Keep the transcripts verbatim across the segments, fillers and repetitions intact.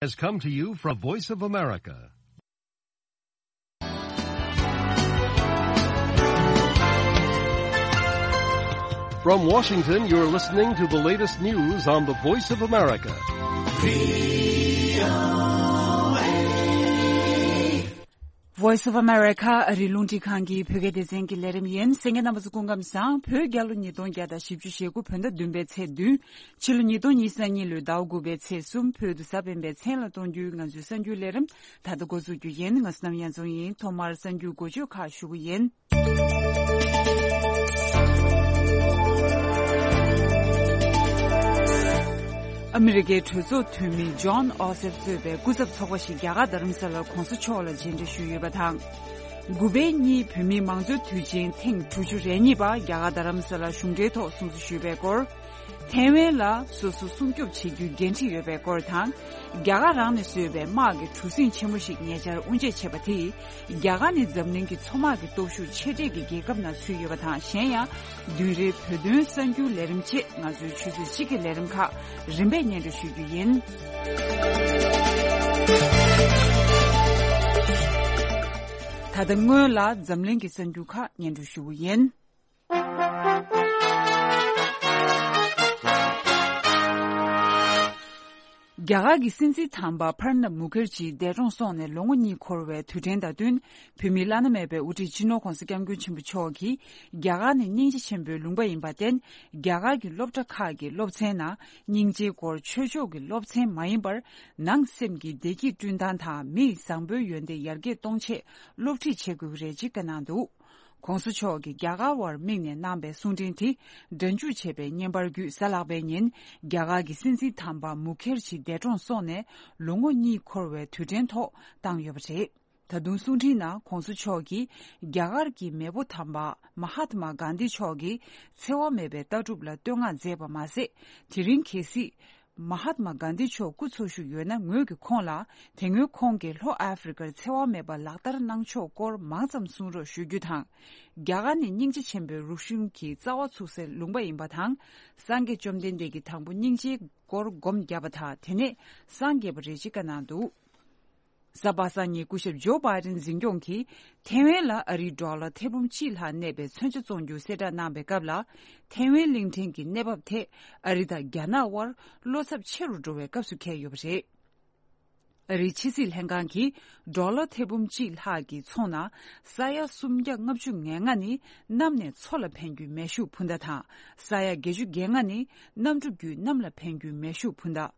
has come to you from Voice of America. From Washington, you're listening to the latest news on the Voice of America. Voice of America ཨ་རིའི་རླུང་འཕྲིན་ཁང་གི་བོད་སྐད་སྡེ་ཚན་གྱི་ལས་རིམ་ཡིན། གསན་མཁན་རྣམ་པ་ཚོ་སྐུ་ཁམས་བཟང་། བོད་རྒྱལ་ལོ་ཉིས་སྟོང་བརྒྱ་དང་བཞི་བཅུ་ཞེ་དགུ་བོད་ཟླ་བདུན་པའི་ཚེས་བདུན། ཕྱི་ལོ་ཉིས་སྟོང་ཉི་ཤུ་རྩ་གཉིས་ལོའི་ཟླ་དགུ་པའི་ཚེས་གསུམ། བོད་དུ་གཟའ་སྤེན་པའི་མཚན་ལ་གཏོང་རྒྱུའི་ང་ཚོའི་གསར་འགྱུར་ལས་རིམ་ད་ལྟ་འགོ་འཛུགས་རྒྱུ་ཡིན། ང་བསོད་ནམས་གཡང་འཛོམས་ཡིན། ཐོག་མར་གསར་འགྱུར་འགོ་བརྗོད་ཁག་ཞུ་གི་ཡིན། ཨ་མི་རི་ཀའི་གྲོས་ཚོགས་འཐུས་མི་ཇོན་ཨོ་སེབ་གཙོས་པའི་སྐུ་ཚབ་ཚོགས་པ་ཞིག་རྒྱ་གར་རྡ་རམ་ས་ལར་༸གོང་ས་མཆོག་ལ་མཇལ་འཕྲད་ཞུས་ཡོད་པ་དང་། དགུ་པའི་གཉིས་བོད་མིའི་མང་གཙོའི་དུས་ཆེན་ཐེངས་དྲུག་ཅུ་རེ་གཉིས་པ་རྒྱ་གར་རྡ་རམ་ས་ལར་གཞུང་འབྲེལ་ཐོག་སྲུང་བརྩི་ཞུས་པའི་སྐོར། ཐའེ་ཝན་ལ་སོ་སོ་སྲུང་སྐྱོབ་བྱེད་རྒྱུའི་འགན་འཁྲི་ཡོད་པའི་སྐོར་དང་། རྒྱ་གར་རང་ནས་བཟོས་པའི་དམག་གི་གྲུ་གཟིངས་ཆེན་མོ་ཞིག་ཉེ་ཆར་དབུ་འབྱེད་བྱས་པ་དེས། རྒྱ་གར་ནི་འཛམ་གླིང་གི་མཚོ་དམག་གི་སྟོབས་ཤུགས་ཆེ་གྲས་ཀྱི་རྒྱལ་ཁབ་ནང་ཚུད་ཡོད་པ་དང་། གཞན་ཡང་། བདུན་རེའི་བོད་དོན་གསར་འགྱུར་ལས་རིམ་བཅས་ང་ཚོའི་ཆུ་ཚོད་གཅིག་གི་ལས་རིམ་ཁག་རིམ་པས་སྙན་སྒྲོན་ཞུ་རྒྱུ་ཡིན། ད་ལྟ་སྔོན་ལ་འཛམ་གླིང་གི་གསར་འགྱུར་ཁག་སྙན་སྒྲོན་ཞུ་རྒྱུ་ཡིན། རྒྱ་གར་གྱི་སྲིད་འཛིན་དམ་པ་པྲ་ནབ་མུ་ཁར་ཇི་འདས་གྲོངས་སོང་ནས་ལོ་ངོ་གཉིས་འཁོར་བའི་དུས་དྲན་དང་བསྟུན། བོད་མིའི་བླ་ན་མེད་པའི་དབུ་ཁྲིད་སྤྱི་ནོར་༸གོང་ས་༸སྐྱབས་མགོན་ཆེན་པོ་མཆོག་གིས་རྒྱ་གར་ནི་སྙིང་རྗེ་ཆེན་པོའི་ལུང་པ་ཡིན་པར་བརྟེན། རྒྱ་གར་གྱི་སློབ་གྲྭ་ཁག་གི་སློབ་ཚན་ནང་སྙིང་རྗེའི་སྐོར་ཆོས་ཕྱོགས་ཀྱི་སློབ་ཚན་མ་ཡིན་པར། ནང་སེམས་ཀྱི་བདེ་སྐྱིད་བསྐྲུན་སྟངས་དང་མིའི་བཟང་པོའི་ཡོན་ཏན་ཡར་རྒྱས་གཏོང་ཆེད་སློབ་ཁྲིད་བྱེད་དགོས་ཀྱི་རེད་ཅེས་བཀའ་གནང་འདུག། ༸གོང་ས་མཆོག་གིས་རྒྱ་གར་བར་དམིགས་ནས་གནང་པའི་གསུང་འཕྲིན་དེ་སྒྲ་འཇུག་བྱས་པའི་བརྙན་པར་བརྒྱུད། གཟའ་ལྷག་པའི་ཉིན་རྒྱ་གར་གྱི་སྲིད་འཛིན་དམ་པ་མུ་ཁེར་ཇི་འདས་གྲོངས་སོང་ནས་ལོ་ངོ་གཉིས་འཁོར་བའི་དུས་དྲན་ཐོག་བཏང་ཡོད་པ་རེད། ད་དུང་གསུང་འཕྲིན་ནང་༸གོང་ས་མཆོག་གིས་རྒྱ་གར་གྱི་མེས་པོ་དམ་པ་མ་ཧཱ་ཏྨ་གྷན་དྷི་མཆོག་གི་འཚེ་བ་མེད་པའི་ལྟ་གྲུབ་ལ་བསྟོད་བསྔགས་མཛད་པ་མ་ཟད། དེ་རིང་གལ་སྲིད། མ་ཧཱ་ཏྨ་གྷན་དྷི་མཆོག་སྐུ་འཚོ་བཞུགས་ཡོད་ན། ངོས་ཀྱིས་ཁོང་ལ་དེ་སྔོན་ཁོང་གིས་ལྷོ་ཨ་ཧྥེ་རི་ཀར་འཚེ་བ་མེད་པར་ལག་བསྟར་གནང་ཕྱོགས་སྐོར་མང་ཙམ་གསུང་རོགས་ཞུ་རྒྱུ་དང་། རྒྱ་གར་ནི་སྙིང་རྗེ་ཆེན་པོའི་རིག་གཞུང་གི་རྩ་བ་ཚུགས་སའི་ལུང་པ་ཡིན་པ་དང་། སངས་རྒྱས་བཅོམ་ལྡན་འདས་ཀྱིས་དང་པོ་སྙིང་རྗེའི་སྐོར་སྒོམ་བརྒྱབ་པ་དང་། དེ་ནས་སངས་རྒྱས་པ་རེད་ཅེས་བཀའ་གནང་འདུག། གཟའ་པ་སངས་ཉིན་སྐུ་ཞབས་ཇོ་བྷའི་ཌེན་འཛིན་སྐྱོང་གིས་ཐའེ་ཝན་ལ་ཨ་རིའི་ཌོ་ལར་ཐེར་འབུམ་གཅིག་ལྷག་གནས་པའི་མཚོན་ཆ་བཙོང་རྒྱུ་གསལ་བསྒྲགས་གནང་པའི་སྐབས་ལ། ཐའེ་ཝན་གླིང་ཕྲན་གྱི་གནས་བབ་ཐད་ཨ་རི་དང་རྒྱ་ནག་དབར་བློ་འཚབ་ཆེ་རུ་འགྲོ་བའི་སྐབས་སུ་འཁེལ་ཡོད་པ་རེད། ཨ་རིའི་ཕྱི་སྲིད་ལྷན་ཁང་གིས་ཌོ་ལར་ཐེར་འབུམ་གཅིག་ལྷག་གི་ཚོང་ནང་ས་ཡ་སུམ་བརྒྱ་ལྔ་བཅུ་ང་ལྔ་ནི་གནམ་ནས་མཚོ་ལ་འཕེན་རྒྱུའི་མེ་ཤུགས་འཕུར་མདའ་དང་། ས་ཡ་བརྒྱད་ཅུ་གྱ་ལྔ་ནི་གནམ་གྲུ་བརྒྱུད་གནམ་ལ་འཕེན་རྒྱུའི་མེ་ཤུགས་འཕུར་མདའ།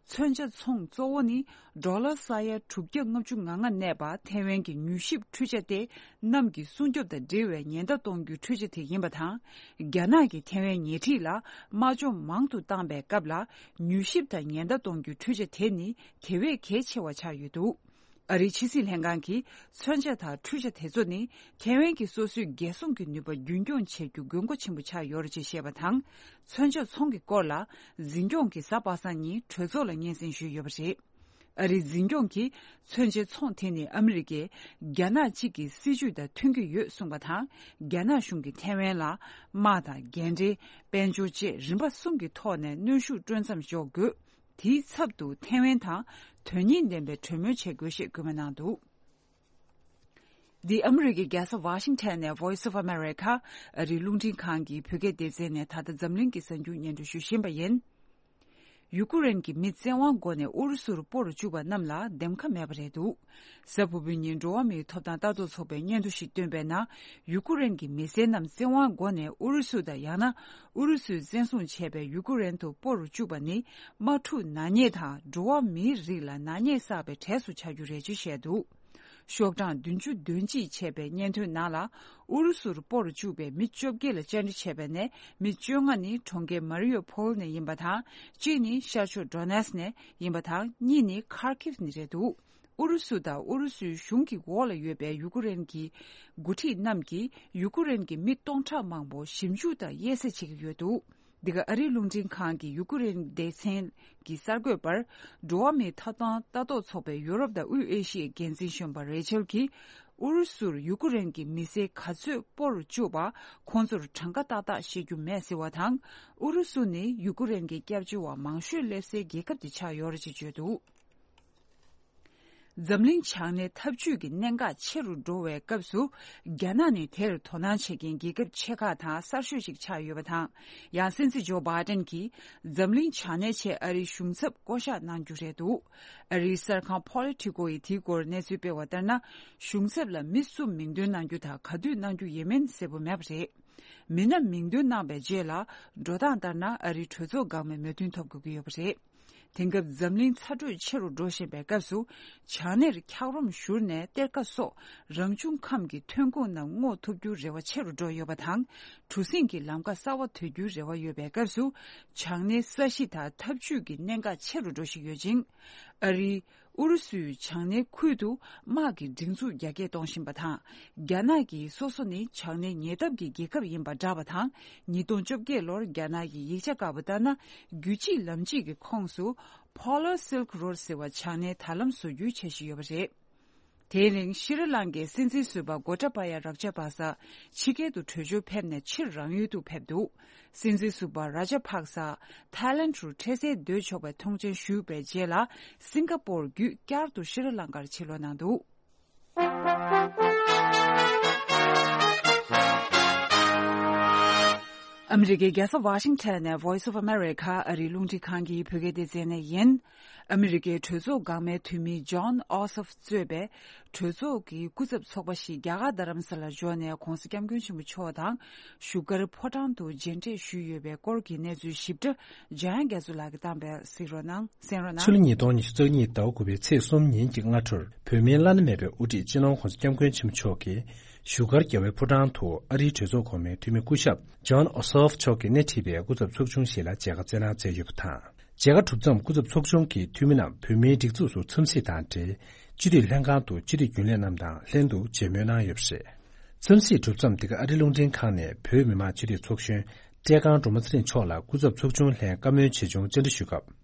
མཚོན་ཆ་ཚོང་གཙོ་བོ་ནི་ཌོ་ལར་ས་ཡ་དྲུག་བརྒྱ་ལྔ་བཅུ་ང་ལྔ་གནས་པ་ཐའེ་ཝན་གྱི་མྱུལ་ཞིབ་འཕྲུལ་ཆ་སྟེ། གནམ་གྱི་སྲུང་སྐྱོབ་དང་འབྲེལ་བའི་ཉེན་བརྡ་གཏོང་རྒྱུའི་འཕྲུལ་ཆ་དེ་ཡིན་པ་དང་། རྒྱ་ནག་གིས་ཐའེ་ཝན་ཉེ་འཁྲིས་ལ་དམག་སྦྱོང་མང་དུ་བཏང་པའི་སྐབས་ལ། མྱུལ་ཞིབ་དང་ཉེན་བརྡ་གཏོང་རྒྱུའི་འཕྲུལ་ཆ་དེ་ནི་དེ་བས་གལ་ཆེ་བ་ཆགས་ཡོད་འདུག། ཨ་རིའི་ཕྱི་སྲིད་ལྷན་ཁང་གིས་མཚོན་ཆ་དང་འཕྲུལ་ཆ་དེ་ཚོ་ནི་ཐའེ་ཝན་གྱི་སོ་སོའི་རྒྱལ་སྲུང་གི་ནུས་པ་རྒྱུན་འཁྱོངས་བྱེད་རྒྱུ་དགོས་མཁོ་ཆེན་པོ་ཆགས་ཡོད་རེད་ཅེས་བཤད་པ་དང་། མཚོན་ཆ་ཚོང་གི་སྐོར་ལ་འཛིན་སྐྱོང་གིས་གཟའ་པ་སངས་ཉིན་གྲོས་ཚོགས་ལ་སྙན་སེང་ཞུས་ཡོད་པ་རེད། ཨ་རིའི་འཛིན་སྐྱོང་གིས་མཚོན་ཆའི་ཚོང་དེ་ནི་ཨ་མི་རི་ཀས་རྒྱ་ནག་གཅིག་གི་སྲིད་ཇུས་དང་མཐུན་གྱི་ཡོད་གསུངས་པ་དང་། རྒྱ་ནག་གཞུང་གིས་ཐའེ་ཝན་ལ་དམག་དང་རྒན་འཁྲིའི་དཔལ་འབྱོར་བཅས་རིམ་པ་གསུམ་གྱི་ཐོག་ནས་གནོན་ཤུགས་སྤྲོད་མཚམས་འཇོག་དགོས། དེའི་ཚབ་ཏུ་ཐའེ་ཝན་དང་དོན་སྙིང་ལྡན་པའི་གྲོས་མོལ་བྱེད་དགོས་ཞེས་སྐུལ་མ་གནང་འདུག། འདི་ཨ་མི་རི་ཀའི་རྒྱལ་ས་ཝ་ཤིང་ཊོན་ནས་Voice of America ཨ་རིའི་རླུང་འཕྲིན་ཁང་གི་བོད་སྐད་སྡེ་ཚན་ནས་ད་ལྟ་འཛམ་གླིང་གི་གསར་འགྱུར་སྙན་སྒྲོན་ཞུ་བཞིན་པ་ཡིན། ཡུ་ཀུ་རེན་གྱི་མི་བཙན་དབང་སྒོ་ནས་ཨུ་རུ་སུར་སྤོ་རུ་བཅུག་པ་རྣམས་ལ་འདེམས་ཁ་མེད་པ་རེད་འདུག། གཟའ་ཕུར་བུའི་ཉིན་འགྲོ་བ་མིའི་ཐོབ་ཐང་ལྟ་རྟོག་ཚོགས་པས་སྙན་ཐོ་ཞིག་བཏོན་པའི་ནང་། ཡུ་ཀུ་རེན་གྱི་མི་སེར་རྣམས་བཙན་དབང་སྒོ་ནས་ཨུ་རུ་སུ་དང་ཡང་ན་ཨུ་རུ་སུས་བཙན་བཟུང་བྱས་པའི་ཡུ་ཀུ་རེན་དུ་སྤོ་རུ་བཅུག་པ་ནི་དམག་འཁྲུག་ནག་ཉེས་དང་འགྲོ་བ་མིའི་རིགས་ལ་ནག་ཉེས་བསགས་པའི་གྲས་སུ་ཆགས་རྒྱུ་རེད་ཅེས་བཤད་འདུག། ཤོག་གྲངས་བདུན་ཅུ་དོན་གཅིག་བྱས་པའི་སྙན་ཐོའི་ནང་ལ། ཨུ་རུ་སུར་སྤོ་རུ་བཅུག་པའི་མི་བཅོ་བརྒྱད་ལ་བཅར་འདྲི་བྱས་པ་ནས་མི་བཅོ་ལྔ་ནི་གྲོང་ཁྱེར་མ་རི་ཡོ་ཕོལ་ནས་ཡིན་པ་དང་། གཅིག་ནི་ཤར་ཕྱོགས་ཌོ་ནེ་སི་ནས་ཡིན་པ་དང་། གཉིས་ནི་ཁར་ཁིབ་ནས་རེད་འདུག། ཨུ་རུ་སུ་དང་ཨུ་རུ་སུའི་གཞུང་གི་འོག་ལ་ཡོད་པའི་ཡུ་ཀུ་རེན་གྱི་འགོ་ཁྲིད་རྣམས་ཀྱིས་ཡུ་ཀུ་རེན་གྱི་མི་སྟོང་ཕྲག་མང་པོ་ཞིབ་འཇུག་དང་དབྱེ་གསེས་བྱེད་ཀྱི་ཡོད་འདུག། འདི་ག་ཨ་རིའི་རླུང་འཕྲིན་ཁང་གི་ཡུ་ཀུ་རེན་སྡེ་ཚན་གྱི་གསར་འགོད་པར། འགྲོ་བ་མིའི་ཐོབ་ཐང་ལྟ་རྟོག་ཚོགས་པའི་ཡུ་རོབ་དང་དབུས་ཨེ་ཤི་ཡའི་འགན་འཛིན་གཞོན་པ་རེ་ཆེལ་གྱིས། ཨུ་རུ་སུར་ཡུ་ཀུ་རེན་གྱི་མི་སེར་ག་ཚོད་སྤོ་རུ་བཅུག་པ་ཁོང་ཚོར་གྲངས་ཀ་ཏག་ཏག་ཤེས་རྒྱུ་མེད་ཟེར་བ་དང་། ཨུ་རུ་སུ་ནི་ཡུ་ཀུ་རེན་གྱི་སྐྱབས་བཅོལ་བ་མང་ཤོས་སླེབས་སའི་རྒྱལ་ཁབ་དེ་ཆགས་ཡོད་རེད་ཅེས་བརྗོད་འདུག། འཛམ་གླིང་བྱང་སྣེའི་འཐབ་ཇུས་ཀྱི་གནད་འགག་ཆེ་རུ་འགྲོ་བའི་སྐབས་སུ། རྒྱ་ནག་ནི་དེར་དོ་སྣང་བྱེད་མཁན་རྒྱལ་ཁབ་ཆེ་ཁག་དང་གསར་ཤོས་ཤིག་ཆགས་ཡོད་པ་དང་། ཡང་སྲིད་འཛིན་ཇོ་བྷའི་ཏན་གྱིས་འཛམ་གླིང་བྱང་སྣེའི་ཆེད་ཨ་རིའི་གཞུང་ཚབ་བསྐོ་གཞག་གནང་རྒྱུ་རེད་འདུག་ཨ་རིའི་གསར་ཁང་Politico་ཡིས་དེའི་སྐོར་གནས་ཚུལ་སྤེལ་བ་ལྟར་ན། གཞུང་ཚབ་ལ་མི་སུ་མིང་འདོན་གནང་རྒྱུ་དང་ག་དུས་གནང་རྒྱུ་ཡིན་མིན་གསལ་པོ་མེད་པ་རེད། མི་སྣ་མིང་འདོན་གནང་པའི་རྗེས་ལ། འགྲོ་སྟངས་ལྟར་ན་ཨ་རིའི་གྲོས་ཚོགས་འགག་མའི་མོས་མཐུན་ཐོབ་དགོས་ཀྱི་ཡོད་པ་རེད། དེང་སྐབས་འཛམ་གླིང་ཚ་དྲོད་ཆེ་རུ་འགྲོ་བཞིན་པའི་སྐབས་སུ། བྱང་སྣེར་འཁྱགས་རོམ་བཞུར་ནས་གཏེར་ཁ་སོགས་རང་བྱུང་ཁམས་ཀྱི་ཐོན་ཁུངས་རྣམས་སྔོག་ཐུབ་རྒྱུར་རེ་བ་ཆེ་རུ་འགྲོ་ཡོད་པ་དང་། གྲུ་གཟིངས་ཀྱི་ལམ་ཁ་གསར་བ་དོད་རྒྱུའི་རེ་བ་ཡོད་པའི་སྐབས་སུ། བྱང་སྣེའི་ས་གཞི་དང་འཐབ་ཇུས་ཀྱི་གནད་འགག་ཆེ་རུ་འགྲོ་བཞིན་ཡོད་ཅིང་། ཨ་རིའི་ཨུ་རུ་སུའི་བྱང་སྣེའི་ཁུལ་དུ་དམག་གི་སྒྲིག་འཛུགས་རྒྱ་སྐྱེད་གཏོང་བཞིན་པ་དང་། རྒྱ་ནག་གིས་སོ་སོ་ནི་བྱང་སྣེའི་ཉེ་འདབས་ཀྱི་རྒྱལ་ཁབ་ཡིན་པ་བསྒྲགས་པ་དང་། ཉིས་སྟོང་བཅོ་བརྒྱད་ལོར་རྒྱ་ནག་གིས་ཡིག་ཆ་བཀར་བ་ལྟར་ན། རྒྱུད་གཅིག་ལམ་གཅིག་གི་ཁོངས་སུ། Polar Silk Road ཟེར་བ་བྱང་སྣེའི་དར་ལམ་བཟོ་རྒྱུའི་འཆར་གཞི་ཡོད་པ་རེད། དེའི་རིང་ཤྲི་ལང་ཀའི་སྲིད་འཛིན་ཟུར་པ་གོ་ཏཱ་པ་ཡ་རཱ་ཇ་པག་ས་ཕྱི་རྒྱལ་དུ་བྲོས་བྱོལ་ཕེབས་ནས་ཕྱིར་རང་ཡུལ་དུ་ཕེབས་འདུག་སྲིད་འཛིན་ཟུར་པ་རཱ་ཇ་པག་ས་ཐའི་ལེན་ཌ་རུ་འཕྲལ་སེལ་སྡོད་ཆོག་པའི་ཐོངས་མཆན་ཞུས་པའི་རྗེས་ལ། སིང་ག་པོར་བརྒྱུད་བསྐྱར་དུ་ཤྲི་ལང་ཀར་ཕྱིར་ལོག་གནང་འདུག་ཨ་མི་རི་ཀའི་རྒྱལ་ས་ཝ་ཤིང་ཊོན་ནས་Voice of America ཨ་རིའི་རླུང་འཕྲིན་ཁང་གི་བོད་སྐད་སྡེ་ཚན་ནས་ཡིན། ཨ་མི་རི་ཀའི་གྲོས་ཚོགས་འགག་མའི་འཐུས་མི་ཇོན་ཨོ་སོབ་གཙོས་པའི་གྲོས་ཚོགས་ཀྱི་སྐུ་ཚབ་ཚོགས་པ་ཞིག་རྒྱ་གར་རྡ་རམ་ས་ལར་འབྱོར་ནས་༧གོང་ས་༧སྐྱབས་མགོན་ཆེན་པོ་མཆོག་དང་བཞུགས་སྒར་ཕོ་བྲང་དུ་མཇལ་འཕྲད་ཞུས་ཡོད་པའི་སྐོར་གྱི་གནས་ཚུལ་ཞིབ་ཕྲ་འཇམ་དབྱངས་རྒྱ་མཚོ་ལགས་ཀྱིས་བཏང་པས་གཟིགས་རོགས་གནང་། གསན་རོགས་གནང་། ཕྱི་ལོ་ཉིས་སྟོང་ཉི་ཤུ་རྩ་གཉིས་ཟླ་བ་དགུ་པའི་ཚེས་གསུམ་ཉིན་གྱི་སྔ་དྲོར་བོད་མིའི་བླ་ན་མེད་པའི་དབུ་ཁྲིད་སྤྱི་ནོར་༧གོང་ས་༧སྐྱབས་མགོན་ཆེན་པོ་མཆོག་གིས་བཞུགས་སྒར་རྒྱལ་བའི་ཕོ་བྲང་དུ་ཨ་རིའི་གྲོས་ཚོགས་གོང་མའི་འཐུས་མི་སྐུ་ཞབས་ཇོན་ཨོ་སོབ་མཆོག་གིས་སྣེ་ཁྲིད་པའི་སྐུ་ཚབ་ཚོགས་ཆུང་ཞིག་ལ་མཇལ་ཁ་བསྩལ་གནང་མཛད་ཡོད་པ་དང་། མཇལ་ཁ་གྲུབ་མཚམས་སྐུ་ཚབ་ཚོགས་ཆུང་གི་འཐུས་མི་རྣམས་བོད་མིའི་སྒྲིག་འཛུགས་སུ་འཚམས་གཟིགས་དང་འབྲེལ། སྤྱི་འཐུས་ལྷན་ཁང་དུ་སྤྱི་འཐུས་རྒྱུན་ལས་རྣམས་དང་ལྷན་དུ་མཇལ་མོལ་གནང་ཡོད་པ་རེད། འཚམས་གཟིགས་གྲུབ་མཚམས་འདི་ག་ཨ་རི་རླུང་འཕྲིན་ཁང་ནས་བོད་མི་མང་སྤྱི་འཐུས་ཚོགས་གཞོན་བཀྲས་ཁང་སྒྲོལ་མ་ཚེ་རིང་མཆོག་ལ་སྐུ་ཚབ་ཚོགས་ཆུང་ལྷན་བཀའ་མོལ་ཆེ་ཆུང་བཅར་འདྲི་ཞུས་སྐབས།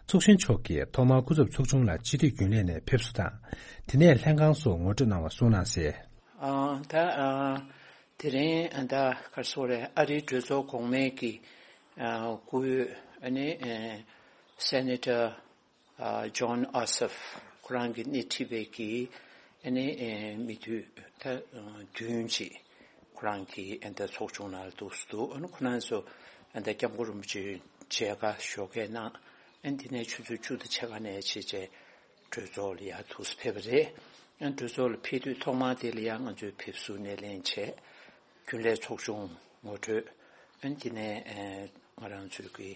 ཚོགས་གཞོན་མཆོག་གིས་ཐོག་མར་སྐུ་ཚབ་ཚོགས་ཆུང་ལ་སྤྱི་འཐུས་རྒྱུན་ལས་ནས་ཕེབས་བསུ་དང་། དེ་ནས་ལྷན་ཁང་སོགས་ངོ་སྤྲོད་གནང་བ་གསུངས་གནང་གསལ། ཨ། ད་ཨ། དེ་རིང་ཨ་ད་ག་རེ་ཟེར་དགོས་རེད། ཨ་རིའི་གྲོས་ཚོགས་གོང་མའི་གི་ཨ་སྐུ་ཨ་ནི་ཨ་སེ་ནེ་ཊར་ཨ་ཇོན་ཨོ་སོབ་ཁོ་རང་གི་སྣེ་ཁྲིད་པའི་གི་ཨ་ནི་ཨ་མི་འཐུས་ད་བདུན་ཅིག་ཁོ་རང་གི་ཨ་ད་ཚོགས་ཆུང་ནང་ལ་འདུག་སེ་འདུག་ཨ་ནི་ཁོ་རང་ཚོ་ཨ་ད་སྐྱབས་མགོན་རིན་པོ་ཆེ་མཇལ་ཁ་ཞོགས་ཀས་གནང་། ཨ་ནི་དེ་ནས་ཆུ་ཚོད་བཅུ་དང་ཕྱེད་ཀ་ནས་བྱས་རྗེས། གྲོས་ཚོགས་ལ་ཡར་འདུག་སེ་ཕེབས་པ་རེད། ཡང་གྲོས་ཚོགས་ལ་ཕེབས་དུས་ཐོག་མར་དེ་ལ་ཡང་ང་ཚོས་ཕེབས་བསུ་སྣེ་ལེན་བྱས། རྒྱུན་ལས་ཚོགས་ཆུང་ངོ་སྤྲོད། ཨ་ནི་དེ་ནས་ཨ་ང་རང་ཚོའི་གི་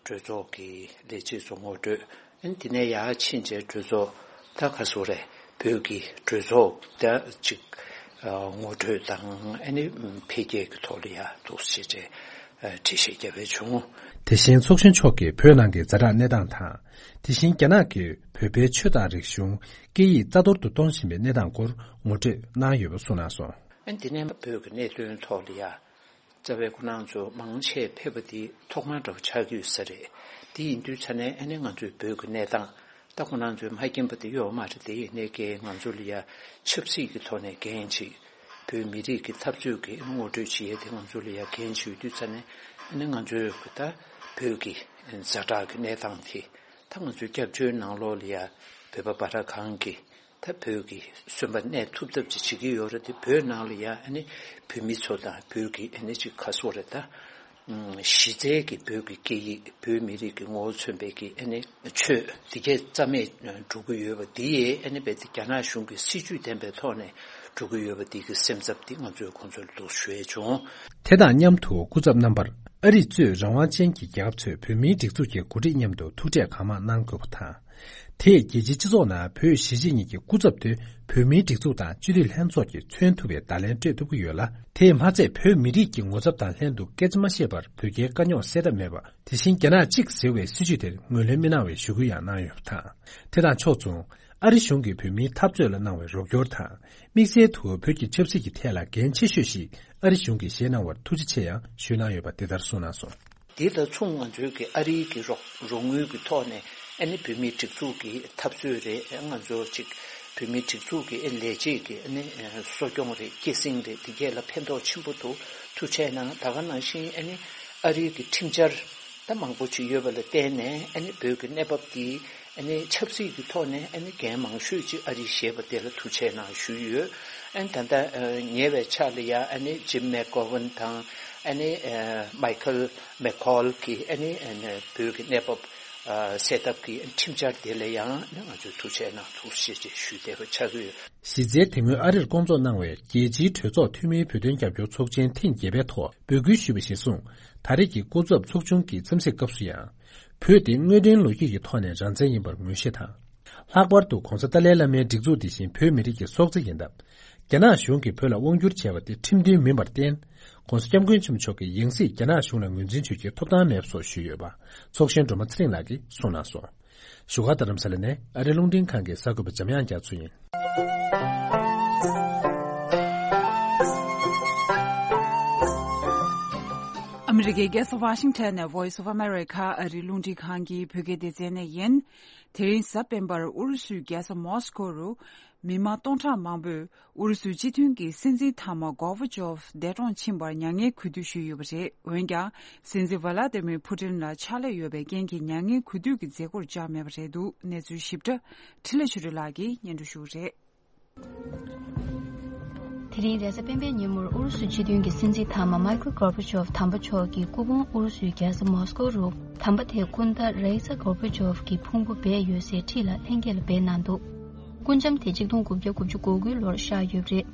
གྲོས་ཚོགས་ཀྱི་ལས་བྱེད་ཚོ་ངོ་སྤྲོད། ཨ་ནི་དེ་ནས་ཡར་ཕྱིན་རྗེས་གྲོས་ཚོགས་ད་ག་རེ་ཟེར་དགོས་རེད། བོད་ཀྱི་གྲོས་ཚོགས་ད་ཅིག་ཨ་ངོ་སྤྲོད་དང་ཨ་ནི་འཕེལ་རྒྱས་ཀྱི་ཐོག་ལ་ཡར་འདུག་སེ་བྱས་རྗེས་ཨ་འགྲེལ་བཤད་བརྒྱབ་པ་བྱུང་། དེ་བཞིན་ཚོགས་གཞོན་མཆོག་གིས་བོད་ནང་གི་ཛ་དྲག་གནས་སྟངས་དང་། དེ་བཞིན་རྒྱ་ནག་གིས་བོད་པའི་ཆོས་དང་རིག་གཞུང་། སྐད་ཡིག་རྩ་གཏོར་དུ་གཏོང་བཞིན་པའི་གནས་སྟངས་སྐོར་ངོ་སྤྲོད་གནང་ཡོད་པ་གསུངས་གནང་སོང་། ཨ་ནི་དེ་ནས་བོད་ཀྱི་གནད་དོན་ཐོག་ལ་ཡ། རྩ་བའི་ཁོ་རང་ཚོ་མང་ཆེ་ཕེབས་པ་འདི་ཐོག་མ་འདྲ་བོ་ཆགས་ཀྱི་ཡོད་ས་རེད། དེ་ཡིན་དུས་ཙ་ནས་ཨ་ནི་ང་ཚོའི་བོད་ཀྱི་གནས་སྟངས་ད་ཁོ་རང་ཚོས་མ་མཁྱེན་པ་དེ་ཡོད་མ་རེད། དེ་ཡིན་ནའི་ཀྱེ་ང་ཚོ་ལ་ཡ་ཆབ་སྲིད་ཀྱི་ཐོག་ནས་འགན་ཅིག་བོད་མི་རིགས་ཀྱི་འཐབ་རྩོད་ཀྱི་ངོ་སྤྲོད་བྱེད་ཡས་དེ་ང་ཚོ་ལ་ཡ་འགན་ཅིག་ཡོད་དུས་ཙ་ནས་ཨ་ནི་ང་ཚོས་ད་བོད་ཀྱི་ཛ་དྲག་གི་གནས་སྟངས་དེ། ད་ང་ཚོའི་སྐྱབས་བཅོལ་ནང་ལོགས་ལ་ཡ་བོད་པ་བར་གང་གི་ད་བོད་ཀྱི་སོན་པ་གནས་ཐུབ་ཐབས་ཅིག་བྱེད་ཀྱི་ཡོད་རེད་དེ། བོད་ནང་ལ་ཡ་ཨ་ནི་བོད་མི་ཚོ་དང་བོད་ཀྱི་ཨ་ནི་ཅིག་ག་རེ་ཟེར་དགོས་རེད། ད་གཞི་རྩའི་གི་བོད་ཀྱི་སྐད་ཡིག་བོད་མི་རིགས་ཀྱི་ངོ་བོ་མཚོན་པའི་གི་ཨ་ནི་ཆོས་འདི་གས་རྩ་མེད་འགྲོ་གི་ཡོད་པ་འདི་ཡས་ཨ་ནི་རྦད་དེ་རྒྱ་ནག་གཞུང་གི་སྲིད་ཇུས་ལྡན་པའི་ཐོག་ནས་འགྲོ་གི་ཡོད་པ་འདི་གི་སེམས་འཚབ་འདི་ང་ཚོས་ཁོང་ཚོ་ལ་འདུག་ཞུ་ཡས་བྱུང་། དེ་དང་མཉམ་དུ་སྐུ་ཚབ་རྣམ་པར། ཨ་རི་གཙོས་རང་དབང་ཅན་གྱི་རྒྱལ་ཁབ་ཚོས་བོད་མིའི་སྒྲིག་འཛུགས་ཀྱི་འགོ་ཁྲིད་མཉམ་དུ་ཐུག་འཕྲད་གང་མང་གནང་དགོས་པ་དང་། དེས་རྒྱལ་སྤྱིའི་སྤྱི་ཚོགས་ནང་བོད་གཞིས་བྱེས་གཉིས་ཀྱི་སྐུ་ཚབ་དེ་བོད་མིའི་སྒྲིག་འཛུགས་དང་སྤྱི་འཐུས་ལྷན་ཚོགས་ཀྱིས་མཚོན་ཐུབ་པའི་བརྡ་ལན་སྤྲོད་ཐུབ་ཀྱི་ཡོད་ལ། དེས་མ་ཚད་བོད་མི་རིགས་ཀྱི་ངོ་ཚབ་དང་ལྷན་དུ་སྐད་ཆ་མ་བཤད་པར་བོད་རྒྱའི་དཀའ་རྙོག་སེལ་ཐབས་མེད་པ། དེ་བཞིན་རྒྱ་ནག་གཅིག་ཟེར་བའི་སྲིད་བྱུས་དེར་ངོས་ལེན་མི་གནང་བའི་ཞུ་སྐུལ་ཡང་གནང་ཡོད་པ་དང་། དེ་དང་ཕྱོགས་མཚུངས། ཨ་རི་གཞུང་གིས་བོད་མིའི་འཐབ་རྩོད་ལ་གནང་བའི་རོགས་སྐྱོར་དང་། དམིགས་བསལ་དུ་བོད་ཀྱི་ཆབ་སྲིད་ཀྱི་ཐད་ལ་འགན་ཆེ་ཤོས་ཤིག་ཨ་རི་གཞུང་གིས་བཞེས་གནང་བར་ཐུགས་རྗེ་ཆེ་ཡང་ཞུས་གནང་ཡོད་པ་འདི་ལྟར་གསུངས་གནང་སོང་། འདི་ལ་མཚུངས་ང་ཚོའི་གི་ཨ་རིའི་གི་རོགས་རོགས་དངུལ་གི་ཐོག་ནས་ཨ་ནི་བོད་མིའི་སྒྲིག་འཛུགས་ཀྱི་འཐབ་རྩོད་རེད། ང་ཚོ་ཅིག་བོད་མིའི་སྒྲིག་འཛུགས་ཀྱི་ཨ་ལས་བྱེད་ཀྱི་ཨ་ནི་གསོ་སྐྱོང་རེད། སྐྱེད་སྲིང་རེད། འདི་གས་ལ་ཕན་ཐོགས་ཆེན་པོ་འདུག་ཐུགས་རྗེ་གནང་། ད་ག་ནང་བཞིན་ཨ་ནི་ཨ་རིའི་གི་ཁྲིམས་འཆར་ད་མང་པོ་ཅིག་ཡོད་པ་ལ་བརྟེན་ནས་ཨ་ནི་བོད་ཀྱི་གནས་བབ་འདི་ ཨ་ནི་ཆབ་སྲིད་ཀྱི་ཐོག་ནས་ཨ་ནི་འགན་མང་ཤོས་ཅིག་ཨ་རིས་བཞེས་པ་དེ་ལ་ཐུགས་རྗེ་གནང་ཞུས་ཡོད། ཨ་ནི་ད་ལྟ་ཨ་ཉེ་བའི་ཆར་ལ་ཡང་ཨ་ནི་ཇིམ་མེག་གོ་ཝན་དང་ཨ་ནི་ཨ་མའི་ཁལ་མེག་ཁོལ་གྱིས་ཨ་ནི་ཨ་ནི་བོད་ཀྱི་གནས་བབ་ཨ་སེལ་ཐབས་ཀྱི་ཁྲིམས་འཆར་དེ་ལ་ཡང་ཨ་ནི་ང་ཚོས་ཐུགས་རྗེ་གནང་ཐུགས་རྗེ་ཆེ་ཞུ་བདེ་བ་ཆགས་ཀྱི་ཡོད། གཞི་རྩའི་དེ་སྔོན་ཨ་རིར་སྐོང་ཚོགས་གནང་བའི་རྒྱལ་སྤྱིའི་གྲོས་ཚོགས་འཐུས་མིའི་བོད་དོན་རྒྱབ་སྐྱོར་ཚོགས་ཆེན་ཐེངས་བརྒྱད་པའི་ཐོག་འབོད་སྐུལ་ཞུས་པ་གཞིར་བཟུང་། ད་རེས་ཀྱི་སྐུ་ཚབ་ཚོགས་ཆུང་གི་འཚམས་གཟིགས་སྐབས་སུ་ཡང་། བོད་དེ་དངོས་དོན་ལོ་རྒྱུས་ཀྱི་ཐོག་ནས་རང་བཙན་ཡིན་པར་ངོས་བཞེས་དང་། ལྷག་པར་དུ་༧གོང་ས་ཏཱ་ལའི་བླ་མའི་སྒྲིག་འཛུགས་འདི་བཞིན་བོད་མི་རིགས་ཀྱི་སྲོག་རྩ་ཡིན་སྟབས། རྒྱ་ནག་གཞུང་གིས་བོད་ལ་དབང་བསྒྱུར་བྱས་པ་དེ་ཁྲིམས་མཐུན་མིན་པར་བརྟེན། ྋགོང་ས་ྋསྐྱབས་མགོན་ཆེན་པོ་མཆོག་གིས་ཡང་སྲིད་རྒྱ་ནག་གཞུང་ལ་ངོས་འཛིན་བྱེད་རྒྱུའི་ཐོབ་ཐང་མེད་པ་སོགས་ཞུས་ཡོད་པ། ཚོགས་གཞོན་སྒྲོལ་མ་ཚེ་རིང་ལགས་ཀྱིས་གསུངས་གནང་སོང་། བཞུགས་སྒར་རྡ་རམ་ས་ལ་ནས་ཨ་རིའི་རླུང་འཕྲིན་ཁང་གི་གསར་འགོད་པ་འཇམ་དབྱངས་རྒྱ་མཚོ་ཡིན། ཨ་མི་རི་ཀའི་རྒྱལ་ས་ཝ་ཤིང་ཊོན་ནས་Voice of America ཨ་རིའི་རླུང་འཕྲིན་ཁང་གི་བོད་སྐད་སྡེ་ཚན་ནས་ཡིན། དེ་རིང་གཟའ་སྤེན་པར་ཨུ་རུ་སུའི་རྒྱལ་ས་མོ་སི་ཀོ་རུ་མི་མང་སྟོང་ཕྲག་མང་པོས་ཨུ་རུ་སུའི་སྤྱི་མཐུན་གྱི་སྲིད་འཛིན་མཐའ་མ་གོར་བྷ་ཅོབ་འདས་གྲོངས་ཕྱིན་པར་མྱ་ངན་གུས་འདུད་ཞུས་ཡོད་པ་རེད། འོན་ཀྱང་། སྲིད་འཛིན་ཝ་ལ་ཏི་མིར་ཕུ་ཏིན་ལ་ཕྱག་ལས་ཡོད་པའི་རྐྱེན་གྱིས་མྱ་ངན་གུས་འདུད་ཀྱི་མཛད་སྒོར་བཅར་མེད་པ་རེད་འདུག་གནས་ཚུལ་ཞིབ་ཕྲ་འཕྲིན་ལས་ཆོས་སྒྲོན་ལགས་ཀྱིས་སྙན་སྒྲོན་ཞུ་གི་རེད། དེ་རིང་རེས་གཟའ་སྤེན་པའི་ཉིན་མོར་ཨུ་རུ་སུའི་སྤྱི་མཐུན་གྱི་སྲིད་འཛིན་མཐའ་མ་མའི་ཁལ་གོར་བྷ་ཅོབ་དམ་པ་མཆོག་གི་སྐུ་ཕུང་ཨུ་རུ་སུའི་རྒྱལ་ས་མོ་སི་ཀོ་རུ། དམ་པ་དེའི་སྐུ་ཟླ་ར་ཨི་ས་གོར་བྷ་ཅོབ་ཀྱི་ཕུང་པོ་སྦས་ཡོད་སའི་འཁྲིས་ལ་ལྷན་རྒྱས་ལ་སྦས་གནང་འདུག་སྐུ་འཇམ་དེ་ཆིག་སྟོང་དགུ་བརྒྱ་དགུ་བཅུ་གོ་དགུའི་ལོར་གཤེགས་ཡོད་པ་རེད།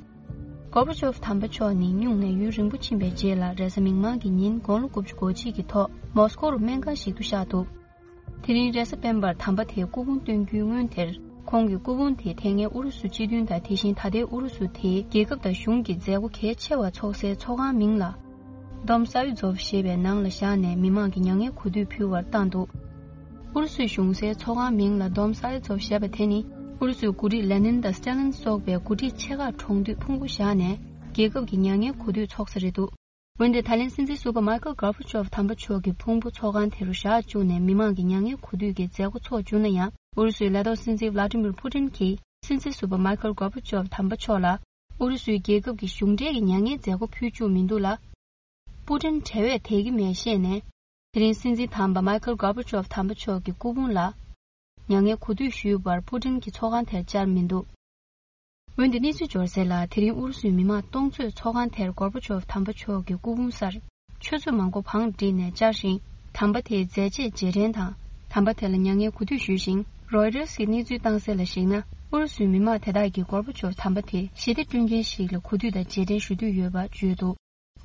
གོར་བྷ་ཅོབ་དམ་པ་མཆོག་ནི་སྨྱུང་གནས་ཡུན་རིང་པོ་ཕྱིན་པའི་རྗེས་ལ་རེས་གཟའ་མིག་དམར་གྱི་ཉིན་དགུང་ལོ་དགུ་བཅུ་གོ་གཅིག་གི་ཐོག་མོ་སི་ཀོ་རུ་སྨན་ཁང་ཞིག་ཏུ་གཤེགས་འདུག་དེ་རིང་རེས་གཟའ་སྤེན་པར་དམ་པ་དེའི་སྐུ་ཕུང་བཏོན་རྒྱུའི་སྔོན་དེར། ཁོང་གི་སྐུ་ཕུང་དེ་དེ་སྔའི་ཨུ་རུ་སུ་སྤྱི་མཐུན་དང་དེ་བཞིན་ད་ལྟའི་ཨུ་རུ་སུ་དེའི་རྒྱལ་ཁབ་དང་གཞུང་གི་མཛད་སྒོ་གལ་ཆེ་བ་ཚོགས་སའི་ཚོགས་ཁང་མིང་ལ། Dom Saryzov ཞེས་པའི་ནང་ལ་བཞག་ནས་མི་མང་གི་མྱ་ངན་གུས་འདུད་ཕུལ་བར་བཏང་འདུག་ཨུ་རུ་སུའི་གཞུང་སའི་ཚོགས་ཁང་མིང་ལ་Dom Saryzov ཞེས་པ་དེ་ནི། ཨུ་རུ་སུའི་འགོ་ཁྲིད་ལེ་ནིན་དང་སི་ཏཱ་ལིན་སོགས་པའི་འགོ་ཁྲིད་ཆེ་ཁག་གྲོངས་དུས་ཕུང་པོ་བཞག་ནས། རྒྱལ་ཁབ་ཀྱི་མྱ་ངན་གུས་འདུད་ཚོགས་ས་རེད་འདུག་འོན་ཏེ་ད་ལན་སྲིད་འཛིན་ཟུར་པ་མའི་ཁལ་གོར་བྷ་ཅོབ་དམ་པ་མཆོག་གི་ཕུང་པོ་ཚོགས་ཁང་དེ་རུ་བཞག་བཅུག་ནས་མི་མང་གི་མྱ་ངན་གུས་འདུད་ཀྱི་མཛད་སྒོ་འཚོགས་བཅུག་ན་ཡང་། ཨུ་རུ་སུའི་ལས་ཐོག་སྲིད་འཛིན་ཝ་ལ་ཏི་མིར་ཕུ་ཏིན་གྱིས་སྲིད་འཛིན་ཟུར་པ་མའི་ཁལ་གོར་བྷ་ཅོབ་དམ་པ་མཆོག་ལ། ཨུ་རུ་སུའི་རྒྱལ་ཁབ་ཀྱི་གཞུང་འབྲེལ་གྱི་མྱ་ངན་མཛད་སྒོ་ཕུལ་བཅུག་མི་འདུག་ལ། ཕུ་ཏིན་བྲེལ་བས་དལ་གྱི་མེད་བཤད་ནས། དེ་རིང་སྲིད་འཛིན་དམ་པ་མའི་ཁལ་གོར་བྷ་ཅོབ་དམ་པ་མཆོག་གི་སྐུ་ཕུང་ལ། མྱ་ངན་གུས་འདུད་ཞུས་པར་ཕུ་ཏིན་གྱི་ཚོགས་ཁང་དེར་བཅར་མི་འདུག་འོན་ཏེ་གནས་ཚུལ་འབྱོར་གསལ་ལ། དེ་རིང་ཨུ་རུ་སུའི་མི་མང་སྟོང་ཚོས་ཚོགས་ཁང་དེར་གོར་བྷ་ཅོབ་དམ་པ་མཆོག་གི་སྐུ་ཕུང་སར་ཆུ་ཚོད་མང་པོ་བང་བསྒྲིགས་ནས་བཅར་ཞིང་། དམ་པ་དེའི་མཛད་རྗེས་རྗེས་དྲན་དང་། དམ་པ་དེ་ལ་མྱ་ངན་གུས་འདུད་ཞུས་ཤིང་། རོའི་ཊར་གྱི་གནས་ཚུལ་བཏང་གསལ་ལ་གཞིགས་ན། ཨུ་རུ་སུའི་མི་མང་དེ་དག་གིས་གོར་བྷ་ཅོབ་དམ་པ་དེ་ཞི་བདེ་བསྐྲུན་མཁན་ཞིག་ལ་གུས་འདུད་དང་རྗེས་དྲན་ཞུ་འདོད་ཡོད་པ་བརྗོད་འདུག་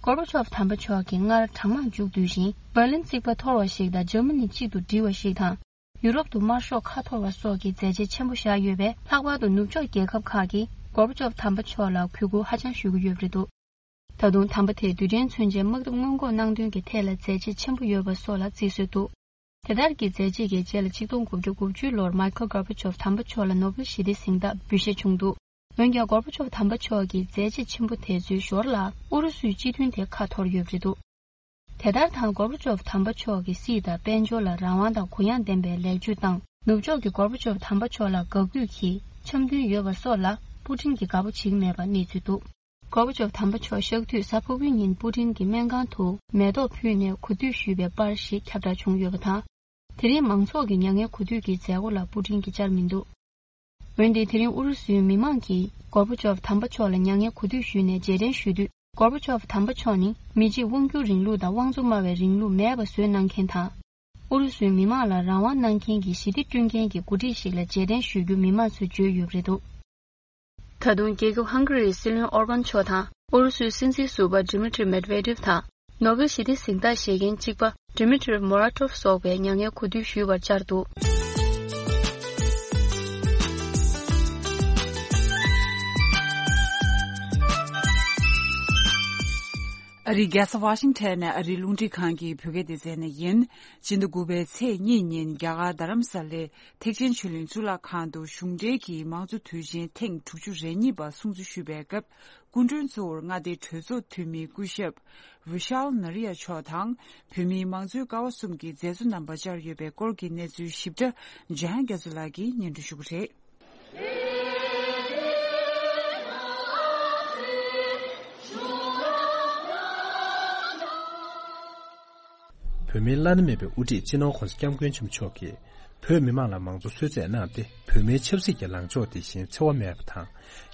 གོར་བྷ་ཅོབ་དམ་པ་མཆོག་གིས་སྔར་གྲང་དམག་མཇུག་བསྡུས་ཤིང་། འབར་ལིན་རྩིག་པ་འཐོར་བ་ཞིག་དང་འཇར་མ་ནི་གཅིག་ཏུ་སྒྲིལ་བ་ཞིག་དང་། ཡུ་རོབ་ཏུ་དམར་ཤོག་ཁ་འཐོར་བ་སོགས་ཀྱི་མཛད་རྗེས་ཆེན་པོ་བཞག་ཡོད་པས། ལྷག་པར་དུ་ནུབ་ཕྱོགས་རྒྱལ་ཁབ་ཁག་གིས་གོར་བྷ་ཅོབ་དམ་པ་མཆོག་ལ་གུས་བཀུར་ཧ་ཅང་ཞུ་གི་ཡོད་པ་རེད་འདུག་ད་དུང་དམ་པ་དེས་རྡུལ་ཕྲན་མཚོན་ཆའི་དམག་འཐབ་སྔོན་འགོག་གནང་དོན་གྱི་ཐད་ལ་མཛད་རྗེས་ཆེན་པོ་ཡོད་པ་སོགས་ལ་བརྩི་སྲོལ་འདུག་དེ་ལྟར་གྱི་མཛད་རྗེས་ཀྱི་རྗེས་ལ་ཆིག་སྟོང་དགུ་བརྒྱ་དགུ་བཅུ་ལོར་མའི་ཁལ་གོར་བྷ་ཅོབ་དམ་པ་མཆོག་ལ་ནོ་བེལ་ཞི་བདེའི་གཟེངས་རྟགས་འབུལ་བཞེས་བྱུང་འདུག་འོན་ཀྱང་གོར་བྷ་ཅོབ་དམ་པ་མཆོག་གི་མཛད་རྗེས་ཆེན་པོ་དེ་ཚོའི་ཞོར་ལ་ཨུ་རུ་སུའི་སྤྱི་མཐུན་དེ་ཁ་འཐོར་ཡོད་པ་རེད་འདུག་དེ་ལྟར་དང་གོར་བྷ་ཅོབ་དམ་པ་མཆོག་གིས་སྲིད་དང་དཔལ་འབྱོར་ལ་རང་དབང་དང་གུ་ཡངས་ལྡན་པའི་ལེགས་བཅོས་དང་། ནུབ་ཕྱོགས་ཀྱིས་གོར་བྷ་ཅོབ་དམ་པ་མཆོག་ལ་དགའ་གུས་ཀྱི་འཆམ་མཐུན་ཡོད་པ་སོགས་ལ་པུ་ཏིན་གྱིས་དགའ་པོ་བྱེད་ཀྱི་མེད་པ་གནས་ཚུལ་འདུག་གོར་བྷ་ཅོབ་དམ་པ་མཆོག་གཤེགས་དུས་གཟའ་ཕུར་བུའི་ཉིན་པུ་ཏིན་གྱིས་སྨན་ཁང་དུ་མེ་ཏོག་ཕུལ་ནས་གུས་འདུད་ཞུས་པའི་པར་ཞིག་ཁྱབ་བསྒྲགས་བྱུང་ཡོད་པ་དང་། དེ་རིང་མང་ཚོགས་ཀྱི་མྱ་ངན་གུས་འདུད་ཀྱི་མཛད་སྒོ་ལ་པུ་ཏིན་གྱིས་བཅར་མི་འདུག་འོན་ཏེ་དེ་རིང་ཨུ་རུ་སུའི་མི་མང་གིས་གོར་བྷ་ཅོབ་དམ་པ་མཆོག་ལ་མྱ་ངན་གུས་འདུད་ཞུས་ནས་རྗེས་དྲན་ཞུ་དུས། གོར་བྷ་ཅོབ་དམ་པ་མཆོག་ནི་མི་གཅིག་དབང་སྒྱུར་རིང་ལུགས་དང་དབང་གཙོ་སྨྲ་བའི་རིང་ལུགས་མེད་པ་བཟོས་གནང་མཁན་དང་། ཨུ་རུ་སུའི་མི་མང་ལ་རང་དབང་གནང་མཁན་གྱི་ཞི་བདེ་བསྐྲུན་མཁན་གྱི་འགོ་ཁྲིད་ཞིག་ལ་རྗེས་དྲན་ཞུ་རྒྱུ་མི་མང་ཚོས་བརྗོད་ཡོད་པ་རེད་འདུག་ད་དུང་རྒྱལ་ཁབ་ཧང་ག་རིའི་སྲིད་བློན་ཨོར་བན་མཆོག་དང་ཨུ་རུ་སུའི་སྲིད་འཛིན་ཟུར་པ་ཌི་མི་ཊི་མེད་ཝེ་ཌེབ་དང་། ནོ་བེལ་ཞི་བདེ་གཟེངས་རྟགས་བཞེས་མཁན་གཅིག་པ་ཌི་མི་ཊི་མོ་ར་ཊོབ་སོགས་པས་མྱ་ངན་གུས་འདུད་ཞུས་པར་བཅར་འདུག་ཨ་རིའི་རྒྱལ་ས་ཝ་ཤིང་ཊོན་ནས་ཨ་རིའི་རླུང་འཕྲིན་ཁང་གི་བོད་སྐད་སྡེ་ཚན་ནས་ཡིན། སྤྱི་ཟླ་དགུ་པའི་ཚེས་གཉིས་ཉིན་རྒྱ་གར་རྡ་རམ་ས་ལའི་ཐེག་ཆེན་ཆོས་གླིང་གཙུག་ལག་ཁང་དུ་གཞུང་འབྲེལ་གྱི་མང་གཙོ་དུས་ཆེན་ཐེངས་དྲུག་ཅུ་རེ་གཉིས་པ་སྲུང་བརྩི་ཞུས་པའི་སྐབས། སྐུ་མགྲོན་གཙོ་བོར་མངའ་སྡེའི་གྲོས་ཚོགས་འཐུས་མི་སྐུ་ཞབས་ཝི་ཤཱལ་ནཱ་རི་ཡ་མཆོག་དང་། བོད་མིའི་མང་གཙོའི་ཀ་བ་གསུམ་གྱི་མཛད་གཙོ་རྣམ་པ་བཅར་ཡོད་པའི་སྐོར་གྱི་གནས་ཚུལ་ཞིབ་ཕྲ་འཇམ་དབྱངས་རྒྱ་མཚོ་ལགས་ཀྱིས་སྙན་སྒྲོན་ཞུ་གི་རེད། བོད་མིའི་བླ་ན་མེད་པའི་དབུ་ཁྲིད་སྤྱི་ནོར་༧གོང་ས་༧སྐྱབས་མགོན་ཆེན་པོ་མཆོག་གིས་ བོད་མི་མང་ལ་མང་གཙོ་གསོལ་སྩལ་གནང་སྟེ། བོད་མིའི་ཆབ་སྲིད་ཀྱི་ལངས་ཕྱོགས་དེ་བཞིན་འཚེ་བ་མེད་པ་དང་།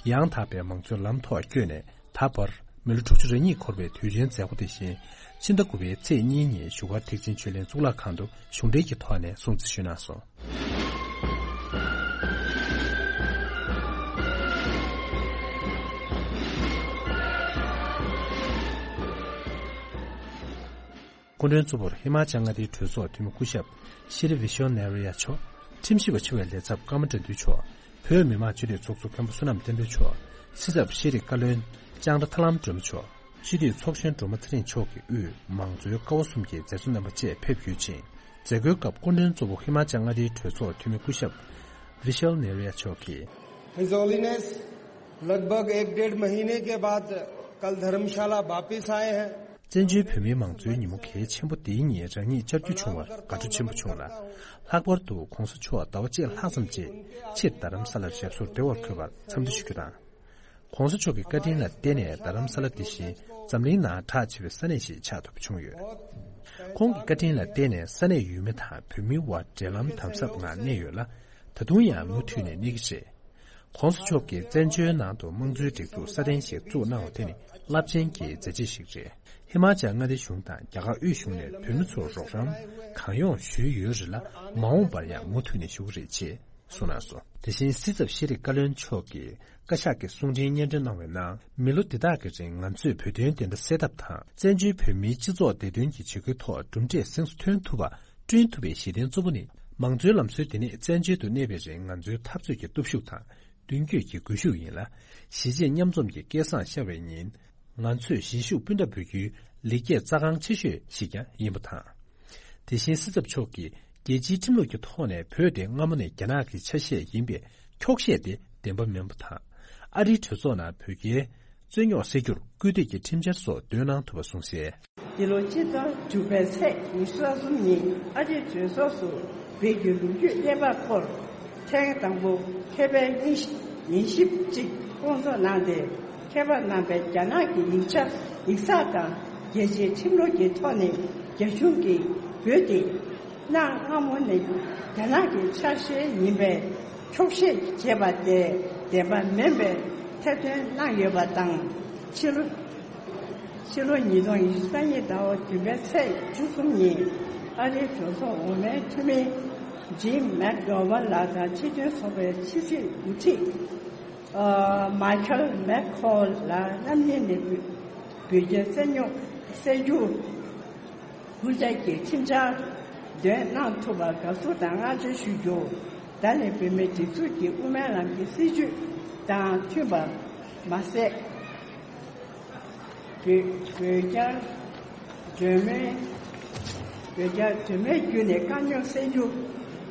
ཡང་དག་པའི་མང་གཙོའི་ལམ་ཐོག་བསྐྱོད་ནས། ད་བར་མི་ལོ་དྲུག་ཅུ་རེ་གཉིས་འཁོར་བའི་དུས་ཆེན་མཛད་སྒོ་དེ་བཞིན་ཕྱི་ཟླ་དགུ་པའི་ཚེས་གཉིས་ཉིན་བཞུགས་སྒར་ཐེག་ཆེན་ཆོས་གླིང་གཙུག་ལག་ཁང་དུ་གཞུང་འབྲེལ་གྱི་ཐོག་ནས་སྲུང་བརྩི་ཞུས་གནང་སོང་། སྐུ་མགྲོན་གཙོ་བོར་ཧི་མ་ཅལ་མངའ་སྡེའི་གྲོས་ཚོགས་འཐུས་མི་སྐུ་ཞབས་ཤྲི་བི་ཤོ་ནེ་རི་ཡ་མཆོག་ཁྲིམས་ཞིབ་པ་ཆེ་བའི་ལས་ཚབ་ཀརྨ་དགྲ་འདུལ་མཆོག་བོད་མི་མང་སྤྱི་འཐུས་ཚོགས་གཙོ་མཁན་པོ་བསོད་ནམས་བསྟན་འཕེལ་མཆོག་སྲིད་ཚབ་ཤེས་རིག་བཀའ་བློན་ལྕང་ར་ཐར་ལམ་སྒྲོལ་མ་མཆོག་སྤྱི་འཐུས་ཚོགས་གཞོན་སྒྲོལ་མ་ཚེ་རིང་མཆོག་གི་དབུས་མང་གཙོའི་ཀ་བ་གསུམ་གྱི་མཛད་གཙོ་རྣམ་པ་བཅས་ཕེབས་ཡོད་ཅིང་། མཛད་སྒོའི་སྐབས་སྐུ་མགྲོན་གཙོ་བོ་ཧི་མ་ཅལ་མངའ་སྡེའི་གྲོས་ཚོགས་འཐུས་མི་སྐུ་ཞབས་བི་ཤལ་ནེ་རི་ཡ་མཆོག་གིས། His Holiness, लगभग एक डेढ़ महीने के बाद कल धर्मशाला वापस आए हैं। བཙན་བྱོལ་བོད་མིའི་མང་གཙོའི་ཉིན་མོ་གལ་ཆེན་པོ་འདིའི་ཉིན་རང་ཉིད་བཅར་རྒྱུ་བྱུང་བར་དགའ་སྤྲོ་ཆེན་པོ་བྱུང་ལ། ལྷག་པར་དུ་༸གོང་ས་མཆོག་ཟླ་བ་གཅིག་ལྷག་ཙམ་རྗེས་ཕྱིར་རྡ་རམ་ས་ལར་ཞབས་སོར་བདེ་བར་འཁོད་པར་འཚམས་འདྲི་ཞུ་རྒྱུ་དང་། ༸གོང་ས་མཆོག་གི་བཀའ་དྲིན་ལ་བརྟེན་ནས་རྡ་རམ་ས་ལ་འདི་བཞིན་འཛམ་གླིང་ནང་གྲགས་ཆེ་བའི་ས་གནས་ཤིག་ཆགས་ཐུབ་པ་བྱུང་ཡོད། ཁོང་གི་བཀའ་དྲིན་ལ་བརྟེན་ནས་ས་གནས་ཡུལ་མི་དང་བོད་མིའི་དབར་འབྲེལ་ལམ་དམ་ཟབ་ངང་གནས་ཡོད་ལ། ད་དུང་ཡང་མུ་མཐུད་ནས་གནས་ཀྱི་རེད། ༸གོང་ས་མཆོག་གིས་བཙན་བྱོལ་ནང་དུ་དམངས་གཙོའི་སྒྲིག་འཛུགས་སྲ་བརྟན་ཞིག་བཙུགས་གནང་བ་དེ་ནི་རླབས་ཆེན་གྱི་མཛད་རྗེས་ཤིག་རེད། ཧི་མ་ཅལ་མངའ་སྡེ་གཞུང་དང་རྒྱ་གར་དབུས་གཞུང་ནས་བོད་མི་ཚོར་རོགས་རམ་གང་ཡོང་ཞུས་ཡོད་རེད་ལ། མ་འོངས་པར་ཡང་མུ་མཐུད་ནས་ཞུ་གི་རེད་ཅེས་གསུངས་གནང་སོང་། དེ་བཞིན་སྲིད་ཚབ་ཤེས་རིག་བཀའ་བློན་མཆོག་གིས་བཀའ་ཤག་གི་གསུང་འཕྲིན་སྙན་སྒྲོན་གནང་བའི་ནང་། མི་ལོ་འདི་དག་གི་རིང་ང་ཚོས་བོད་དོན་བདེན་མཐའ་གསལ་ཐབས་དང་། བཙན་བྱོལ་བོད་མིའི་སྤྱི་ཚོགས་བདེ་དོན་གྱི་བྱེད་སྒོའི་ཐོག་གྲུབ་འབྲས་གཟེངས་སུ་ཐོན་ཐུབ་པ། བསྐྲུན་ཐུབ་པའི་གཞི་རྟེན་གཙོ་བོ་ནི། མང་གཙོའི་ལམ་སྲོལ་འདི་ནི་བཙན་བྱོལ་དུ་གནས་པའི་རིང་ང་ཚོའི་འཐབ་རྩོད་ཀྱི་སྟོབས་ཤུགས་དང་། མདུན་སྐྱོད་ཀྱི་སྒུལ་ཤུགས་ཡིན་ལ། གཞིས་བྱེས་མཉམ་འཛོམས་ཀྱི་སྐལ་བཟང་ཤར་བའི་ཉིན། ང་ཚོས་གཞིས་བཞུགས་སྤུན་ཟླར་འབུལ་རྒྱུའི་ལེགས་སྐྱེས་རྩ་འགངས་ཆེ་ཤོས་ཤིག་ཀྱང་ཡིན་པ་དང་། དེ་བཞིན་སྲིད་ཚབ་མཆོག་གིས་རྒྱལ་སྤྱིའི་ཁྲིམས་ལུགས་ཀྱི་ཐོག་ནས་བོད་དེ་སྔ་མོ་ནས་རྒྱ་ནག་གི་ཆ་ཤས་ཡིན་པའི་འཁྱོག་བཤད་དེ་བདེན་པ་མིན་པ་དང་། ཨ་རིའི་གྲོས་ཚོགས་ནང་བོད་རྒྱའི་རྩོད་རྙོག་སེལ་རྒྱུར་སྐུལ་འདེད་ཀྱི་ཁྲིམས་འཆར་སོགས་འདོན་གནང་ཐུབ་པ་གསུངས་གསལ། འདི་ལོ་སྤྱི་ཟླ་དྲུག་པའི་ཚེས་ཉི་ཤུ་རྩ་གསུམ་ཉིན་ཨ་རིའི་གྲོས་ཚོགས་སུ་བོད་ཀྱི་ལོ་རྒྱུས་གནས་བབ་སྐོར། ཐེངས་དང་པོ་མཁས་པའི་ཉན་ཞིབ་ཅིག་སྐོང་ཚོགས་གནང་སྟེ། མཁས་པ་རྣམ་པས་རྒྱ་ནག་གི་ཡིག་ཆ་ཡིག་ཚགས་དང་རྒྱལ་སྤྱིའི་ཁྲིམས་ལུགས་ཀྱི་ཐོག་ནས་རྒྱ་གཞུང་གིས་བོད་དེ་གནའ་སྔ་མོ་ནས་རྒྱ་ནག་གི་ཆ་ཤས་ཡིན་པའི་འཁྱོག་བཤད་བྱས་པ་དེ་བདེན་པ་མིན་པའི་ཐེར་འདོན་གནང་ཡོད་པ་དང་། ཕྱི་ལོ་ཕྱི་ལོ་ཉིས་སྟོང་ཉི་ཤུ་རྩ་གཉིས་ཟླ་བ་བདུན་པའི་ཚེས་བཅུ་གསུམ་ཉིན་ཨ་རིའི་གྲོས་ཚོགས་འོག་མའི་འཐུས་མི་ཇིམ་མེག་གྷོ་ཝན་ལགས་དང་སྤྱི་མཐུན་ཚོགས་པའི་ཕྱི་སྲིད་འགོ་ཁྲིད་ཨ་མཱི་ཁལ་མེག་ཁོལ་ལགས་རྣམ་གཉིས་ནས་བོད་བོད་རྒྱའི་རྩོད་རྙོག་སེལ་རྒྱུ་ཧུར་བརྩོན་གྱིས་ཁྲིམས་འཆར་འདོན་གནང་ཐུབ་པར་དགའ་བསུ་དང་བསྔགས་བརྗོད་ཞུ་རྒྱུ། ད་ནི་བོད་མིའི་སྒྲིག་འཛུགས་ཀྱི་དབུ་མའི་ལམ་གྱི་སྲིད་བྱུས་དང་མཐུན་པ་མ་ཟད། བོད་བོད་རྒྱ་གྲོས་མོལ། བོད་རྒྱ་གྲོས་མོལ་བརྒྱུད་ནས་དཀའ་རྙོག་སེལ་རྒྱུ།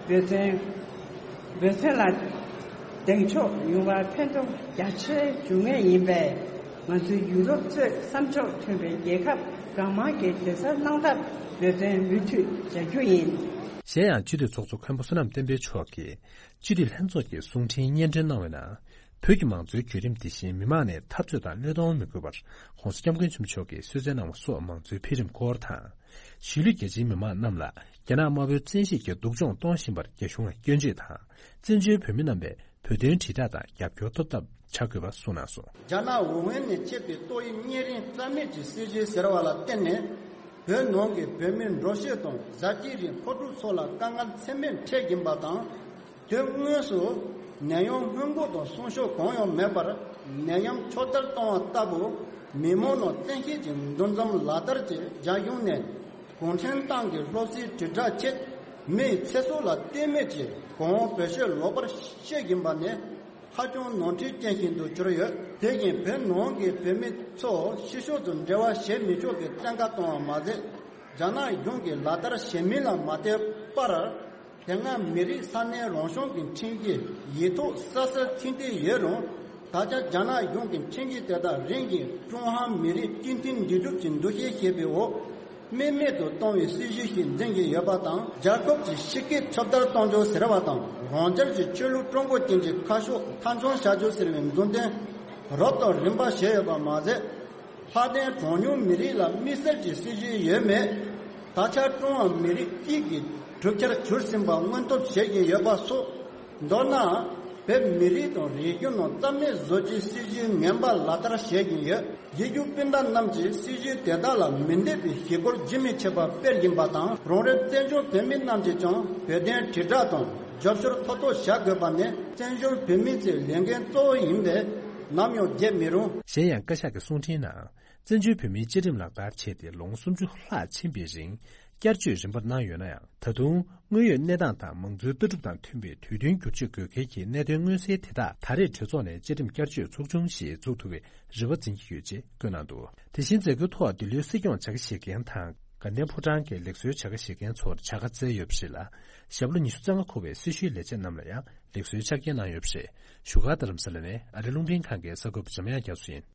བོད་དོན་བོད་དོན་ལ་གདེང་འཇོག་ཡོང་བར་ཕན་ཐོགས་རྒྱ་ཆེ་འབྱུང་ངེས་ཡིན་པས། ང་ཚོས་ཡུ་རོབ་གཙོས་བསམ་ཕྱོགས་མཐུན་པའི་རྒྱལ་ཁབ་གང་མང་གིས་གདན་ས་གནང་ཐབས་བོད་དོན་མུ་མཐུད་བྱ་རྒྱུ་ཡིན། གཞན་ཡང་སྤྱི་འཐུས་ཚོགས་གཙོ་མཁན་པོ་བསོད་ནམས་བསྟན་འཕེལ་མཆོག་གིས་སྤྱི་འཐུས་ལྷན་ཚོགས་ཀྱི་གསུང་འཕྲིན་སྙན་སྒྲོན་གནང་བའི་ནང་། བོད་ཀྱི་མང་གཙོའི་བརྒྱུད་རིམ་དེ་བཞིན་མི་མང་ནས་འཐབ་རྩོད་དང་བློས་གཏོང་མི་དགོས་པར་༸གོང་ས་༸སྐྱབས་མགོན་ཆེན་པོ་མཆོག་གིས་གསོལ་སྩལ་གནང་བ་སོགས་མང་གཙོའི་འཕེལ་རིམ་སྐོར་དང་། གཞིས་ལུས་རྒྱ་ཆེའི་མི་མང་རྣམས་ལ་རྒྱ་ནག་དམར་པོའི་བཙན་ཤེད་ཀྱིས་སྡུག་སྦྱོང་གཏོང་བཞིན་པར་རྒྱ་གཞུང་ལ་སྐྱོན་བརྗོད་དང་། བཙན་བྱོལ་བོད་མི་རྣམ་པས་བོད་དོན་དྲིལ་བསྒྲགས་དང་རྒྱབ་སྐྱོར་ཐོབ་ཐབས་བྱ་དགོས་པ་གསུངས་གནང་སོང་། རྒྱ་ནག་ཝུ་ཧན་ནས་མཆེད་པའི་ཏོག་དབྱིབས་གཉན་རིམས་རྩ་མེད་ཀྱི་སྲིད་ཇུས་ཟེར་བ་ལ་བརྟེན་ནས། བོད་ནང་གི་བོད་མི་འགྲོ་སྐྱོད་དང་བཟའ་སྐྱིད་རིགས་མཁོ་སྒྲུབ་སོགས་ལ་དཀའ་ངལ་ཚད་མེད་འཕྲད་ཀྱིན་པ་དང་། དུས་དངོས་སུ་ནད་ཡམས་སྔོན་འགོག་དང་སྲུང་སྐྱོབ་གང་ཡང་མེད་པར། ནད་ཡམས་ཕྱོགས་བསྡུར་བཏང་བ་ལྟ་བུ། མི་མང་ནང་བཙན་ཤེད་ཀྱི་འདུ་འཛོམས་ལག་བསྟར་གྱིས་རྒྱ་གཞུང་ནས་གུང་ཁྲན་ཏང་གི་སློབ་གསོའི་དྲིལ་བསྒྲགས་ཆེད། མིའི་ཚེ་སྲོག་ལ་ལྟོས་མེད་ཀྱིས་གོང་འོག་བོད་ཆོལ་ལོག་པར་བཤད་བཞིན་པ་ནི། ཧ་ཅང་ནོར་འཁྲུལ་ཅན་ཞིག་ཏུ་གྱུར་ཡོད། དེ་བཞིན་བོད་ནང་གི་བོད་མི་ཚོ་ཕྱི་ཕྱོགས་སུ་འབྲེལ་བ་བྱེད་མི་ཆོག་པའི་བཙན་བཀའ་བཏང་བ་མ་ཟད། རྒྱ་ནག་གཞུང་གིས་ལག་བསྟར་བྱེད་མིན་ལ་མ་ལྟོས་པར། དེ་སྔ་མི་རིགས་ས་གནས་རང་སྐྱོང་གི་ཁྲིམས་ཀྱི་ཡིག་ཐོག་གསལ་གསལ་ཚིག་འདི་ཡོད་རུང་། ད་ཆ་རྒྱ་ནག་གཞུང་གི་ཁྲིམས་ཀྱི་དེ་དག་རིམ་བཞིན་ཀྲུང་ཧྭ་མི་རིགས་སྤྱི་མཐུན་འདུས་གྲུབ་ཀྱི་འདུ་ཤེས་བྱེད་པའི་འོག་དམིགས་མེད་དུ་གཏོང་བའི་སྲིད་ཇུས་ཤིག་འཛིན་བཞིན་ཡོད་པ་དང་། རྒྱལ་ཁབ་ཀྱི་སྤྱི་སྐད་ཁྱབ་གདལ་གཏོང་རྒྱུ་ཟེར་བ་དང་། རང་རྒྱལ་གྱི་ཆོས་ལུགས་ཀྲུང་གོ་ཅན་གྱི་ཁ་ཕྱོགས་མཐའ་འཁྱོངས་བྱ་རྒྱུ་ཟེར་བའི་མཛུབ་སྟོན་རབ་དང་རིམ་པ་བྱས་ཡོད་པ་མ་ཟད། ལྷག་དོན་གྲངས་ཉུང་མི་རིགས་ལ་དམིགས་བསལ་གྱི་སྲིད་ཇུས་ཡོད་མེད། ད་ཆ་ཀྲུང་ཧྭ་མི་རིགས་གཅིག་གི་ གྲུབ་ཆར་གྱུར་ཟིན་པ་སྔོན་ཐོབ་བྱེད་ཀྱིན་ཡོད་པ་སོགས། མདོར་ན། བོད་མི་རིགས་དང་རིག་གཞུང་ནང་རྩ་མེད་བཟོ་རྒྱུའི་སྲིད་ཇུས་ངན་པ་ལག་བསྟར་བྱེད་ཀྱིན་ཡོད། རྒྱལ་བརྒྱུད་སྤུན་ཟླ་རྣམས་ཀྱིས་སྲིད་ཇུས་དེ་དག་ལ་མི་འདོད་པའི་ཞི་རྒོལ་རྒྱུན་མི་ཆད་པར་སྤེལ་བཞིན་པ་དང་། རང་རེ་བཙན་བྱོལ་བོད་མི་རྣམས་ཀྱིས་ཀྱང་བོད་དོན་དྲིལ་བསྒྲགས་དང་རྒྱབ་སྐྱོར་མཐའ་གཏོགས་བྱ་དགོས་པ་ནི། བཙན་བྱོལ་བོད་མིའི་ཚེ་ལས་འགན་གཙོ་བོ་ཡིན་པས། ནམ་ཡང་བརྗེད་མི་རུང་། གཞན་ཡང་བཀའ་ཤག་གི་གསུང་འཕྲིན་ནང་། བཙན་བྱོལ་བོད་མིའི་བཅའ་ཁྲིམས་ལག་བསྟར་བྱས་ཏེ་ལོ་ངོ་སུམ་ཅུ་ལྷག་ཕྱིན་པའི་རིང་། བསྐྱར་བཅོས་རིམ་པར་གནང་ཡོད་ན་ཡང་། ད་དུང་དངོས་ཡོད་གནས་སྟངས་དང་མང་གཙོའི་ལྟ་གྲུབ་དང་མཐུན་པའི་དུས་མཐུན་བསྒྱུར་བཅོས་དགོས་གལ་གྱི་གནད་དོན་མངོན་གསལ་དེ་དག་ད་རེས་གྲོས་ཚོགས་ནས་བཅའ་ཁྲིམས་བསྐྱར་བཅོས་ཚོགས་ཆུང་ཞིག་འཛུགས་ཐུབ་པའི་རེ་བ་འཛིན་གྱི་ཡོད་ཅེས་བཀོད་གནང་འདུག། དེ་བཞིན་མཛད་སྒོའི་ཐོག་འདི་ལོའི་སྲིད་སྐྱོང་བྱ་དགའ་བཞེས་མཁན་དང་། དགའ་ལྡན་ཕོ་བྲང་གི་ལེགས་གསོལ་བྱ་དགའ་བཞེས་མཁན་ཚོར་བྱ་དགའ་བསྩལ་ཡོད་པ་ཞིག་ལ། ཞབས་ལོ་ཉི་ཤུ་རྩ་ལྔ་འཁོར་བའི་སྲི་ཞུའི་ལས་བྱེད་རྣམས་ལ་ཡང་ལེགས་གསོལ་ཕྱག་འཁྱེར་གནང་ཡོད་པ་རེད། བཞུགས་སྒར་རྡ་རམ་ས་ལ་ནས་ཨ་རི་རླུང་འཕྲིན་ཁང་གི་གསར་འགོད་པ་འཇམ་དབྱངས་རྒྱ་མཚོ་ཡིན།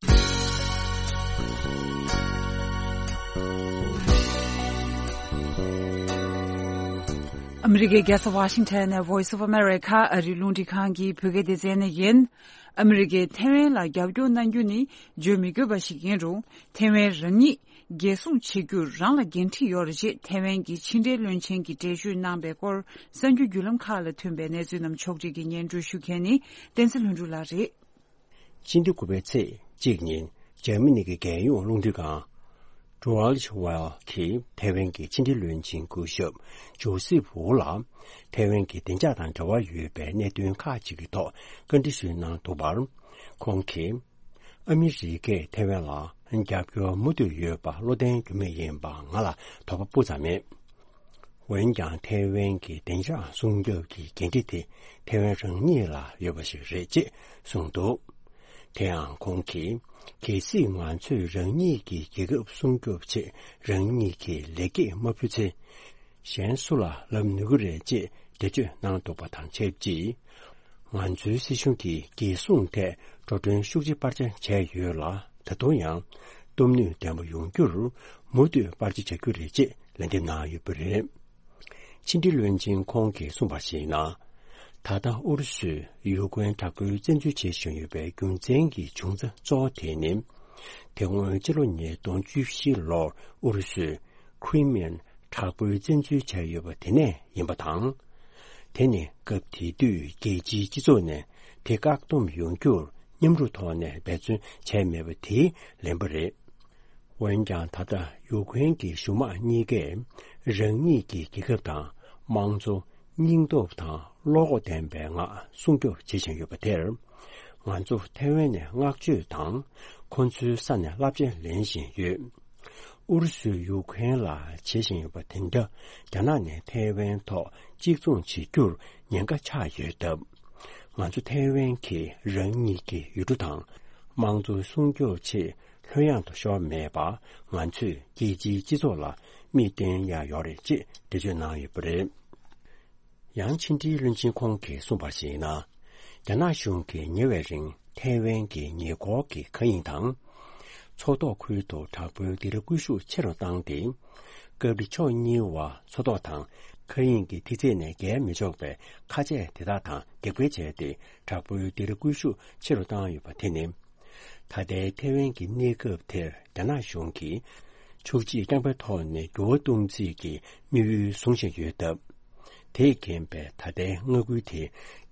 ཨ་མི་རི་ཀའི་རྒྱལ་ས་ཝ་ཤིང་ཊོན་ནས་Voice of America ཨ་རིའི་རླུང་འཕྲིན་ཁང་གི་བོད་སྐད་སྡེ་ཚན་ནས་ཡིན། ཨ་མི་རི་ཀས་ཐེ་ཝན་ལ་རྒྱབ་སྐྱོར་གནང་རྒྱུ་ནི་བརྗོད་མི་དགོས་པ་ཞིག་ཡིན་རུང་། ཐེ་ཝན་རང་ཉིད་རྒྱལ་སྲུང་བྱེད་རྒྱུར་རང་ལ་འགན་འཁྲི་ཡོད་རེད་ཅེས་ཐེ་ཝན་གྱི་ཕྱི་འབྲེལ་བློན་ཆེན་གྱིས་འགྲེལ་བརྗོད་གནང་པའི་སྐོར། གསར་འགྱུར་བརྒྱུད་ལམ་ཁག་ལ་ཐོན་པའི་གནས་ཚུལ་རྣམས་ཕྱོགས་སྒྲིག་གིས་སྙན་སྒྲོན་ཞུ་མཁན་ནི་བསྟན་འཛིན་ལྷུན་གྲུབ་ལགས་རེད། ཕྱི་ཟླ་དགུ་པའི་ཚེས་གཅིག་ཉིན་འཇར་མ་ནི་གི་རྒྱལ་ཡོངས་རླུང་འཕྲིན་ཁང་Deutsche Welle གིས་ཐེ་ཝན་གྱི་ཕྱི་འབྲེལ་བློན་ཆེན་སྐུ་ཞབས་ཇོ་སེབ་ཝུ་ལ་ཐེ་ཝན་གྱི་བདེ་འཇགས་དང་འབྲེལ་བ་ཡོད་པའི་གནད་དོན་ཁག་ཅིག་གི་ཐོག་བཀའ་འདྲི་ཞུས་གནང་འདུག་པར། ཁོང་གིས། ཨ་མི་རི་ཀས་ཐེ་ཝན་ལ་རྒྱབ་སྐྱོར་མུ་མཐུད་ཡོད་པ་བློ་བརྟན་རྒྱུ་མེད་ཡིན་པ་ང་ལ་དོགས་པ་སྤུ་ཙམ་མེད། འོན་ཀྱང་ཐེ་ཝན་གྱི་བདེ་འཇགས་སྲུང་སྐྱོབ་ཀྱི་འགན་འཁྲི་དེ་ཐེ་ཝན་རང་ཉིད་ལ་ཡོད་པ་ཞིག་རེད་ཅེས་གསུངས་འདུག། དེ་ཡང་ཁོང་གིས། གལ་སྲིད་ང་ཚོས་རང་ཉིད་ཀྱི་རྒྱལ་ཁབ་སྲུང་སྐྱོབ་ཆེད་རང་ཉིད་ཀྱི་ལེགས་སྐྱེས་མ་ཕུལ་ཚེ། གཞན་སུ་ལ་ལབ་ནུས་ཀྱི་རེད་ཅེས་འགྲེལ་བརྗོད་གནང་འདུག་པ་དང་ཆབས་ཅིག། ང་ཚོའི་སྲིད་གཞུང་གིས་རྒྱལ་སྲུང་ཐད་འགྲོ་གྲོན་ཤུགས་ཆེ་སྤར་ཆ་བྱས་ཡོད་ལ། ད་དུང་ཡང་སྟོབས་ནུས་ལྡན་པ་ཡོང་རྒྱུར་མུ་མཐུད་སྤར་ཆ་བྱ་རྒྱུ་རེད་ཅེས་ལན་འདེབས་གནང་ཡོད་པ་རེད། ཕྱི་འབྲེལ་བློན་ཆེན་ཁོང་གིས་གསུངས་པར་གཞིགས་ན། ད་ལྟ་ཨུ་རུ་སུས་ཡུ་ཀེ་རེན་དྲག་པོའི་བཙན་འཛུལ་བྱེད་བཞིན་ཡོད་པའི་རྒྱུ་མཚན་གྱི་འབྱུང་རྩ་གཙོ་བོ་དེ་ནི། དེ་སྔོན་ཕྱི་ལོ་ཉིས་སྟོང་བཅུ་བཞི་ལོར་ཨུ་རུ་སུས་Crimean་དྲག་པོའི་བཙན་འཛུལ་བྱས་ཡོད་པ་དེ་ནས་ཡིན་པ་དང་། དེ་ནི་སྐབས་དེ་དུས་རྒྱལ་སྤྱིའི་སྤྱི་ཚོགས་ནས་དེ་བཀག་སྡོམ་ཡོང་རྒྱུར་མཉམ་རུབ་ཐོག་ནས་འབད་བརྩོན་བྱས་མེད་པ་དེའི་ལན་པ་རེད། འོན་ཀྱང་ད་ལྟ་ཡུ་ཀེ་རེན་གྱི་གཞུང་དམངས་གཉིས་ཀས་རང་ཉིད་ཀྱི་རྒྱལ་ཁབ་དང་དམངས་གཙོ། སྙིང་སྟོབས་དང་བློ་ཁོག་ལྡན་པའི་ངང་སྲུང་སྐྱོབ་བྱེད་བཞིན་ཡོད་པ་དེར། ང་ཚོ་ཐེ་ཝན་ནས་བསྔགས་བརྗོད་དང་ཁོ་ཚོའི་ས་ནས་རླབས་ཆེན་ལེན་བཞིན་ཡོད། ཨུ་རུ་སུས་ཡུ་ཁུ་རེན་ལ་བྱེད་བཞིན་ཡོད་པ་དེ་འདྲ་རྒྱ་ནག་ནས་ཐེ་ཝན་ཐོག་གཅིག་མཚུངས་བྱེད་རྒྱུར་ཉེན་ཁ་ཆགས་ཡོད་སྟབས། ང་ཚོ་ཐེ་ཝན་གྱིས་རང་ཉིད་ཀྱི་ཡུལ་གྲུ་དང་དམངས་གཙོ་སྲུང་སྐྱོབ་ཆེད་ལྷོད་ཡངས་དུ་ཤོར་མེད་པ། ང་ཚོས་རྒྱལ་སྤྱིའི་སྤྱི་ཚོགས་ལ་མིག་སྟོན་ཡ་ཡོད་རེད་ཅེས་འགྲེལ་བརྗོད་གནང་ཡོད་པ་རེད། ཡང་ཕྱི་འབྲེལ་བློན་ཆེན་ཁོང་གིས་གསུངས་པར་གཞིགས་ན། རྒྱ་ནག་གཞུང་གིས་ཉེ་བའི་རིང་ཐའེ་ཝན་གྱི་ཉེ་འཁོར་གྱི་མཁའ་དབྱིངས་དང་། མཚོ་ཐོག་ཁུལ་དུ་དྲག་པོའི་སྡེ་ར་སྐུལ་ཤུགས་ཆེ་རུ་བཏང་སྟེ། སྐབས་རེ་ཕྱོགས་གཉིས་བར་མཚོ་ཐོག་དང་མཁའ་དབྱིངས་ཀྱི་ཐིག་ཚད་ནས་བརྒལ་མི་ཆོག་པའི་མཁའ་ཆས་དེ་དག་དང་འདེགས་སྤེལ་བྱས་ཏེ། དྲག་པོའི་སྡེ་ར་སྐུལ་ཤུགས་ཆེ་རུ་བཏང་ཡོད་པ་དེ་ནི། ད་ལྟའི་ཐའེ་ཝན་གྱི་གནས་སྐབས་དེར་རྒྱ་ནག་གཞུང་གིས་ཕྱོགས་གཅིག་རྐྱང་པའི་ཐོག་ནས་འགྱུར་བ་གཏོང་རྩིས་ཀྱི་དམིགས་ཡུལ་བཟུང་བཞིན་ཡོད་སྟབས། དེས་རྐྱེན་པས་ད་ལྟའི་མངའ་ཁུལ་དེ་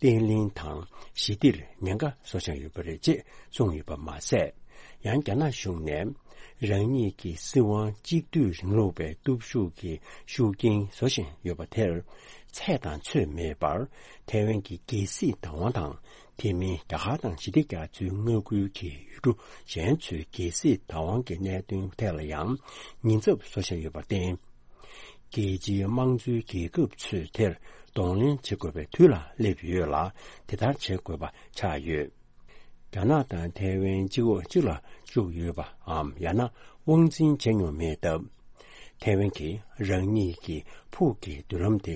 བརྟན་ལྷིང་དང་ཞི་བདེར་ཉེན་ཁ་བཟོ་བཞིན་ཡོད་པ་རེད་ཅེས་གསུངས་ཡོད་པ་མ་ཟད། ཡང་རྒྱ་ནག་གཞུང་ནས་རང་ཉིད་ཀྱི་སྲིད་དབང་གཅིག་སྡུད་རིང་ལུགས་པའི་སྟོབས་ཤུགས་ཀྱི་ཤུགས་རྐྱེན་བཟོ་བཞིན་ཡོད་པ་དེར། ཚད་དང་ཚོད་མེད་པར་ཐའེ་ཝན་གྱི་རྒྱལ་སྲིད་བདག་དབང་དང་། དེ་མིན་རྒྱ་གར་དང་ཞི་བདེ་རྒྱ་མཚོའི་མངའ་ཁུལ་གྱི་ཡུལ་གྲུ་གཞན་ཚོའི་རྒྱལ་སྲིད་བདག་དབང་གི་གནད་དོན་ཐད་ལ་ཡང་ཉེན་ཚབས་བཟོ་བཞིན་ཡོད་པར་བརྟེན། རྒྱལ་སྤྱིའི་དམངས་གཙོའི་རྒྱལ་ཁབ་ཚོས་དེར་གདོང་ལེན་བྱེད་དགོས་པའི་དུས་ལ་སླེབས་ཡོད་ལ། དེ་ལྟར་བྱེད་དགོས་པ་ཆགས་ཡོད། རྒྱ་ནག་དང་ཐའེ་ཝན་གཅིག་འོག་གཅིག་ལ་བཅུག་ཡོད་པའམ་ཡང་ན་དབང་འཛིན་བྱས་མྱོང་མེད་སྟབས། ཐའེ་ཝན་གྱིས་རང་ཉིད་ཀྱི་ཕུགས་ཀྱི་མདུན་ལམ་དེ་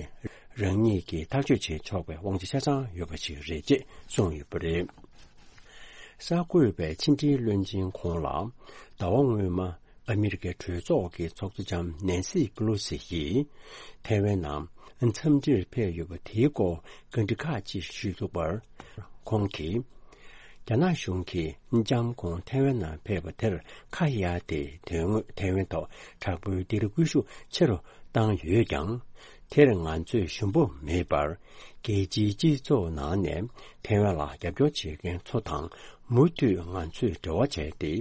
རང་ཉིད་ཀྱིས་ཐག་གཅོད་བྱེད་ཆོག་པའི་དབང་ཆ་ཆ་ཚང་ཡོད་པ་ཞིག་རེད་ཅེས་གསུངས་ཡོད་པ་རེད། གསར་འགོད་པས་ཕྱི་འབྲེལ་བློན་ཆེན་ཁོང་ལ་ཟླ་བ་སྔོན་མ་ཨ་མི་རི་ཀའི་གྲོས་ཚོགས་ཀྱི་ཚོགས་གཙོ་ལྕམ་ནན་སི་པེ་ལོ་སི་ཡིས་ཐའེ་ཝན་ནང་འཚམས་འདྲིར་ཕེབས་ཡོད་པ་དེའི་སྐོར་བཀའ་འདྲི་ཁག་ཅིག་ཞུས་འདུག་པར། ཁོང་གིས། རྒྱ་ནག་གཞུང་གིས་ལྕམ་ཁོང་ཐའེ་ཝན་ནང་ཕེབས་པ་དེར་ཁ་གཡར་ཏེ། དོན་དངོས་ཐའེ་ཝན་ཐོག་དྲག་པོའི་སྡེ་ར་སྐུལ་ཤུགས་ཆེ་རུ་བཏང་ཡོད་ཀྱང་། དེར་ང་ཚོས་ཞུམ་པ་མེད་པར་རྒྱལ་སྤྱིའི་སྤྱི་ཚོགས་ནང་ནས་ཐའེ་ཝན་ལ་རྒྱབ་སྐྱོར་བྱེད་མཁན་ཚོ་དང་མུ་མཐུད་ང་ཚོས་འབྲེལ་བ་བྱས་ཏེ།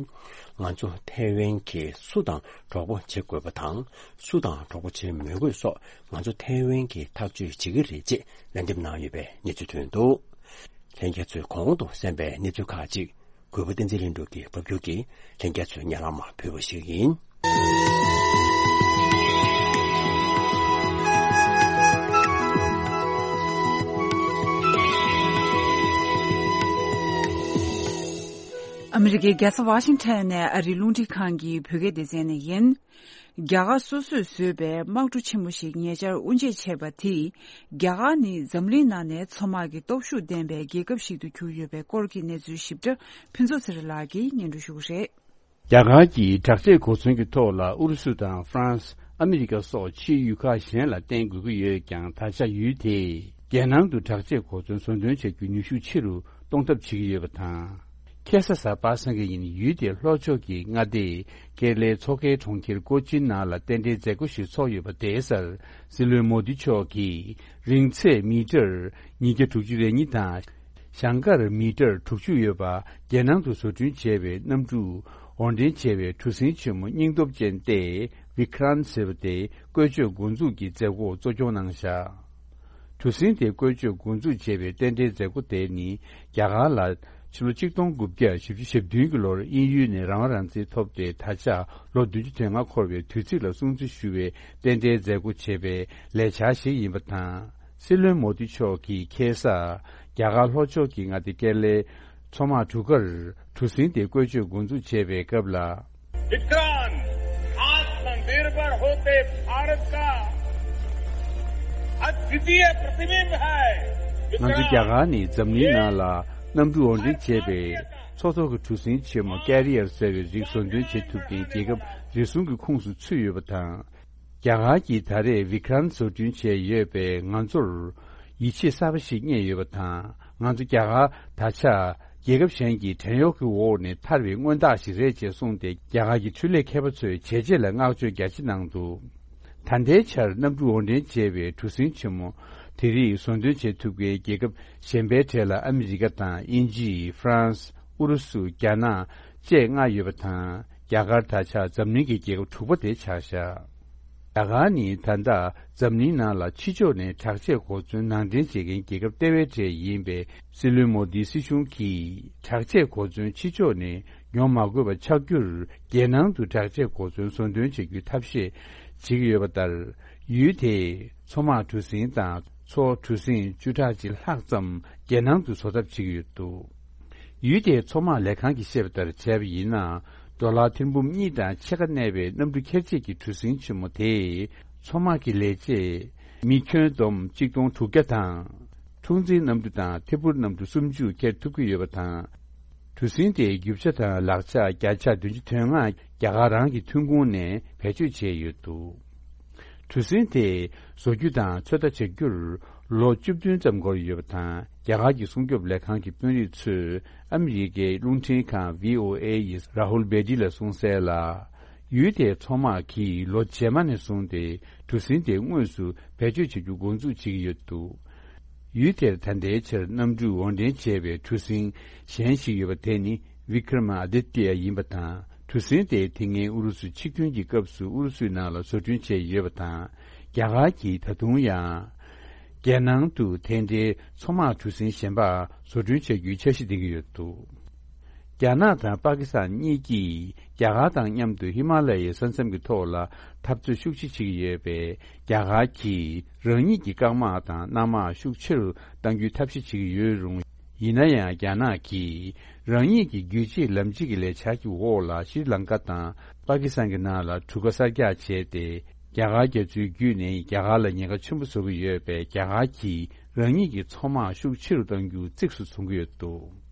ང་ཚོ་ཐའེ་ཝན་གྱིས་སུ་དང་གྲོགས་པོ་བྱེད་དགོས་པ་དང་། སུ་དང་གྲོགས་པོ་བྱེད་མི་དགོས་སོགས་ང་ཚོ་ཐའེ་ཝན་གྱིས་ཐག་གཅོད་བྱེད་ཀྱི་རེད་ཅེས་ལན་འདེབས་གནང་ཡོད་པའི་གནས་ཚུལ་ཐོན་འདུག། ལྷན་རྒྱས་ཚོས་གོང་དུ་གསན་པའི་གནས་ཚུལ་ཁག་ཅིག་གུས་པ་བསྟན་འཛིན་ལྷུན་གྲུབ་ཀྱིས་ཕབ་སྒྱུར་གྱིས་ལྷན་རྒྱས་ཚོའི་སྙན་ལམ་ཕུལ་བ་ཞིག་ཡིན། ཨ་མི་རི་ཀའི་རྒྱལ་ས་ཝ་ཤིང་ཊོན་ནས་ཨ་རིའི་རླུང་འཕྲིན་ཁང་གི་བོད་སྐད་སྡེ་ཚན་ནས་ཡིན། རྒྱ་གར་སོ་སོས་བཟོས་པའི་དམག་གྲུ་ཆེན་མོ་ཞིག་ཉེ་ཆར་དབུ་འབྱེད་བྱས་པ་དེས། རྒྱ་གར་ནི་འཛམ་གླིང་ནང་ནས་མཚོ་དམག་གི་སྟོབས་ཤུགས་ལྡན་པའི་རྒྱལ་ཁབ་ཞིག་ཏུ་གྱུར་ཡོད་པའི་སྐོར་གྱི་གནས་ཚུལ་ཞིབ་ཕྲ་ཕུན་ཚོགས་ཚེ་རིང་ལགས་ཀྱིས་སྙན་སྒྲོན་ཞུ་གི་རེད། རྒྱ་གར་གྱིས་དྲག་ཆས་གོ་མཚོན་གྱི་ཐོག་ལ་ཨུ་རུ་སུ་དང་ཧྥ་རན་སི། ཨ་མི་རི་ཀ་སོགས་ཕྱིའི་ཡུལ་ཁག་གཞན་ལ་བརྟེན་དགོས་ཀྱི་ཡོད་ཀྱང་། ད་ཆ་ཡུལ་དེས་རྒྱལ་ནང་དུ་དྲག་ཆས་གོ་མཚོན་བཟོ་འདོན་བྱ་རྒྱུའི་ནུས་ཤུགས་ཆེ་རུ་གཏོང་ཐབས་བྱེད་ཀྱི་ཡོད་པ་དང་། ཁ་སང་གཟའ་པ་སངས་ཀྱི་ཉིན་ཡུལ་དེའི་ལྷོ་ཕྱོགས་ཀྱི་མངའ་སྡེ་ཀེ་ར་ལའི་མཚོ་ཁའི་གྲོང་ཁྱེར་ཀོ་ཅིན་ནང་ལ་རྟེན་འབྲེལ་མཛད་སྒོ་ཞིག་ཚོགས་ཡོད་པ་དེའི་སར། སྲིད་བློན་མོ་དི་མཆོག་གིས་རིང་ཚད་མི་ཊར་ཉིས་བརྒྱ་དྲུག་ཅུ་རེ་གཉིས་དང་། ཞང་ཀར་མི་ཊར་དྲུག་ཅུ་ཡོད་པ་རྒྱལ་ནང་དུ་བཟོ་སྐྲུན་བྱས་པའི་གནམ་གྲུ་དབོར་འདྲེན་བྱས་པའི་གྲུ་གཟིངས་ཆེན་མོ་སྙིང་སྟོབས་ཅན་ཏེ་བི་ཀྲན་ཟེར་བ་དེ་བཀོལ་སྤྱོད་འགོ་འཛུགས་ཀྱི་མཛད་སྒོ་གཙོ་སྐྱོང་གནང་བཞག། གྲུ་གཟིངས་དེ་བཀོལ་སྤྱོད་འགོ་འཛུགས་བྱས་པའི་རྟེན་འབྲེལ་མཛད་སྒོ་དེ་ནི་རྒྱ་གར་ལ་ཕྱི་ལོ་ཆིག་སྟོང་དགུ་བརྒྱ་བཞི་བཅུ་ཞེ་བདུན་གྱི་ལོར་དབྱིན་ཡུལ་ནས་རང་དབང་རང་བཙན་ཐོབ་སྟེ། ད་ཆ་ལོ་བདུན་ཅུ་དོན་ལྔ་འཁོར་བའི་དུས་ཚིགས་ལ་སྲུང་བརྩི་ཞུ་བའི་རྟེན་འབྲེལ་མཛད་སྒོ་བྱེད་པའི་ལས་འཆར་ཞིག་ཡིན་པ་དང་། སྲིད་བློན་མོ་དི་མཆོག་གིས་ཁ་སང་རྒྱ་གར་ལྷོ་ཕྱོགས་ཀྱི་མངའ་སྡེ་ཀེ་ར་ལའི་མཚོ་དམག་གྲུ་ཁར་གྲུ་གཟིངས་དེ་བཀོལ་སྤྱོད་འགོ་འཛུགས་བྱས་པའི་སྐབས་ལ། विक्रांत, आत्मनिर्भर होते भारत का अद्वितीय प्रतिबिंब है। ང་ཚོ་རྒྱ་གར་ནི་འཛམ་གླིང་ནང་ལ་གནམ་གྲུ་དབོར་འདྲེན་བྱེད་པའི་མཚོ་ཐོག་གི་གྲུ་གཟིངས་ཆེན་མོ་ཀེ་རི་ཡར་ཟེར་བའི་རིགས་བཟོ་འདོན་བྱེད་ཐུབ་མཁན་རྒྱལ་ཁབ་རེ་ཟུང་གི་ཁོངས་སུ་ཚུད་ཡོད་པ་དང་། རྒྱ་གར་གྱིས་ད་རེས་བི་ཀྲན་བཟོ་སྐྲུན་བྱས་ཡོད་པས་ང་ཚོར་ཡིད་ཆེས་གསར་པ་ཞིག་རྙེད་ཡོད་པ་དང་། ང་ཚོ་རྒྱ་གར་ད་ཆ་རྒྱལ་ཁབ་གཞན་གྱི་བྲན་གཡོག་གི་འོག་ནས་ཐར་བའི་མངོན་རྟགས་ཤིག་རེད་ཅེས་གསུངས་ཏེ། རྒྱ་གར་གྱི་འཕྲུལ་ལས་མཁས་པ་ཚོས་བྱས་རྗེས་ལ་བསྔགས་བརྗོད་རྒྱ་ཆེ་གནང་འདུག། ད་ལྟའི་ཆར་གནམ་གྲུ་དབོར་འདྲེན་བྱས་པའི་གྲུ་གཟིངས་ཆེན་མོ་དེ་རིགས་བཟོ་འདོན་བྱེད་ཐུབ་མཁན་རྒྱལ་ཁབ་གཞན་པའི་གྲས་ལ་ཨ་མི་རི་ཀ་དང་། དབྱིན་ཇི། ཧྥ་རན་སི། ཨུ་རུ་སུ། རྒྱ་ནག་བཅས་ལྔ་ཡོད་པ་དང་། རྒྱ་གར་ད་ཆ་འཛམ་གླིང་གི་རྒྱལ་ཁབ་དྲུག་པ་དེ་ཆགས་བཞག། རྒྱ་གར་ནི་ད་ལྟ་འཛམ་གླིང་ནང་ལ་ཕྱི་ཕྱོགས་ནས་དྲག་ཆས་གོ་མཚོན་ནང་འདྲེན་བྱེད་མཁན་རྒྱལ་ཁབ་ལྟེ་བའི་གྲས་ཡིན་པས། སྲིད་བློན་མོ་དིའི་སྲིད་གཞུང་གིས་དྲག་ཆས་གོ་མཚོན་ཕྱི་ཕྱོགས་ནས་ཡོང་མ་དགོས་པ་ཆགས་རྒྱུར། རྒྱལ་ནང་དུ་དྲག་ཆས་གོ་མཚོན་བཟོ་འདོན་བྱེད་རྒྱུའི་ཐབས་ཤེས་བྱེད་ཀྱི་ཡོད་པ་ལྟར། ཡུལ་དེས་མཚོ་དམག་གྲུ་གཟིངས་དང་མཚོ་གྲུ་གཟིངས་བཅུ་ཕྲག་གཅིག་ལྷག་ཙམ་རྒྱལ་ནང་དུ་བཟོ་ཐབས་བྱེད་ཀྱི་ཡོད་འདུག། ཡུལ་དེའི་མཚོ་དམག་ལས་ཁང་གིས་བཤད་པ་ལྟར་བྱས་པ་ཡིན་ན། ཌོ་ལར་ཐེར་འབུམ་གཉིས་དང་ཕྱེད་ཀ་གནས་པའི་གནམ་གྲུ་འཁྱེར་བྱེད་ཀྱི་གྲུ་གཟིངས་ཆེན་མོ་དེས། མཚོ་དམག་གི་ལས་བྱེད་མི་ཁྱོན་བསྡོམས་གཅིག་སྟོང་དྲུག་བརྒྱ་དང་། འཁྲུག་འཛིང་གནམ་གྲུ་དང་ཐད་འཕུར་གནམ་གྲུ་སུམ་ཅུ་འཁྱེར་ཐུབ་ཀྱི་ཡོད་པ་དང་། གྲུ་གཟིངས་དེའི་རྒྱུ་ཆ་དང་ལག་ཆ་བརྒྱ་ཆ་བདུན་ཅུ་དོན་ལྔ་རྒྱ་གར་རང་གི་ཐོན་ཁུངས་ནས་བེད་སྤྱོད་བྱས་ཡོད་འདུག། གྲུ་གཟིངས་དེ་བཟོ་རྒྱུ་དང་ཚོད་ལྟ་བྱ་རྒྱུར་ལོ་བཅུ་བདུན་ཙམ་འགོར་ཡོད་པ་དང་། རྒྱ་གར་གྱི་སྲུང་སྐྱོབ་ལས་ཁང་གི་དཔོན་རིགས་ཚོས་ཨ་མི་རི་ཀའི་རླུང་འཕྲིན་ཁང་བྷི་ཨོ་ཨེ་ཡི་ར་ཧུལ་བེ་ཏི་ལ་གསུངས་གསལ་ལ། ཡུལ་དེའི་མཚོ་དམག་གིས་ལོ་རྗེས་མ་ནས་བཟུང་སྟེ་གྲུ་གཟིངས་དེ་དངོས་སུ་བེད་སྤྱོད་བྱ་རྒྱུ་འགོ་འཛུགས་བྱེད་ཀྱི་ཡོད་འདུག། ཡུལ་དེར་ད་ལྟའི་ཆར་གནམ་གྲུ་དབོར་འདྲེན་བྱས་པའི་གྲུ་གཟིངས་གཞན་ཞིག་ཡོད་པ་དེ་ནི་བི་ཀྲ་མ་ཨ་དི་ཏི་ཡ་ཡིན་པ་དང་། གྲུ་གཟིངས་དེ་དེ་སྔའི་ཨུ་རུ་སུའི་འཆི་སྐྱོན་གྱི་སྐབས་སུ་ཨུ་རུ་སུའི་ནང་ལ་བཟོ་སྐྲུན་བྱས་ཡོད་པ་དང་། རྒྱ་གར་གྱིས་ད་དུང་ཡང་རྒྱལ་ནང་དུ་དེ་འདྲའི་མཚོ་དམག་གྲུ་གཟིངས་གཞན་པ་བཟོ་སྐྲུན་བྱ་རྒྱུའི་འཆར་གཞི་འདིང་གི་ཡོད་འདུག། རྒྱ་ནག་དང་པ་ཀི་སི་ཐན་གཉིས་ཀྱིས་རྒྱ་གར་དང་མཉམ་དུ་ཧི་མ་ལ་ཡའི་ས་མཚམས་ཀྱི་ཐོག་ལ་འཐབ་རྩོད་ཤུགས་ཆེ་བྱེད་ཀྱི་ཡོད་པས། རྒྱ་གར་གྱིས་རང་ཉིད་ཀྱི་རྐང་དམག་དང་གནམ་དམག་ཤུགས་ཆེ་རུ་གཏང་རྒྱུའི་ཐབས་ཤེས་བྱེད་ཀྱི་ཡོད་རུང་། ཡིན་ན་ཡང་རྒྱ་ནག་གིས་རང་ཉིད་ཀྱི་རྒྱུད་གཅིག་ལམ་གཅིག་གི་ལས་འཆར་གྱི་འོག་ལ་ཤྲི་ལང་ཀ་དང་པ་ཀི་སི་ཐན་གྱི་ནང་ལ་གྲུ་ཁ་གསར་རྒྱག་བྱས་ཏེ། རྒྱ་གར་རྒྱ་མཚོའི་བརྒྱུད་ནས་རྒྱ་གར་ལ་ཉེན་ཁ་ཆེན་པོ་བཟོ་གི་ཡོད་པས། རྒྱ་གར་གྱིས་རང་ཉིད་ཀྱི་མཚོ་དམག་ཤུགས་ཆེ་རུ་གཏང་རྒྱུ་གཙིགས་སུ་བཟུང་གི་ཡོད་འདུག།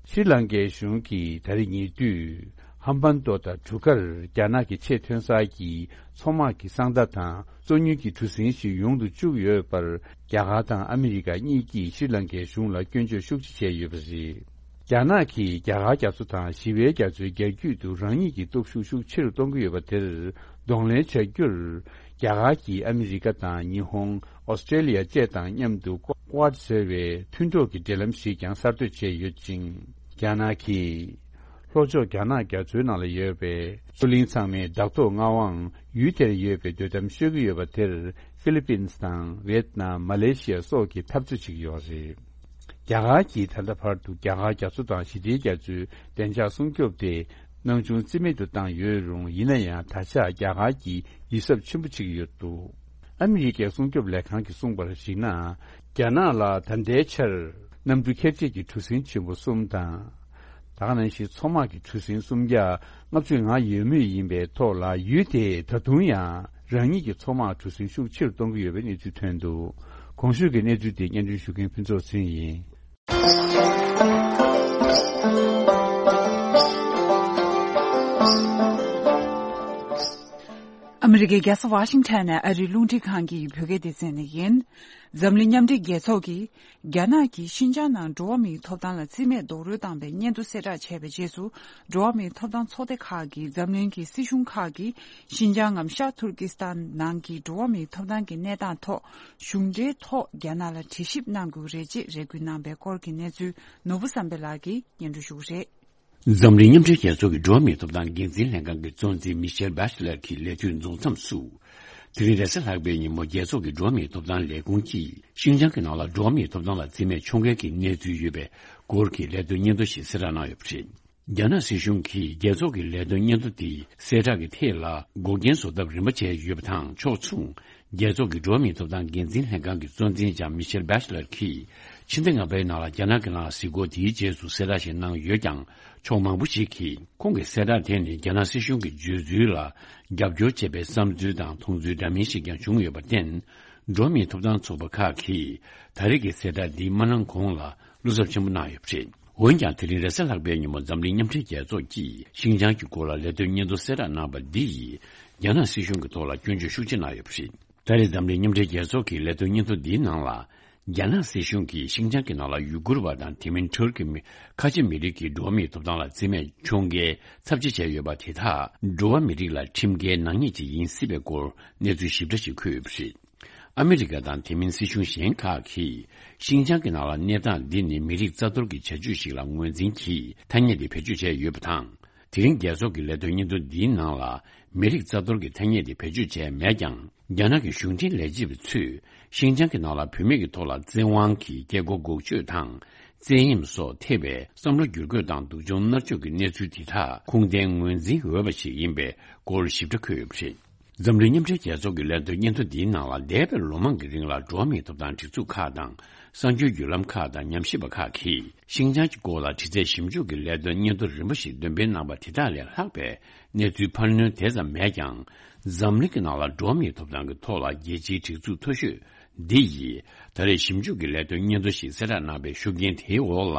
ཤྲི་ལང་ཀའི་གཞུང་གིས་ད་རེས་ཉེ་དུས་ཧམ་བན་ཏོ་དང་གྲུ་ཁར་རྒྱ་ནག་གི་ཆེས་ཐོན་གསར་གྱི་མཚོ་དམག་གི་གསང་མདའ་དང་། མཚོ་དངུལ་གྱི་གྲུ་གཟིངས་ཤིག་ཡོང་དུ་བཅུག་ཡོད་པར། རྒྱ་གར་དང་ཨ་མི་རི་ཀ་གཉིས་ཀྱིས་ཤྲི་ལང་ཀའི་གཞུང་ལ་སྐྱོན་བརྗོད་ཤུགས་ཆེ་བྱས་ཡོད་པ་རེད། རྒྱ་ནག་གིས་རྒྱ་གར་རྒྱ་མཚོ་དང་ཞི་བའི་རྒྱ་མཚོའི་རྒྱ་རྒྱུད་དུ་རང་ཉིད་ཀྱི་སྟོབས་ཤུགས་ཤུགས་ཆེ་རུ་གཏོང་གི་ཡོད་པ་དེར་གདོང་ལེན་བྱ་རྒྱུར། རྒྱ་གར་གྱིས་ཨ་མི་རི་ཀ་དང་ཉི་ཧོང་། ཨོ་སི་ཀྲེ་ལི་ཡ་བཅས་དང་མཉམ་དུ་ཀོ་ཀོ་ཌ་ཟེར་བའི་མཐུན་གྲོགས་ཀྱི་འབྲེལ་ལམ་ཞིག་ཀྱང་གསར་གཏོད་བྱས་ཡོད་ཅིང་། རྒྱ་ནག་གིས་ལྷོ་ཕྱོགས་རྒྱ་ནག་རྒྱ་མཚོའི་ནང་ལ་ཡོད་པའི་མཚོ་གླིང་ཚང་མའི་བདག་ཐོག་མངའ་དབང་ཡུལ་དེར་ཡོད་པའི་འདོད་གཏམ་ཤོད་ཀྱི་ཡོད་པ་དེར་ཧྥི་ལི་པིན་སི་དང་ཝེད་ནམ། མ་ལེ་ཤི་ཡ་སོགས་ཀྱིས་འཐབ་རྩོད་བྱེད་ཀྱི་ཡོད་རེད། རྒྱ་གར་གྱིས་ད་ལྟ་བར་དུ་རྒྱ་གར་རྒྱ་མཚོ་དང་ཞི་བདེའི་རྒྱ་མཚོའི་བདེ་འཇགས་སྲུང་སྐྱོབ་དེ་སྣང་ཆུང་རྩིས་མེད་དུ་བཏང་ཡོད་རུང་། ཡིན་ན་ཡང་ད་ཆ་རྒྱ་གར་གྱིས་ཡིད་གཟབ་ཆེན་པོ་བྱེད་ཀྱི་ཡོད་འདུག་ཨ་མི་རི་ཀའི་སྲུང་སྐྱོབ་ལས་ཁང་གིས་གསུངས་པར་གཞིགས་ན། རྒྱ་ནག་ལ་ད་ལྟའི་ཆར་གནམ་གྲུ་འཁྱགས་རྗེས་ཀྱི་གྲུ་གཟིངས་ཆེན་པོ་གསུམ་དང་། ད་ག་ནང་བཞིན་མཚོ་དམག་གི་གྲུ་གཟིངས་སུམ་བརྒྱ་ལྔ་བཅུ་ང་ཡོད་མུས་ཡིན་པའི་ཐོག་ལ། ཡུལ་དེས་ད་དུང་ཡང་རང་ཉིད་ཀྱི་མཚོ་དམག་གྲུ་གཟིངས་ཤུགས་ཆེ་རུ་གཏོང་གི་ཡོད་པའི་གནས་ཚུལ་ཐོན་འདུག་གོང་ཞུས་ཀྱི་གནས་ཚུལ་དེ་སྙན་སྒྲོན་ཞུ་མཁན་ཕུན་ཚོགས་ཚེ་རིང་ཡིན། ཨ་མི་རི་ཀའི་རྒྱལ་ས་ཝ་ཤིང་ཊོན་ནས་ཨ་རིའི་རླུང་འཕྲིན་ཁང་གི་བོད་སྐད་སྡེ་ཚན་ནས་ཡིན། འཛམ་གླིང་མཉམ་འབྲེལ་རྒྱལ་ཚོགས་ཀྱིས་རྒྱ་ནག་གིས་ཤིན་ཅང་ནང་འགྲོ་བ་མིའི་ཐོབ་ཐང་ལ་རྩིས་མེད་རྡོག་རོལ་བཏང་པའི་སྙན་ཐོ་གསལ་བསྒྲགས་བྱས་པའི་རྗེས་སུ། འགྲོ་བ་མིའི་ཐོབ་ཐང་ཚོགས་སྡེ་ཁག་གིས་འཛམ་གླིང་གི་སྲིད་གཞུང་ཁག་གིས་ཤིན་ཅང་ངམ་ཤར་ཐུར་ཀི་སི་ཐན་ནང་གི་འགྲོ་བ་མིའི་ཐོབ་ཐང་གི་གནས་སྟངས་ཐོག་གཞུང་འབྲེལ་ཐོག་རྒྱ་ནག་ལ་དྲི་ཞིབ་གནང་དགོས་རེད་ཅེས་རེ་སྐུལ་གནང་པའི་སྐོར་གྱི་གནས་ཚུལ་ནོར་བུ་བསམ་འཕེལ་ལགས་ཀྱིས་སྙན་སྒྲོན་ཞུ་གི་རེད། འཛམ་གླིང་མཉམ་འབྲེལ་རྒྱལ་ཚོགས་ཀྱི་འགྲོ་བ་མིའི་ཐོབ་ཐང་འགན་འཛིན་ལྷན་ཁང་གི་གཙོ་འཛིན་མི་ཤེལ་བྷེ་ཤ་ལེར་གྱི་ལས་དུས་རྫོགས་མཚམས་སུ། དེ་རིང་རེས་གཟའ་ལྷག་པའི་ཉིན་མོ་རྒྱལ་ཚོགས་ཀྱི་འགྲོ་བ་མིའི་ཐོབ་ཐང་ལས་ཁུངས་ཀྱིས་ཤིན་ཅང་གི་ནང་ལ་འགྲོ་བ་མིའི་ཐོབ་ཐང་ལ་རྩིས་མེད་ཕྱོགས་འགལ་གྱི་གནས་ཚུལ་ཡོད་པའི་སྐོར་གྱི་ལས་དོན་སྙན་ཐོ་ཞིག་གསལ་བསྒྲགས་གནང་ཡོད་པ་རེད། རྒྱ་ནག་སྲིད་གཞུང་གིས་རྒྱལ་ཚོགས་ཀྱི་ལས་དོན་སྙན་ཐོ་དེའི་གསལ་བསྒྲགས་ཀྱི་ཐད་ལ་འགོག་རྐྱེན་བཟོ་ཐབས་རིམ་པ་བྱས་ཡོད་པ་དང་། ཕྱོགས་མཚུངས། རྒྱལ་ཚོགས་ཀྱི་འགྲོ་བ་མིའི་ཐོབ་ཐང་འགན་འཛིན་ལྷན་ཁང་གི་གཙོ་འཛིན་ལྕམ་མི་ཤེལ་བྷེ་ཤ་ལར་གྱིས་ཕྱི་ཟླ་ལྔ་པའི་ནང་ལ་རྒྱ་ནག་གི་ནང་གཟིགས་སྐོར་དེའི་རྗེས་སུ་གསལ་བསྒྲགས་ཤིག་གནང་ཡོད་ཀྱང་། ཕྱོགས་མང་པོ་ཞིག་གིས་ཁོང་གི་གསལ་བསྒྲགས་དེ་ནི་རྒྱ་ནག་སྲིད་གཞུང་གི་བརྗོད་ཚུལ་ལ་རྒྱབ་སྐྱོར་བྱེད་པའི་བསམ་ཚུལ་དང་མཐོང་ཚུལ་འདྲ་མིན་ཞིག་ཀྱང་བྱུང་ཡོད་པར་བརྟེན། འགྲོ་བ་མིའི་ཐོབ་ཐང་ཚོགས་པ་ཁག་གིས་ད་རེས་ཀྱི་གསལ་བསྒྲགས་འདི་མ་གནང་གོང་ལ་བློ་འཚབ་ཆེན་པོ་གནང་ཡོད་པ་རེད། འོན་ཀྱང་། དེ་རིང་རེས་གཟའ་ལྷག་པའི་ཉིན་མོ་འཛམ་གླིང་མཉམ་འབྲེལ་རྒྱལ་ཚོགས་ཀྱིས་ཤིན་ཅང་གི་སྐོར་ལ་ལས་དོན་སྙན་ཐོ་གསལ་བསྒྲགས་གནང་བ་འདི་ཡིས། རྒྱ་ནག་སྲིད་གཞུང་གི་ཐོག་ལ་སྐྱོན་བརྗོད་ཤུགས་ཆེ་གནང་ཡོད་པ་རེད། ད་རེས་འཛམ་གླིང་མཉམ་འབྲེལ་རྒྱལ་ཚོགས་ཀྱི་ལས་དོན་སྙན་ཐོ་འདིའི་ནང་ལ། རྒྱ་ནག་སྲིད་གཞུང་གིས་ཤིན་ཅང་གི་ནང་ལ་ཡུ་གུར་བ་དང་དེ་མིན་ཁྲོར་གྱི་མི་ཁ་ཆེ་མི་རིགས་ཀྱི་འགྲོ་བ་མིའི་ཐོབ་ཐང་ལ་རྩིས་མེད་ཕྱོགས་འགལ་ཚབས་ཆེ་བྱས་ཡོད་པ་དེ་དག་འགྲོ་བ་མི་རིགས་ལ་ཁྲིམས་འགལ་ནག་ཉེས་ཅིག་ཡིན་སྲིད་པའི་སྐོར་གནས་ཚུལ་ཞིབ་ཕྲ་ཞིག་འཁོད་ཡོད་པ་རེད། ཨ་མི་རི་ཀ་དང་དེ་མིན་སྲིད་གཞུང་གཞན་ཁག་གིས་ཤིན་ཅང་གི་ནང་ལ་གནས་སྟངས་འདི་ནི་མི་རིགས་རྩ་གཏོར་གྱི་བྱ་སྤྱོད་ཞིག་ལ་ངོས་འཛིན་གྱིས་ཐ་སྙད་དེ་བེད་སྤྱོད་བྱས་ཡོད་པ་དང་། དེ་རིང་རྒྱལ་ཚོགས་ཀྱི་ལས་དོན་སྙན་ཐོ་འདིའི་ནང་ལ་མི་རིགས་རྩ་གཏོར་གྱི་ཐ་སྙད་དེ་བེད་སྤྱོད་བྱས་མེད་ཀྱང་། རྒྱ་ནག་གི་གཞུང་འབྲེལ་ལས་བྱེད་པ་ཚོས་ཤིན་ཅང་གི་ནང་ལ་བུད་མེད་ཀྱི་ཐོག་ལ་བཙན་དབང་གིས་སྐྱེ་སྒོ་འགུག་གཅོད་དང་། བཙན་གཡེམ་སོགས་ཐེ་བའི་བསམ་བློ་བསྒྱུར་བཀོད་དང་སྡུག་སྦྱོང་མནར་གཅོད་ཀྱི་གནས་ཚུལ་དེ་དག་ཁུངས་ལྡན་ངོས་འཛིན་འོས་པ་ཞིག་ཡིན་པའི་སྐོར་ཞིབ་ཕྲ་འཁོད་ཡོད་པ་རེད། འཛམ་གླིང་མཉམ་འབྲེལ་རྒྱལ་ཚོགས་ཀྱི་ལས་དོན་སྙན་ཐོ་འདིའི་ནང་ལ། འདས་པའི་ལོ་མང་གི་རིང་ལ་འགྲོ་བ་མིའི་ཐོབ་ཐང་སྒྲིག་འཛུགས་ཁག་དང་། གསར་འགྱུར་བརྒྱུད་ལམ་ཁག་དང་། ཉམས་ཞིབ་པ་ཁག་གིས་ཤིན་ཅང་གི་སྐོར་ལ་དྲི་རྩད་ཞིབ་འཇུག་གི་ལས་དོན་སྙན་ཐོ་རིམ་པ་ཞིག་འདོན་སྤེལ་གནང་པ་དེ་དག་ལས་ལྷག་པའི་གནས་ཚུལ་འཕར་སྣོན་དེ་ཙམ་མེད་ཀྱང་། འཛམ་གླིང་གི་ནང་ལ་འགྲོ་བ་མིའི་ཐོབ་ཐང་གི་ཐོག་ལ་རྒྱལ་སྤྱིའི་སྒྲིག་འཛུགས་མཐོ་ཤོས་འདི་ཡིས་ད་རེས་ཞིབ་འཇུག་གི་ལས་དོན་སྙན་ཐོ་ཞིག་གསལ་བསྒྲགས་གནང་པའི་ཤུགས་རྐྱེན་དེའི་འོག་ལ།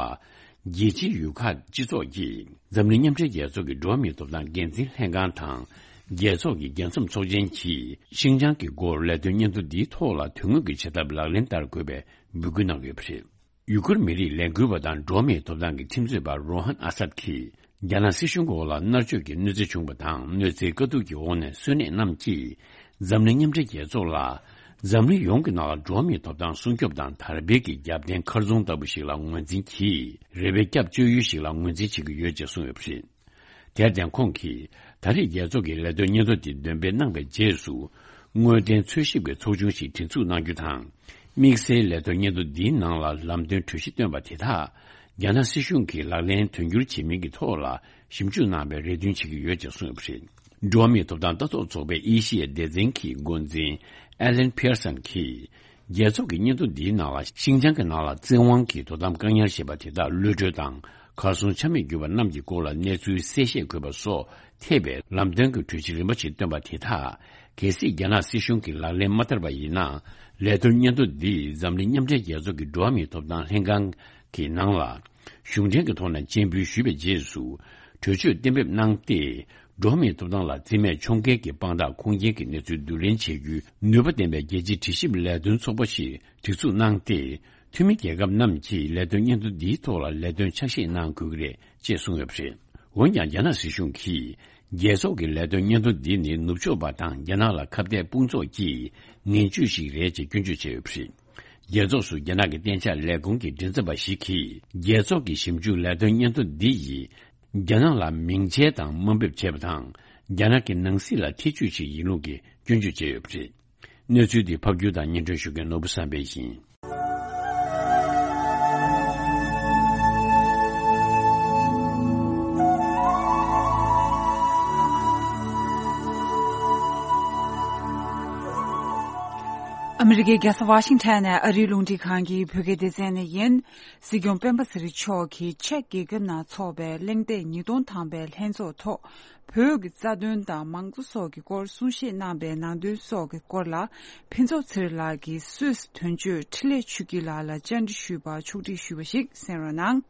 རྒྱལ་སྤྱིའི་ཡུལ་ཁག་སྤྱི་ཚོགས་ཀྱིས་འཛམ་གླིང་མཉམ་འབྲེལ་རྒྱལ་ཚོགས་ཀྱི་འགྲོ་བ་མིའི་ཐོབ་ཐང་འགན་འཛིན་ལྷན་ཁང་དང་། རྒྱལ་ཚོགས་ཀྱི་རྒྱལ་མཚམས་ཚོགས་ཆེན་གྱིས་ཤིན་ཅང་གི་སྐོར་ལས་དོན་སྙན་ཐོ་འདིའི་ཐོག་ལ་དོན་དངོས་ཀྱི་བྱེད་ཐབས་ལག་ལེན་བསྟར་དགོས་པའི་འབོད་སྐུལ་གནང་ཡོད་པ་རེད། ཡུ་གུར་མི་རིགས་ལས་འགུལ་བ་དང་འགྲོ་བ་མིའི་ཐོབ་ཐང་གི་ཁྲིམས་རྩོད་པ་རོ་ཧན་ཨ་སད་ཀྱིས། རྒྱ་ནག་སྲིད་གཞུང་གི་འོག་ལ་མནར་གཅོད་ཀྱི་གནོད་འཚེ་བྱུང་བ་དང་། གནོད་འཚེའི་དཀའ་སྡུག་གི་འོག་ནས་གསོན་གནས་རྣམས་ཀྱིས། འཛམ་གླིང་མཉམ་འབྲེལ་རྒྱལ་ཚོགས་ལ། འཛམ་གླིང་ཡོངས་ཀྱི་ནང་ལ་འགྲོ་བ་མིའི་ཐོབ་ཐང་སྲུང་སྐྱོབ་དང་དར་སྤེལ་གྱི་རྒྱབ་རྟེན་མཁར་རྫོང་ལྟ་བུ་ཞིག་ལ་ངོས་འཛིན་གྱིས། རེ་བའི་སྐྱབས་བཅོལ་ཡུལ་ཞིག་ལ་ངོས་འཛིན་བྱེད་ཀྱི་ཡོད་ཅེས་གསུངས་ཡོད་པ་རེད། དེར་བརྟེན་ཁོང་གིས། ད་རེས་རྒྱལ་ཚོགས་ཀྱི་ལས་དོན་སྙན་ཐོ་དེ་འདོན་སྤེལ་གནང་བའི་རྗེས་སུ། དངོས་བདེན་འཚོལ་ཞིབ་ཀྱི་ཚོགས་ཆུང་ཞིག་སྒྲིག་འཛུགས་གནང་རྒྱུ་དང་། དམིགས་བསལ་ལས་དོན་སྙན་ཐོ་འདིའི་ནང་ལ་ལམ་སྟོན་གྲོས་གཞི་བཏོན་པ་དེ་དག་རྒྱ་ནག་སྲིད་གཞུང་གིས་ལག་ལེན་དོན་འཁྱོལ་བྱེད་མིན་གྱི་ཐོག་ལ་ཞིབ་འཇུག་གནང་བའི་རེ་འདུན་བྱེད་ཀྱི་ཡོད་ཅེས་གསུངས་ཡོད་པ་རེད། འགྲོ་བ་མིའི་ཐོབ་ཐང་ལྟ་རྟོག་ཚོགས་པའི་ཨེ་ཤི་ཡའི་སྡེ་ཚན་གྱི་འགོ་འཛིན་ཨེ་ལན་ཕི་ཡར་སན་གྱིས། རྒྱལ་ཚོགས་ཀྱི་སྙན་ཐོ་འདིའི་ནང་ལ་ཤིན་ཅང་གི་ནང་ལ་བཙན་དབང་གིས་དོ་དམ་བཀག་ཉར་བྱས་པ་དེ་དག་གློད་བཀྲོལ་དང་། གར་སོང་ཆ་མེད་གྱུར་པ་རྣམས་ཀྱི་སྐོར་ལ་གནས་ཚུལ་གསལ་བཤད་དགོས་པ་སོགས་ཐེ་བའི་ལམ་སྟོན་གྱི་གྲོས་གཞི་རིམ་པ་ཞིག་བཏོན་པ་དེ་དག་གལ་སྲིད་རྒྱ་ནག་སྲིད་གཞུང་གིས་ལག་ལེན་མ་བསྟར་བ་ཡིན་ན། ལས་དོན་སྙན་ཐོ་འདིས་འཛམ་གླིང་མཉམ་འབྲེལ་རྒྱལ་ཚོགས་ཀྱི་འགྲོ་བ་མིའི་ཐོབ་ཐང་ལྷན་ཁང་གི་ནང་ལ་གཞུང་འབྲེལ་གྱི་ཐོག་ནས་སྤྱན་འབུལ་ཞུས་པའི་རྗེས་སུ། གྲོས་ཆོད་གཏན་འབེབས་གནང་སྟེ། འགྲོ་བ་མིའི་ཐོབ་ཐང་ལ་རྩིས་མེད་ཕྱོགས་འགལ་གྱི་དཔང་རྟགས་ཁུངས་སྐྱེལ་གྱི་གནས་ཚུལ་བསྡུ་ལེན་བྱེད་རྒྱུའི་ནུས་པ་ལྡན་པའི་རྒྱལ་སྤྱིའི་དྲི་ཞིབ་ལས་དོན་ཚོགས་པ་ཞིག་སྒྲིག་འཛུགས་གནང་སྟེ། འཐུས་མི་རྒྱལ་ཁབ་རྣམས་ཀྱིས་ལས་དོན་སྙན་ཐོ་འདིའི་ཐོག་ལ་ལས་དོན་ཕྱག་བཞེས་གནང་དགོས་ཀྱི་རེད་ཅེས་གསུངས་ཡོད་པ་རེད། འོན་ཀྱང་། རྒྱ་ནག་སྲིད་གཞུང་གིས་ རྒྱལ་ཚོགས་ཀྱི་ལས་དོན་སྙན་ཐོ་འདི་ནི་ནུབ་ཕྱོགས་པ་དང་རྒྱ་ནག་ལ་ཁ་གཏད་དཔུང་ཚོགས་ཀྱི་ངན་ཇུས་ཤིག་རེད་ཅེས་སྐྱོན་བརྗོད་བྱས་ཡོད་པ་རེད། རྒྱལ་ཚོགས་སུ་རྒྱ་ནག་གི་གཏན་འཇགས་ལས་ཁུངས་ཀྱི་མགྲིན་ཚབ་པ་ཞིག་གིས། རྒྱལ་ཚོགས་ཀྱི་ཞིབ་འཇུག་ལས་དོན་སྙན་ཐོ་འདི་ཡིས། རྒྱ་ནག་ལ་མིང་ཆད་དང་དམའ་འབེབས་བྱས་པ་དང་། རྒྱ་ནག་གི་ནང་སྲིད་ལ་ཐེ་ཇུས་ཤིག་ཡིན་ལུགས་ཀྱི་སྐྱོན་བརྗོད་བྱས་ཡོད་པ་རེད། གནས་ཚུལ་འདི་ཕབ་སྒྱུར་དང་སྙན་སྒྲོན་ཞུ་མཁན་ནོར་བུ་བསམ་འཕེལ་ཡིན། ཨ་མི་རི་ཀའི་རྒྱལ་ས་ཝ་ཤིང་ཊོན་ནས་ཨ་རིའི་རླུང་འཕྲིན་ཁང་གི་བོད་སྐད་སྡེ་ཚན་ནས་ཡིན། སྲིད་སྐྱོང་སྤེན་པ་ཚེ་རིང་མཆོག་གིས་ཅེཀ་རྒྱལ་ཁབ་ནང་འཚོགས་པའི་གླེང་སྟེགས་ཉིས་སྟོང་ཐམ་པའི་ལྷན་ཚོགས་ཐོག་བོད་ཀྱི་རྩ་དོན་དང་མང་གཙོ་སོགས་ཀྱི་སྐོར་གསུང་བཤད་གནང་པའི་ནང་དོན་སོགས་ཀྱི་སྐོར་ལ་ཕུན་ཚོགས་ཚེ་རིང་ལགས་ཀྱིས་སུད་སི་དོན་གཅོད་འཕྲིན་ལས་ཆོས་སྐྱིད་ལགས་ལ་བཅར་འདྲི་ཞུས་པར་ཕྱོགས་སྒྲིག་ཞུས་པ་ཞིག་གསན་རོགས་གནང་།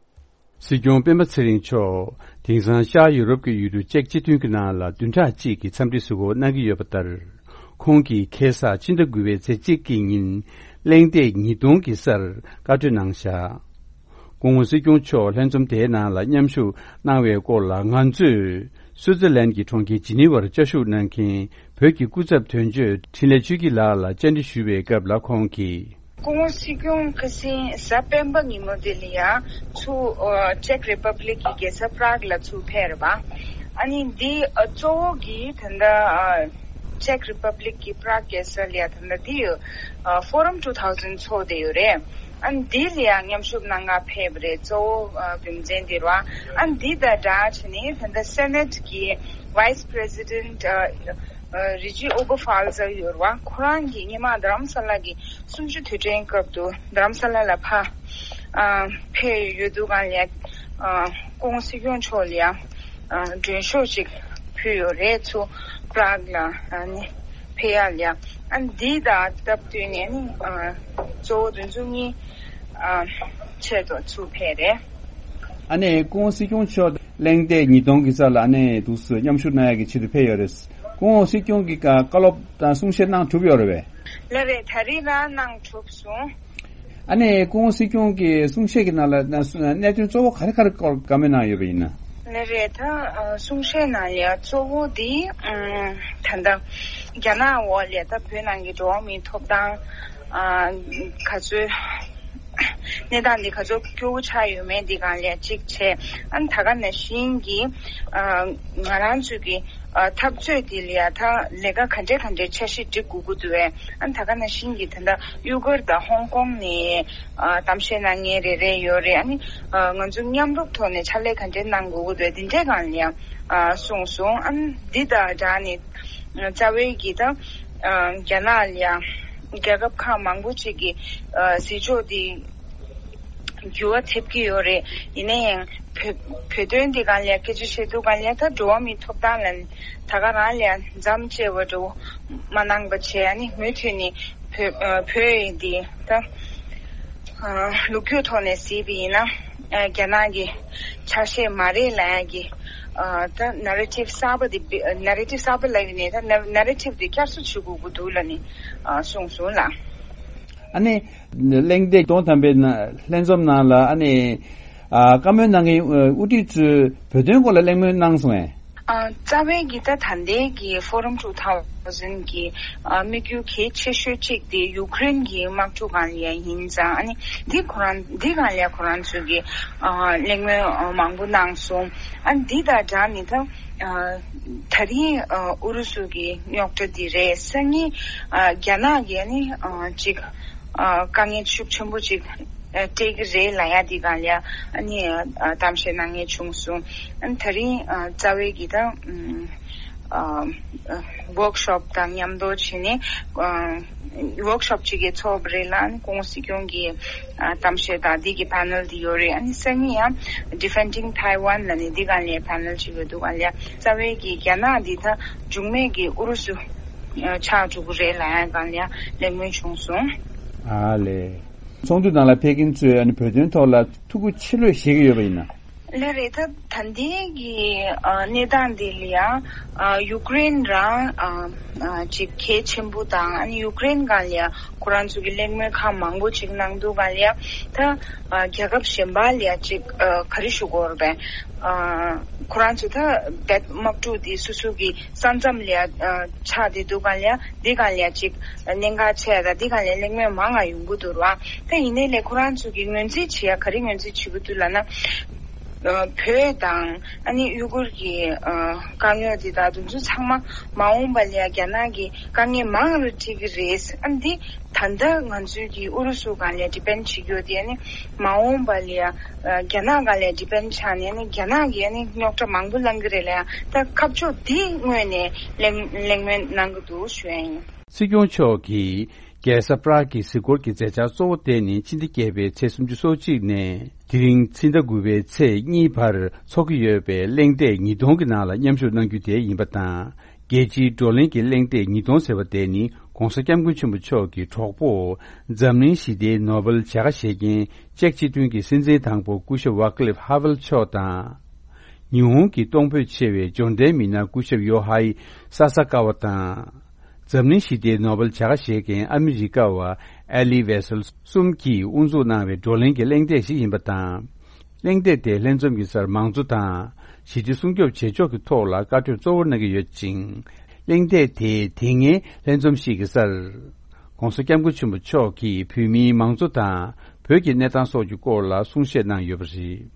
སྲིད་སྐྱོང་སྤེན་པ་ཚེ་རིང་མཆོག་དེང་སང་ཤར་ཡུ་རོབ་ཀྱི་ཡུལ་གྲུ་ཅེཀ་སྤྱི་མཐུན་གྱི་ནང་ལ་བདུན་ཕྲག་གཅིག་གི་འཚམས་འདྲི་གཟིགས་སྐོར་གནང་གི་ཡོད་པ་ལྟར། ཁོང་གིས་ཁ་སང་ཕྱི་ཟླ་དགུ་པའི་ཚེས་གཅིག་གི་ཉིན་གླེང་སྟེགས་ཉིས་སྟོང་གི་སར་བཀའ་གྲོས་གནང་བཞག་སྐུ་ངོ་སྲིད་སྐྱོང་མཆོག་ལྷན་འཛོམས་དེའི་ནང་ལ་མཉམ་ཞུགས་གནང་བའི་སྐོར་ལ་ང་ཚོས་སུའུ་ཙེར་ལན་གྱི་གྲོང་ཁྱེར་ཇི་ནི་ཝར་བཅའ་བཞུགས་གནང་མཁན་བོད་ཀྱི་སྐུ་ཚབ་དོན་གཅོད་འཕྲིན་ལས་ཆོས་སྐྱིད་ལགས་ལ་བཅར་འདྲི་ཞུས་པའི་སྐབས་ལ་ཁོང་གིས། སྐུ་ངོ་སྲིད་སྐྱོང་ཁ་སང་གཟའ་སྤེན་པ་ཉིན་མོ་དེ་ལ་ཡང་ཚུར་ཨ་ཅེཀ་རི་པབ་ལིག་གི་རྒྱལ་ས་པྲག་ལ་ཚུར་ཕེབས་རེད་པ། ཨ་ནི་འདི་ཨ་གཙོ་བོ་གི་ད་ལྟ་ཨ་ཅེཀ་རི་པབ་ལིག་གི་པྲག་རྒྱལ་ས་ལ་ཡང་ད་ལྟ་འདི་ཨ་Forum two thousand ཚོགས་བསྡད་ཡོད་རེད། ཨ་ནི་འདི་ལ་ཡང་མཉམ་ཞུགས་གནང་ག་ཕེབས་རེད། གཙོ་བོ་ཨ་རྒྱུ་མཚན་དེ་རེད་པ། ཨ་ནི་འདི་དང་སྦྲགས་བྱས་ནས་ད་ལྟ་སེ་ནེ་ཊི་གི་ཝའི་སི་པི་རེ་སི་ཌེན་ཊི་ཨ་ཨ་རི་ཇི་ཨོ་བྷ་ཧྥལ་ཟེར་ཡོད་རེད་པ། ཁོ་རང་གིས་སྔོན་མ་རྡ་རམ་ས་ལ་གི་གསུམ་བཅུ་དུས་དྲན་སྐབས་དུ་རྡ་རམ་ས་ལ་ལ་ཕ་ཨ་ཕེབས་ཡོད་དུས་སྒང་ལ་ཨ་སྐུ་ངོ་སྲིད་སྐྱོང་མཆོག་ལ་ཡང་ཨ་མགྲོན་ཤོག་ཅིག་ཕུལ་ཡོད་རེད། ཚུར་པྲག་ལ་ཨ་ནི་ཕེབས་ཡག་ལ་ཡང་ཨ་འདི་དང་སྟབས་བསྟུན་ནས་ནི་ཨ་གཙོ་བོ་དེ་ཚོ་གཉིས་ཨ་ཆེད་དུ་ཚུར་ཕེབས་རེད། ཨ་ནི་སྐུ་ངོ་སྲིད་སྐྱོང་མཆོག་གླེང་སྟེགས་ཉིས་སྟོང་གི་རྩ་ལ་ཨ་ནི་འདུག་སེ་མཉམ་ཞུགས་གནང་ཡག་གི་ཆེད་དུ་ཕེབས་ཡོད་རེད། སྐུ་ངོ་སྲིད་སྐྱོང་གིས་བཀའ་སློབ་དང་གསུང་བཤད་གནང་གྲུབ་ཡོད་རེད་པས། ལགས་རེད། ད་རེས་ལ་གནང་གྲུབ་སོང་། ཨ་ནི་སྐུ་ངོ་སྲིད་སྐྱོང་གིས་གསུང་བཤད་ཀྱི་ནང་ལ་གནད་དོན་གཙོ་བོ་ག་རེ་ག་རེ་སྐོར་བཀའ་མོལ་གནང་ཡོད་པ་ཡིན་ན། ལགས་རེད། ད་གསུང་བཤད་ནང་ལ་གཙོ་བོ་དེ་ད་ལྟ་རྒྱ་ནག་འོག་ལ་ད་བོད་ནང་གི་འགྲོ་བ་མིའི་ཐོབ་ཐང་ག་ཚོད། གནས་སྟངས་འདི་ག་ཚོད་སྐྱོ་བོ་ཆགས་ཡོད་མེད་འདི་སྒང་ལ་གཅིག་བྱས། ཨ་ནི་ད་ག་ནང་བཞིན་གྱི་ཨ་ང་རང་ཚོའི་གི་ཨ་འཐབ་རྩོད་འདི་ལ་ཡ་ད་ལས་ཀ་ག་འདྲས་ག་འདྲས་འཆར་གཞི་སྒྲིག་དགོས་ཀྱི་འདུག་བས། ཨ་ནི་ད་ག་ནང་བཞིན་གྱི་ད་ལྟ་གཡུ་སྒོར་དང་ཧོང་ཀོང་ནས་ཨ་གཏམ་བཤད་གནང་མཁན་རེ་རེ་ཡོད་རེད། ཨ་ནི་ཨ་ང་ཚོ་མཉམ་རུབ་ཐོག་ནས་ཕྱག་ལས་ག་འདྲས་གནང་དགོས་ཀྱི་འདུག་བས། འདི་འདྲས་སྒང་ལ་ཡ་ཨ་གསུངས་སོང་། ཨ་ནི་འདི་དང་སྦྲགས་ནས་རྩ་བའི་གི་ད་ཨ་རྒྱ་ནག་ལ་ཡ་རྒྱལ་ཁབ་ཁག་མང་པོ་ཅིག་གི་ཨ་ཟིན་ཆོག་འདི་འགྱུར་བ་ཐེབས་ཀྱི་ཡོད་རེད། ཡིན་ན་ཡང་བོད་བོད་དོན་འདི་སྒང་ལ་སྐད་ཆ་བཤད་དུས་སྒང་ལ་ད་འགྲོ་བ་མིའི་ཐོབ་ཐང་ལ་ད་ག་རང་ལ་མཚམས་བཅད་པ་འདྲ་བོ་མ་གནང་པ་བྱས། ཨ་ནི་མུ་མཐུད་ནས་བོད་ཨ་བོད་ཡིག་འདི་ད་ཨ་ལོ་རྒྱུས་ཐོག་ནས་གཟིགས་པ་ཡིན་ན་ཨ་རྒྱ་ནག་གི་ཆ་ཤས་མ་རེད་ལབ་ཡག་གི་ཨ་ད་ནེ་རེ་ཊིབ་གསར་པ་འདི་ནེ་རེ་ཊིབ་གསར་པ་ལབ་ཡོད་ནའི་ད་ནེ་རེ་ཊིབ་འདི་བསྐྱར་གསོ་བྱེད་དགོས་ཀྱི་འདུག་ལབ་ནས་ཨ་གསུངས་སོང་ལགས། ཨ་ནི། གླེང་སྟེགས་ཉིས་སྟོང་ཐམ་པའི་ནང་ལྷན་འཛོམས་ནང་ལ་ཨ་ནི། ཨ་བཀའ་མོལ་གནང་མཁན་དབུ་ཁྲིད་ཚོས་བོད་དོན་སྐོར་ལ་གླེང་མོལ་གནང་སོང་ངས། ཨ་རྩ་བའི་གི་ད་ད་ལྟའི་གི་Forum two thousand གི་ཨ་དམིགས་ཡུལ་གལ་ཆེ་ཤོས་གཅིག་དེ་ཡུཀ་རེན་གི་དམག་འཁྲུག་སྒང་ལ་ཡིན་ཙང་། ཨ་ནི་འདི་ཁོ་རང་འདི་སྒང་ལ་ཁོ་རང་ཚོས་གི་ཨ་གླེང་མོལ་ཨ་མང་པོ་གནང་སོང་། ཨ་ནི་འདི་དང་སྦྲགས་ནས་ད། ཨ་ད་རིང་ཨ་ཨུ་རུ་སུ་གི་རྙོག་དྲ་འདི་རེད། སང་ཉིན་ཨ་རྒྱ་ནག་གིས་ནི་ཨ་ཅིག་ཨ་དཀའ་ངལ་ཤུགས་ཆེན་པོ་ཅིག་ཨ་སྤྲད་ཀྱི་རེད་ལབ་ཡག་འདི་སྒང་ལ་ཨ་ནི་ཨ་གཏམ་བཤད་གནང་མཁན་བྱུང་སོང་། ཨ་ནི་ད་རིང་ཨ་རྩ་བའི་གི་ད་ཨ་ཝོག་ཤོབ་དང་མཉམ་དུ་བྱས་ནས་ཨ་ཝོག་ཤོབ་ཅིག་གི་ཚོགས་པ་རེད་ལ། ཨ་ནི་སྐུ་ངོ་སྲིད་སྐྱོང་གི་ཨ་གཏམ་བཤད་དང་འདི་གི་པེ་ནེལ་འདི་ཡོད་རེད། ཨ་ནི་སང་ཉིན་ཡང་Defending Taiwan ལབ་ནས་འདི་སྒང་ལ་པེ་ནེལ་ཅིག་ཡོད་འདུག་ག་ལ། རྩ་བའི་གི་རྒྱ་ནག་འདི་ད་འབྱུང་གནས་ཀྱི་ཨུ་རུ་སུ་ཆགས་འགྲོ་གི་རེད་ལབ་ཡག་སྒང་ལ་གླེང་མོལ་བྱུང་སོང་། ཨ་ལས། ཚོགས་འདུ་ནང་ལ་ཕེབས་མཁན་ཚོས་ཨ་ནི་བོད་དོན་ཐོག་ལ་ཐུགས་ཁུར་ཆེ་ལོས་བཞེས་ཀྱི་ཡོད་པ་ཡིན་ན། ལགས་རེད། ད་ད་ལྟའི་གི་ཨ་གནས་སྟངས་འདི་ལ་ཡང་ཨ་ཡུཀ་རེན་རང་ཨ་ཨ་ཅིག་གལ་ཆེན་པོ་དང་། ཨ་ནི་ཡུཀ་རེན་སྒང་ལ་ཡང་ཁོ་རང་ཚོ་གི་གླེང་མོལ་ཁག་མང་པོ་ཅིག་གནང་འདུག་ག་ལ་ཡང་། ད་ཨ་རྒྱལ་ཁབ་གཞན་པ་ལ་ཡང་ཅིག་ཨ་ག་རེ་ཞུ་དགོས་རེད་པས། ཨ་ཁོ་རང་ཚོ་ད་བེད་དམག་འཁྲུག་འདི་སོ་སོ་གི་ས་མཚམས་ལ་ཡང་ཨ་ཆགས་བསྡད་འདུག་ག་ལ་ཡང་། འདི་སྒང་ལ་ཡང་ཅིག་གནད་འགག་ཆེ་ཡ་དང་། འདི་སྒང་ལ་གླེང་མོལ་མང་ང་ཡོང་གི་འདུག་ར། ད་ཡིན་ནའི་ལས་ཁོ་རང་ཚོ་གི་ངོས་འཛིན་བྱེད་ཡ་ག་རེ་ངོས་འཛིན་བྱེད་ཀྱི་འདུག་ལབ་ན། ཨ་བོད་དང་ཨ་ནི་ཡུ་གུར་གྱི་ཨ་དཀའ་ངལ་འདི་དག་དེ་ཚོ་ཚང་མ་མ་འོངས་པ་ལ་ཡང་རྒྱ་ནག་གི་དཀའ་ངལ་མང་རུ་འཁྲིད་ཀྱི་རེད། ཨ་འདི་ད་ལྟ་ང་ཚོའི་གི་ཨུ་རུ་སུ་སྒང་ལ་ཌི་པེན་ཌི་བྱེད་རྒྱུ་དེ། ཨ་ནི་མ་འོངས་པ་ལ་ཡང་ཨ་རྒྱ་ནག་སྒང་ལ་ཌི་པེན་ཌི་ཆགས་ནས། ཨ་ནི་རྒྱ་ནག་གིས་ཨ་ནི་རྙོག་དྲ་མང་པོ་བསླང་གི་རེད་ལ་ཡང་། ད་ཁ་ཕྱོགས་འདི་དངོས་ནས་གླེང་གླེང་མོལ་གནང་གི་འདུག་ཞུ་ཡ་ཡིན། སྲིད་སྐྱོང་མཆོག་གིས་རྒྱལ་ས་པ་རག་གི་གཟིགས་སྐོར་གྱི་མཛད་འཆར་གཙོ་བོ་དེ་ནི་ཕྱི་ཟླ་བརྒྱད་པའི་ཚེས་སུམ་ཅུ་སོ་གཅིག་ནས་དེ་རིང་ཕྱི་ཟླ་དགུ་པའི་ཚེས་གཉིས་བར་འཚོགས་ཀྱི་ཡོད་པའི་གླེང་སྟེགས་ཉིས་སྟོང་གི་ནང་ལ་མཉམ་ཞུགས་གནང་རྒྱུ་དེ་ཡིན་པ་དང་། རྒྱལ་སྤྱིའི་བགྲོ་གླེང་གི་གླེང་སྟེགས་ཉིས་སྟོང་ཟེར་བ་དེ་ནི་༸གོང་ས་༸སྐྱབས་མགོན་ཆེན་པོ་མཆོག་གི་གྲོགས་པོ་འཛམ་གླིང་ཞི་བདེའི་ནོ་བེལ་བྱ་དགའ་བཞེས་མཁན་ཅེཀ་སྤྱི་མཐུན་གྱི་སྲིད་འཛིན་དང་པོ་སྐུ་ཞབས་ཝ་ཀ་ལིབ་ཧ་ཝེལ་མཆོག་དང་། ཉི་ཧོང་གི་གཏོང་ཕོད་ཆེ་བའི་འབྱོར་ལྡན་མི་སྣ་སྐུ་ཞབས་ཡོ་ཧའི་ས་ས་ཀ་ཝ་དང་། འཛམ་གླིང་ཞི་བདེའི་ནོ་བེལ་བྱ་དགའ་བཞེས་མཁན་ཨ་མི་རི་ཀ་བ་ཨེ་ལི་ཝེ་སེལ་གསུམ་གྱིས་དབུ་འཛུགས་གནང་བའི་བགྲོ་གླེང་གི་གླེང་སྟེགས་ཤིག་ཡིན་པ་དང་། གླེང་སྟེགས་དེ་ལྷན་འཛོམས་ཀྱི་སར་མང་གཙོ་དང་ཞི་བདེ་སྲུང་སྐྱོབ་བྱེད་ཕྱོགས་ཀྱི་ཐོག་ལ་བཀའ་གྲོས་གཙོ་བོར་གནང་གི་ཡོད་ཅིང་། གླེང་སྟེགས་དེའི་དེ་སྔའི་ལྷན་འཛོམས་ཤིག་གི་སར། ༸གོང་ས་༸སྐྱབས་མགོན་ཆེན་པོ་མཆོག་གིས་བོད་མིའི་མང་གཙོ་དང་བོད་ཀྱི་གནས་སྟངས་སོགས་ཀྱི་སྐོར་ལ་གསུང་བཤད་གནང་ཡོད་པ་རེད།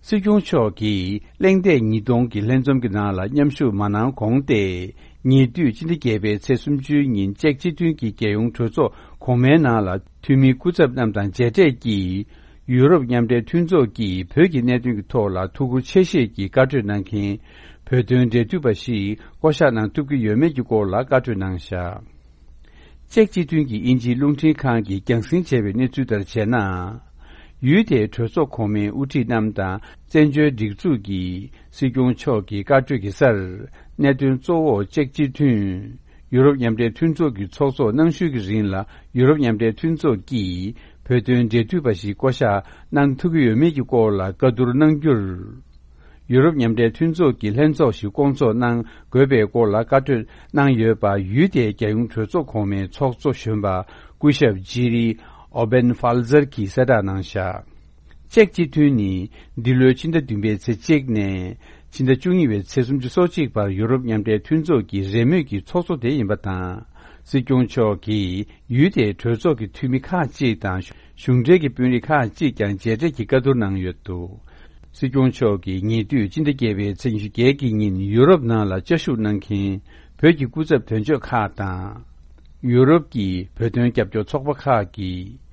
སྲིད་སྐྱོང་མཆོག་གིས་གླེང་སྟེགས་ཉིས་སྟོང་གི་ལྷན་འཛོམས་ཀྱི་ནང་ལ་མཉམ་ཞུགས་མ་གནང་གོང་སྟེ། ཉེ་དུས་སྤྱི་ཟླ་བརྒྱད་པའི་ཚེས་སུམ་ཅུའི་ཉིན་ཅེཀ་སྤྱི་མཐུན་གྱི་རྒྱལ་ཡོངས་གྲོས་ཚོགས་གོང་མའི་ནང་ལ་འཐུས་མིའི་སྐུ་ཚབ་རྣམས་དང་མཇལ་འཕྲད་ཀྱིས། ཡུ་རོབ་མཉམ་འབྲེལ་མཐུན་ཚོགས་ཀྱིས་བོད་ཀྱི་གནད་དོན་གྱི་ཐོག་ལ་ཐུགས་ཁུར་ཆེ་བཞེས་ཀྱིས་བཀའ་གྲོས་གནང་མཁན་བོད་དོན་འབྲེལ་མཐུད་པ་ཞིག་བསྐོ་གཞག་གནང་ཐུབ་ཀྱི་ཡོད་མེད་ཀྱི་སྐོར་ལ་བཀའ་གྲོས་གནང་བཞག་ཅེཀ་སྤྱི་མཐུན་གྱི་དབྱིན་ཇིའི་རླུང་འཕྲིན་ཁང་གིས་རྒྱང་སྲིང་བྱས་པའི་གནས་ཚུལ་ལྟར་བྱས་ན། ཡུལ་དེའི་གྲོས་ཚོགས་གོང་མའི་དབུ་ཁྲིད་རྣམས་དང་བཙན་བྱོལ་སྒྲིག་འཛུགས་ཀྱི་སྲིད་སྐྱོང་མཆོག་གི་བཀའ་གྲོས་ཀྱི་སར། གནད་དོན་གཙོ་བོ་ཅེཀ་སྤྱི་མཐུན། ཡུ་རོབ་མཉམ་འབྲེལ་མཐུན་ཚོགས་ཀྱི་ཚོགས་གཙོ་གནང་ཤུལ་གྱི་རིང་ལ་ཡུ་རོབ་མཉམ་འབྲེལ་མཐུན་ཚོགས་ཀྱིས་བོད་དོན་འབྲེལ་མཐུད་པ་ཞིག་བསྐོ་གཞག་གནང་ཐུབ་ཀྱི་ཡོད་མེད་ཀྱི་སྐོར་ལ་བཀའ་བསྡུར་གནང་རྒྱུར། ཡུ་རོབ་མཉམ་འབྲེལ་མཐུན་ཚོགས་ཀྱི་ལྷན་ཚོགས་ཤིག་བསྐོང་ཚོགས་གནང་དགོས་པའི་སྐོར་ལ་བཀའ་གྲོས་གནང་ཡོད་པ་ཡུལ་དེའི་རྒྱལ་ཡོངས་གྲོས་ཚོགས་གོང་མའི་ཚོགས་གཙོ་གཞོན་པ་སྐུ་ཞབས་ཇི་རི་ཨོ་བེན་ཧྥལ་ཛར་གྱིས་གསལ་བསྒྲགས་གནང་བཞག་ཅེཀ་སྤྱི་མཐུན་ནི་འདི་ལོའི་ཕྱི་ཟླ་བདུན་པའི་ཚེས་གཅིག་ནས་ཕྱི་ཟླ་བཅུ་གཉིས་པའི་ཚེས་སུམ་ཅུ་སོ་གཅིག་བར་ཡུ་རོབ་མཉམ་འབྲེལ་མཐུན་ཚོགས་ཀྱི་རེས་མོས་ཀྱི་ཚོགས་གཙོ་དེ་ཡིན་པ་དང་། སྲིད་སྐྱོང་མཆོག་གིས་ཡུལ་དེའི་གྲོས་ཚོགས་ཀྱི་འཐུས་མི་ཁག་ཅིག་དང་གཞུང་འབྲེལ་གྱི་དཔོན་རིགས་ཁག་ཅིག་ཀྱང་མཇལ་འཕྲད་ཀྱིས་བཀའ་བསྡུར་གནང་ཡོད་འདུག་སྲིད་སྐྱོང་མཆོག་གིས་ཉེ་དུས་ཕྱི་ཟླ་བརྒྱད་པའི་ཚེས་ཉི་ཤུ་བརྒྱད་ཀྱི་ཉིན་ཡུ་རོབ་ནང་ལ་བཅའ་བཞུགས་གནང་མཁན་བོད་ཀྱི་སྐུ་ཚབ་དོན་གཅོད་ཁག་དང་། ཡུ་རོབ་ཀྱི་བོད་དོན་རྒྱབ་སྐྱོར་ཚོགས་པ་ཁག་གིས།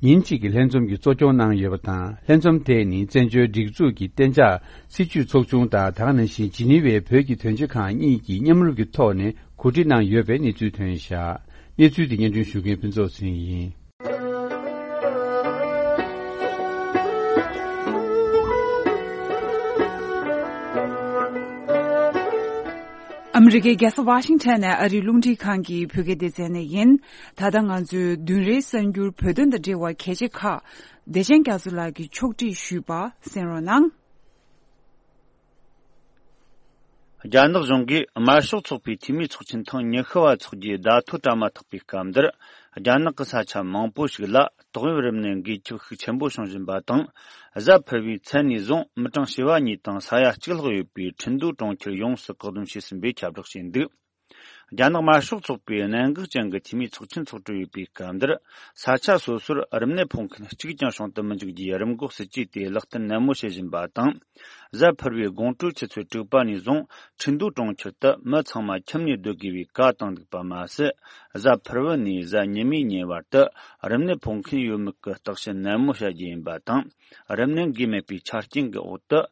ཉིན་གཅིག་གི་ལྷན་འཛོམས་ཀྱི་གཙོ་སྐྱོང་གནང་ཡོད་པ་དང་། ལྷན་འཛོམས་དེ་ནི་བཙན་བྱོལ་སྒྲིག་འཛུགས་ཀྱི་གཏན་འཇགས་སྲིད་བྱུས་ཚོགས་ཆུང་དང་། དེ་ག་ནང་བཞིན་ཇི་ནི་ཝའི་བོད་ཀྱི་དོན་གཅོད་ཁང་གཉིས་ཀྱིས་མཉམ་རུབ་ཀྱི་ཐོག་ནས་གོ་སྒྲིག་གནང་ཡོད་པའི་གནས་ཚུལ་ཐོན་བཞག་གནས་ཚུལ་དེ་སྙན་སྒྲོན་ཞུ་མཁན་ཕུན་ཚོགས་ཚེ་རིང་ཡིན། ཨ་མི་རི་ཀའི་རྒྱལ་ས་ཝ་ཤིང་ཊོན་ནས་ཨ་རིའི་རླུང་འཕྲིན་ཁང་གི་བོད་སྐད་སྡེ་ཚན་ནས་ཡིན། ད་ལྟ་ང་ཚོའི་བདུན་རེའི་གསར་འགྱུར་བོད་དོན་དང་འབྲེལ་བ་གལ་ཆེ་ཁག་བདེ་ཆེན་རྒྱ་མཚོ་ལགས་ཀྱིས་ཕྱོགས་སྒྲིག་ཞུས་པ་གསན་རོགས་གནང་། རྒྱ་ནག་གཞུང་གིས་དམར་ཤོག་ཚོགས་པའི་འཐུས་མིའི་ཚོགས་ཆེན་ཐེངས་ཉི་ཤུ་བ་འཚོགས་རྒྱུའི་བརྡ་ཐོ་བཀྲམ་མ་ཐག་པའི་སྐབས་འདིར། རྒྱ་ནག་གི་ས་ཆ་མང་པོ་ཞིག་ལ་ཏོག་དབྱིབས་རིམས་ནད་འགོས་ཁྱབ་ཤུགས་ཆེན་པོ་བྱུང་བཞིན་པ་དང་། གཟའ་ཕུར་བུའི་མཚན་ནས་བཟུང་མི་གྲངས་བྱེ་བ་གཉིས་དང་ས་ཡ་གཅིག་ལྷག་ཡོད་པའི་ཁྲིན་ཏུའུ་གྲོང་ཁྱེར་ཡོངས་སུ་བཀག་སྡོམ་བྱས་ཟིན་པའི་ཁྱབ་བསྒྲགས་བྱས་འདུག་རྒྱ་ནག་དམར་ཤོག་ཚོགས་པའི་གནད་འགག་ཅན་གྱི་འཐུས་མིའི་ཚོགས་ཆེན་འཚོགས་གྲོལ་ཡོད་པའི་སྐབས་འདིར། ས་ཆ་སོ་སོར་རིམས་ནད་ཕོག་མཁན་གཅིག་ཀྱང་བྱུང་དུ་མི་འཇུག་རྒྱུའི་རིམས་འགོག་སྲིད་ཇུས་དེ་ལག་བསྟར་ནན་མོ་བྱེད་བཞིན་པ་དང་། གཟའ་ཕུར་བུའི་དགོང་དྲོའི་ཆུ་ཚོད་དྲུག་པ་ནས་བཟུང་ཁྲིན་ཏུའུ་གྲོང་ཁྱེར་དུ་མི་ཚང་མ་ཁྱིམ་ནས་སྡོད་དགོས་པའི་བཀའ་བཏང་འདུག་པ་མ་ཟད། གཟའ་ཕུར་བུ་ནས་གཟའ་ཉི་མའི་ཉིན་བར་དུ་རིམས་ནད་ཕོག་མཁན་ཡོད་མེད་ཀྱི་བརྟག་ཞིབ་ནན་མོ་བྱ་རྒྱུ་ཡིན་པ་དང་། རིམས་ནད་འགོས་མེད་པའི་ཆ་རྐྱེན་གྱི་འོག་ཏུ།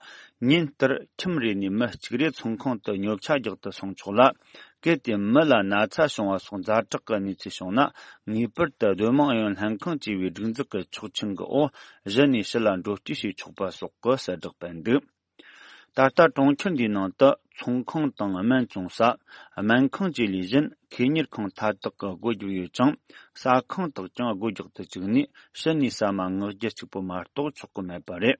ཉིན་ལྟར་ཁྱིམ་རེ་ནས་མི་གཅིག་རེ་ཚོང་ཁང་དུ་ཉོ་ཆ་རྒྱག་ཏུ་སོང་ཆོག་ལ། གལ་ཏེ་མི་ལ་ན་ཚ་བྱུང་བ་སོགས་ཛ་དྲག་གི་གནས་ཚུལ་བྱུང་ན། ངེས་པར་དུ་སྡོད་དམངས་ཨུ་ཡོན་ལྷན་ཁང་ཅེས་པའི་སྒྲིག་འཛུགས་ཀྱི་ཆོག་མཆན་གྱི་འོག་གཞི་ནས་ཕྱི་ལ་འགྲོ་སྐྱོད་བྱེད་ཆོག་པ་སོགས་ཀྱི་གསལ་བསྒྲགས་སྤེལ་འདུག་ད་ལྟ་གྲོང་ཁྱེར་འདིའི་ནང་དུ་ཚོང་ཁང་དང་སྨན་བཙོང་ས། སྨན་ཁང་བཅས་ལས་གཞན་ཁེ་གཉེར་ཁང་མཐའ་དག་གི་སྒོ་བརྒྱབ་ཡོད་ཅིང་། ཟ་ཁང་དག་ཀྱང་སྒོ་རྒྱག་ཏུ་བཅུག་ནས་ཕྱི་ནས་ཟ་མ་ངག་རྒྱུ་གཅིག་པུ་མ་གཏོགས་ཆོག་གི་མེད་པ་རེད།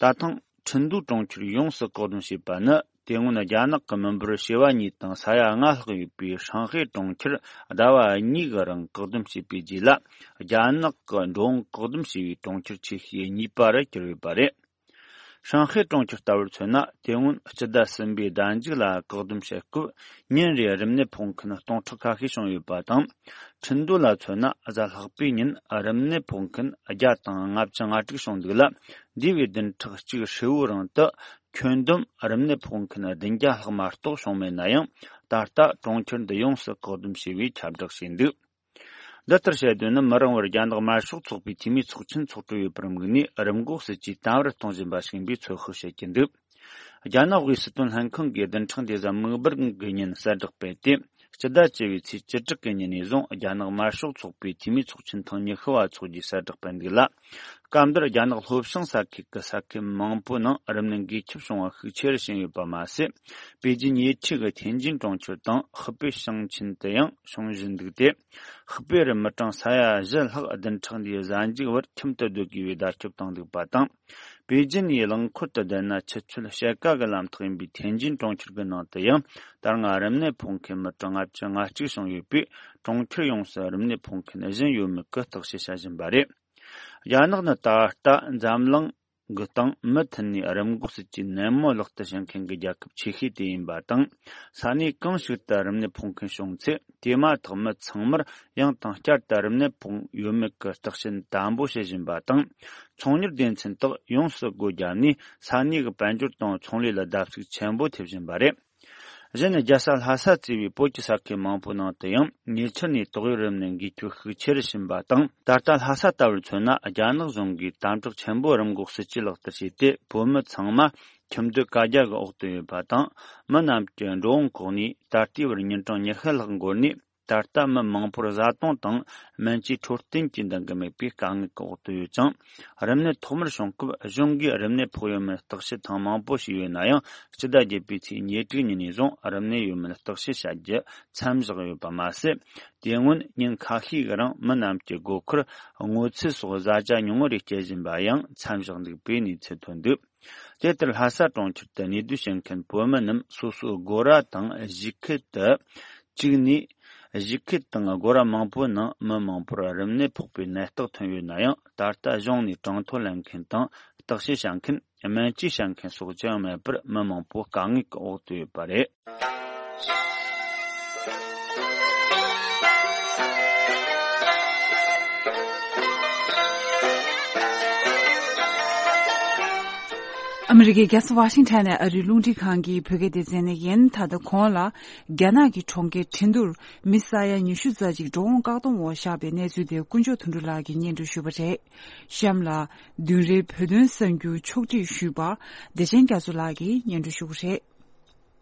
ད་ཐེངས་ཁྲིན་ཏུའུ་གྲོང་ཁྱེར་ཡོངས་སུ་བཀག་སྡོམ་བྱས་པ་ནི། དེ་སྔོན་རྒྱ་ནག་གི་མི་འབོར་བྱེ་བ་གཉིས་དང་ས་ཡ་ལྔ་ལྷག་ཡོད་པའི་ཧྲང་ཧའེ་གྲོང་ཁྱེར་ཟླ་བ་གཉིས་ཀྱི་རིང་བཀག་སྡོམ་བྱས་པའི་རྗེས་ལ། རྒྱ་ནག་གི་འགྲོ་འོང་བཀག་སྡོམ་བྱས་པའི་གྲོང་ཁྱེར་ཆེ་ཤོས་གཉིས་པ་རུ་གྱུར་ཡོད་པ་རེད། ཧྲང་ཧའེ་གྲོང་ཁྱེར་ལྟ་བུར་མཚོན་ན། དེ་སྔོན་སྤྱི་ཟླ་གསུམ་པའི་ཟླ་མཇུག་ལ་བཀག་སྡོམ་བྱེད་སྐབས། ཉིན་རེའི་རིམས་ནད་ཕོག་མཁན་སྟོང་ཕྲག་ཁ་ཤས་བྱུང་ཡོད་པ་དང་། ཁྲིན་ཏུའུ་ལ་མཚོན་ན། གཟའ་ལྷག་པའི་ཉིན་རིམས་ནད་ཕོག་མཁན་བརྒྱ་དང་ལྔ་བཅུ་ང་དྲུག་བྱུང་འདུག་ལ། འདས་པའི་བདུན་ཕྲག་གཅིག་ཧྲིལ་བོའི་རིང་དུ། ཁྱོན་བསྡོམས་རིམས་ནད་ཕོག་མཁན་བདུན་བརྒྱ་ལྷག་མ་གཏོགས་བྱུང་མེད་ན་ཡང་། ད་ལྟ་གྲོང་ཁྱེར་འདི་ཡོངས་སུ་བཀག་སྡོམ་བྱས་པའི་ཁྱབ་བསྒྲགས་བྱས་འདུག། འདི་ལྟར་བྱེད་དོན་ནི། མི་རིང་བར་རྒྱ་ནག་དམར་ཤོག་ཚོགས་པའི་འཐུས་མིའི་ཚོགས་ཆེན་འཚོགས་གྲོས་ཡོད་པར་དམིགས་ནས། རིམས་འགོག་སྲིད་ཇུས་དམ་པོར་གཏོང་བཞིན་པ་ཞིག་ཡིན་པའི་ཚོད་དཔག་བྱེད་ཀྱི་འདུག། རྒྱ་ནག་དབུས་སུ་དོན་ལྷན་ཁང་གིས་བདུན་ཕྲག་འདིའི་གཟའ་མིག་དམར་གྱི་ཉིན་གསལ་བསྒྲགས་སྤེལ་ཏེ། སྤྱི་ཟླ་བཅུ་བའི་ཚེས་བཅུ་དྲུག་གི་ཉིན་ནས་བཟུང་། རྒྱ་ནག་དམར་ཤོག་ཚོགས་པའི་འཐུས་མིའི་ཚོགས་ཆེན་ཐེངས་ཉི་ཤུ་བ་འཚོགས་རྒྱུའི་གསལ་བསྒྲགས་སྤེལ་འདུག་ལ། སྐབས་འདིར་རྒྱ་ནག་ལྷོ་བྱང་ས་ཁུལ་གྱི་ས་ཁུལ་མང་པོའི་ནང་རིམས་ནད་འགོས་ཁྱབ་བྱུང་བ་ཤུགས་ཆེ་རུ་ཕྱིན་ཡོད་པ་མ་ཟད། པེ་ཅིན་ཉེ་འཁྲིས་ཀྱི་ཐེན་ཅིན་གྲོང་ཁྱེར་དང་། ཧི་པེ་ཞིང་ཆེན་དུ་ཡང་བྱུང་བཞིན་འདུག་སྟེ། ཧི་པེ་རུ་མི་གྲངས་ས་ཡ་བཞི་ལྷག་བདུན་ཕྲག་འདིའི་གཟའ་མཇུག་བར་ཁྱིམ་དུ་སྡོད་དགོས་པའི་བརྡ་ཁྱབ་བཏང་འདུག་པ་དང་། པེ་ཅིན་ཡི་རླངས་འཁོར་དུ་བསྡད་ན་ཆུ་ཚོད་ཕྱེད་ཀ་གི་ལམ་ཐག་ཡིན་པའི་ཐེན་ཅིན་གྲོང་ཁྱེར་གྱི་ནང་དུ་ཡང་། ད་སྔ་རིམས་ནད་ཕོག་མཁན་མི་གྲངས་ལྔ་བཅུ་ང་གཅིག་བྱུང་ཡོད་པས། གྲོང་ཁྱེར་ཡོངས་སུ་རིམས་ནད་ཕོག་མཁན་བཞི་ཡོད་མེད་ཀྱི་བརྟག་དཔྱད་བྱ་བཞིན་པ་རེད། རྒྱ་ནག་ནི་ད་ལྟ་འཛམ་གླིང་གི་སྟེང་མུ་མཐུད་ནས་རིམས་འགོག་སྲིད་ཇུས་ནན་མོ་ལག་བསྟར་བྱེད་མཁན་གྱི་རྒྱལ་ཁབ་ཆེ་ཤོས་དེ་ཡིན་པ་དང་། ས་གནས་གང་ཞིག་ཏུ་རིམས་ནད་ཕོག་མཁན་བྱུང་ཚེ། དེ་མ་ཐག་མི་ཚང་མར་ཡང་དང་བསྐྱར་དུ་རིམས་ནད་ཕོག་ཡོད་མེད་ཀྱི་བརྟག་དཔྱད་དམ་པོ་བྱེད་བཞིན་པ་དང་། ཚོང་གཉེར་སྡེ་ཚན་དག་ཡོངས་སུ་སྒོ་བརྒྱབ་ནས། ས་གནས་ཀྱི་དཔལ་འབྱོར་དང་ཚོང་ལས་ལ་བརྡབ་གསིག་ཆེན་པོ་ཐེབས་བཞིན་པ་རེད། གཞན། རྒྱལ་ས་ལྷ་ས་གཙོས་པའི་བོད་ཀྱི་ས་ཁུལ་མང་པོའི་ནང་དུ་ཡང་ཉེ་ཆར་ནས་ཏོག་དབྱིབས་རིམས་ནད་འགོས་ཁྱབ་ཤུགས་ཆེ་རུ་ཕྱིན་པ་དང་། ད་ལྟ་ལྷ་ས་ལྟ་བུར་མཚོན་ན། རྒྱ་ནག་གཞུང་གིས་དམ་དྲག་ཆེན་པོས་རིམས་འགོག་སྲིད་ཇུས་ལག་བསྟར་བྱས་ཏེ། བོད་མི་ཚང་མ་ཁྱིམ་སྡོད་བཀའ་རྒྱ་གི་འོག་ཏུ་ཡོད་པ་དང་། མི་རྣམས་ཀྱི་འགྲོ་འོང་ཁོག་ནས་ད་ལྟའི་བར་ཉིན་གྲངས་ཉི་ཤུ་ལྷག་འགོར་ནས། ད་ལྟ་མི་མང་པོར་བཟའ་བཏུང་དང་སྨན་བཅོས་འཕྲོད་བསྟེན་གྱི་འདང་གི་མེད་པའི་དཀའ་ངལ་གྱི་འོག་ཏུ་ཡོད་ཅིང་། རིམས་ནད་ཐོག་མར་བྱུང་སྐབས་གཞུང་གིས་རིམས་ནད་ཕོག་ཡོད་མེད་བརྟག་དཔྱད་ཐེངས་མང་པོ་བྱས་ཡོད་ན་ཡང་། སྤྱི་ཟླ་བརྒྱད་པའི་ཚེས་ཉེར་དྲུག་ཉིན་ནས་བཟུང་རིམས་ནད་ཡོད་མེད་བརྟག་དཔྱད་བྱ་རྒྱུ་མཚམས་བཞག་ཡོད་པ་མ་ཟད། དེ་སྔོན་ཉིན་ཁ་ཤས་ཀྱི་རིང་མི་རྣམས་ཀྱི་སྒོ་ཁར་སྔོ་ཚལ་སོགས་བཟའ་བཅའ་ཉུང་ངུ་རེ་སྐྱེལ་བཞིན་པ་ཡང་མཚམས་བཞག་འདུག་པའི་གནས་ཚུལ་ཐོན་འདུག། དེ་ལྟར་ལྷ་ས་གྲོང་ཁྱེར་དུ་གནས་སྡོད་བྱེད་མཁན་བོད་མི་རྣམས་སོ་སོའི་སྒོ་ར་དང་གཞིས་ཁུལ་དུ་བཅུག་ནས། གཞིས་ཁུལ་དང་སྒོ་ར་མང་པོའི་ནང་མི་མང་པོར་རིམས་ནད་ཕོག་པའི་ནད་རྟགས་ཐོན་ཡོད་ན་ཡང་། ད་ལྟ་གཞུང་ནས་གྲངས་ཐོ་ལེན་མཁན་དང་བརྟག་དཔྱད་བྱ་མཁན། སྨན་བཅོས་བྱ་མཁན་སོགས་ཅི་ཡང་མེད་པར། མི་མང་པོ་དཀའ་ངལ་གྱི་འོག་ཏུ་ཡོད་པ་རེད། ཨ་མི་རི་ཀའི་རྒྱལ་ས་ཝ་ཤིང་ཊོན་ནས་ཨ་རིའི་རླུང་འཕྲིན་ཁང་གི་བོད་སྐད་སྡེ་ཚན་ནས་ཡིན། ད་ལྟ་གོང་ལ་རྒྱ་ནག་གི་གྲོང་ཁྱེར་ཁྲིན་ཏུར་མི་ས་ཡ་ཉི་ཤུ་རྩ་གཅིག་འགྲོ་འོང་བཀག་སྡོམ་འོག་བཞག་པའི་གནས་ཚུལ་དེ་ཀུན་མཆོག་དོན་གྲུབ་ལགས་ཀྱིས་སྙན་སྒྲོན་ཞུས་པ་རེད། གཤམ་ལ་བདུན་རེའི་བོད་དོན་གསར་འགྱུར་ཕྱོགས་སྒྲིག་ཞུས་པ་བདེ་ཆེན་རྒྱ་མཚོ་ལགས་ཀྱིས་སྙན་སྒྲོན་ཞུ་གི་རེད།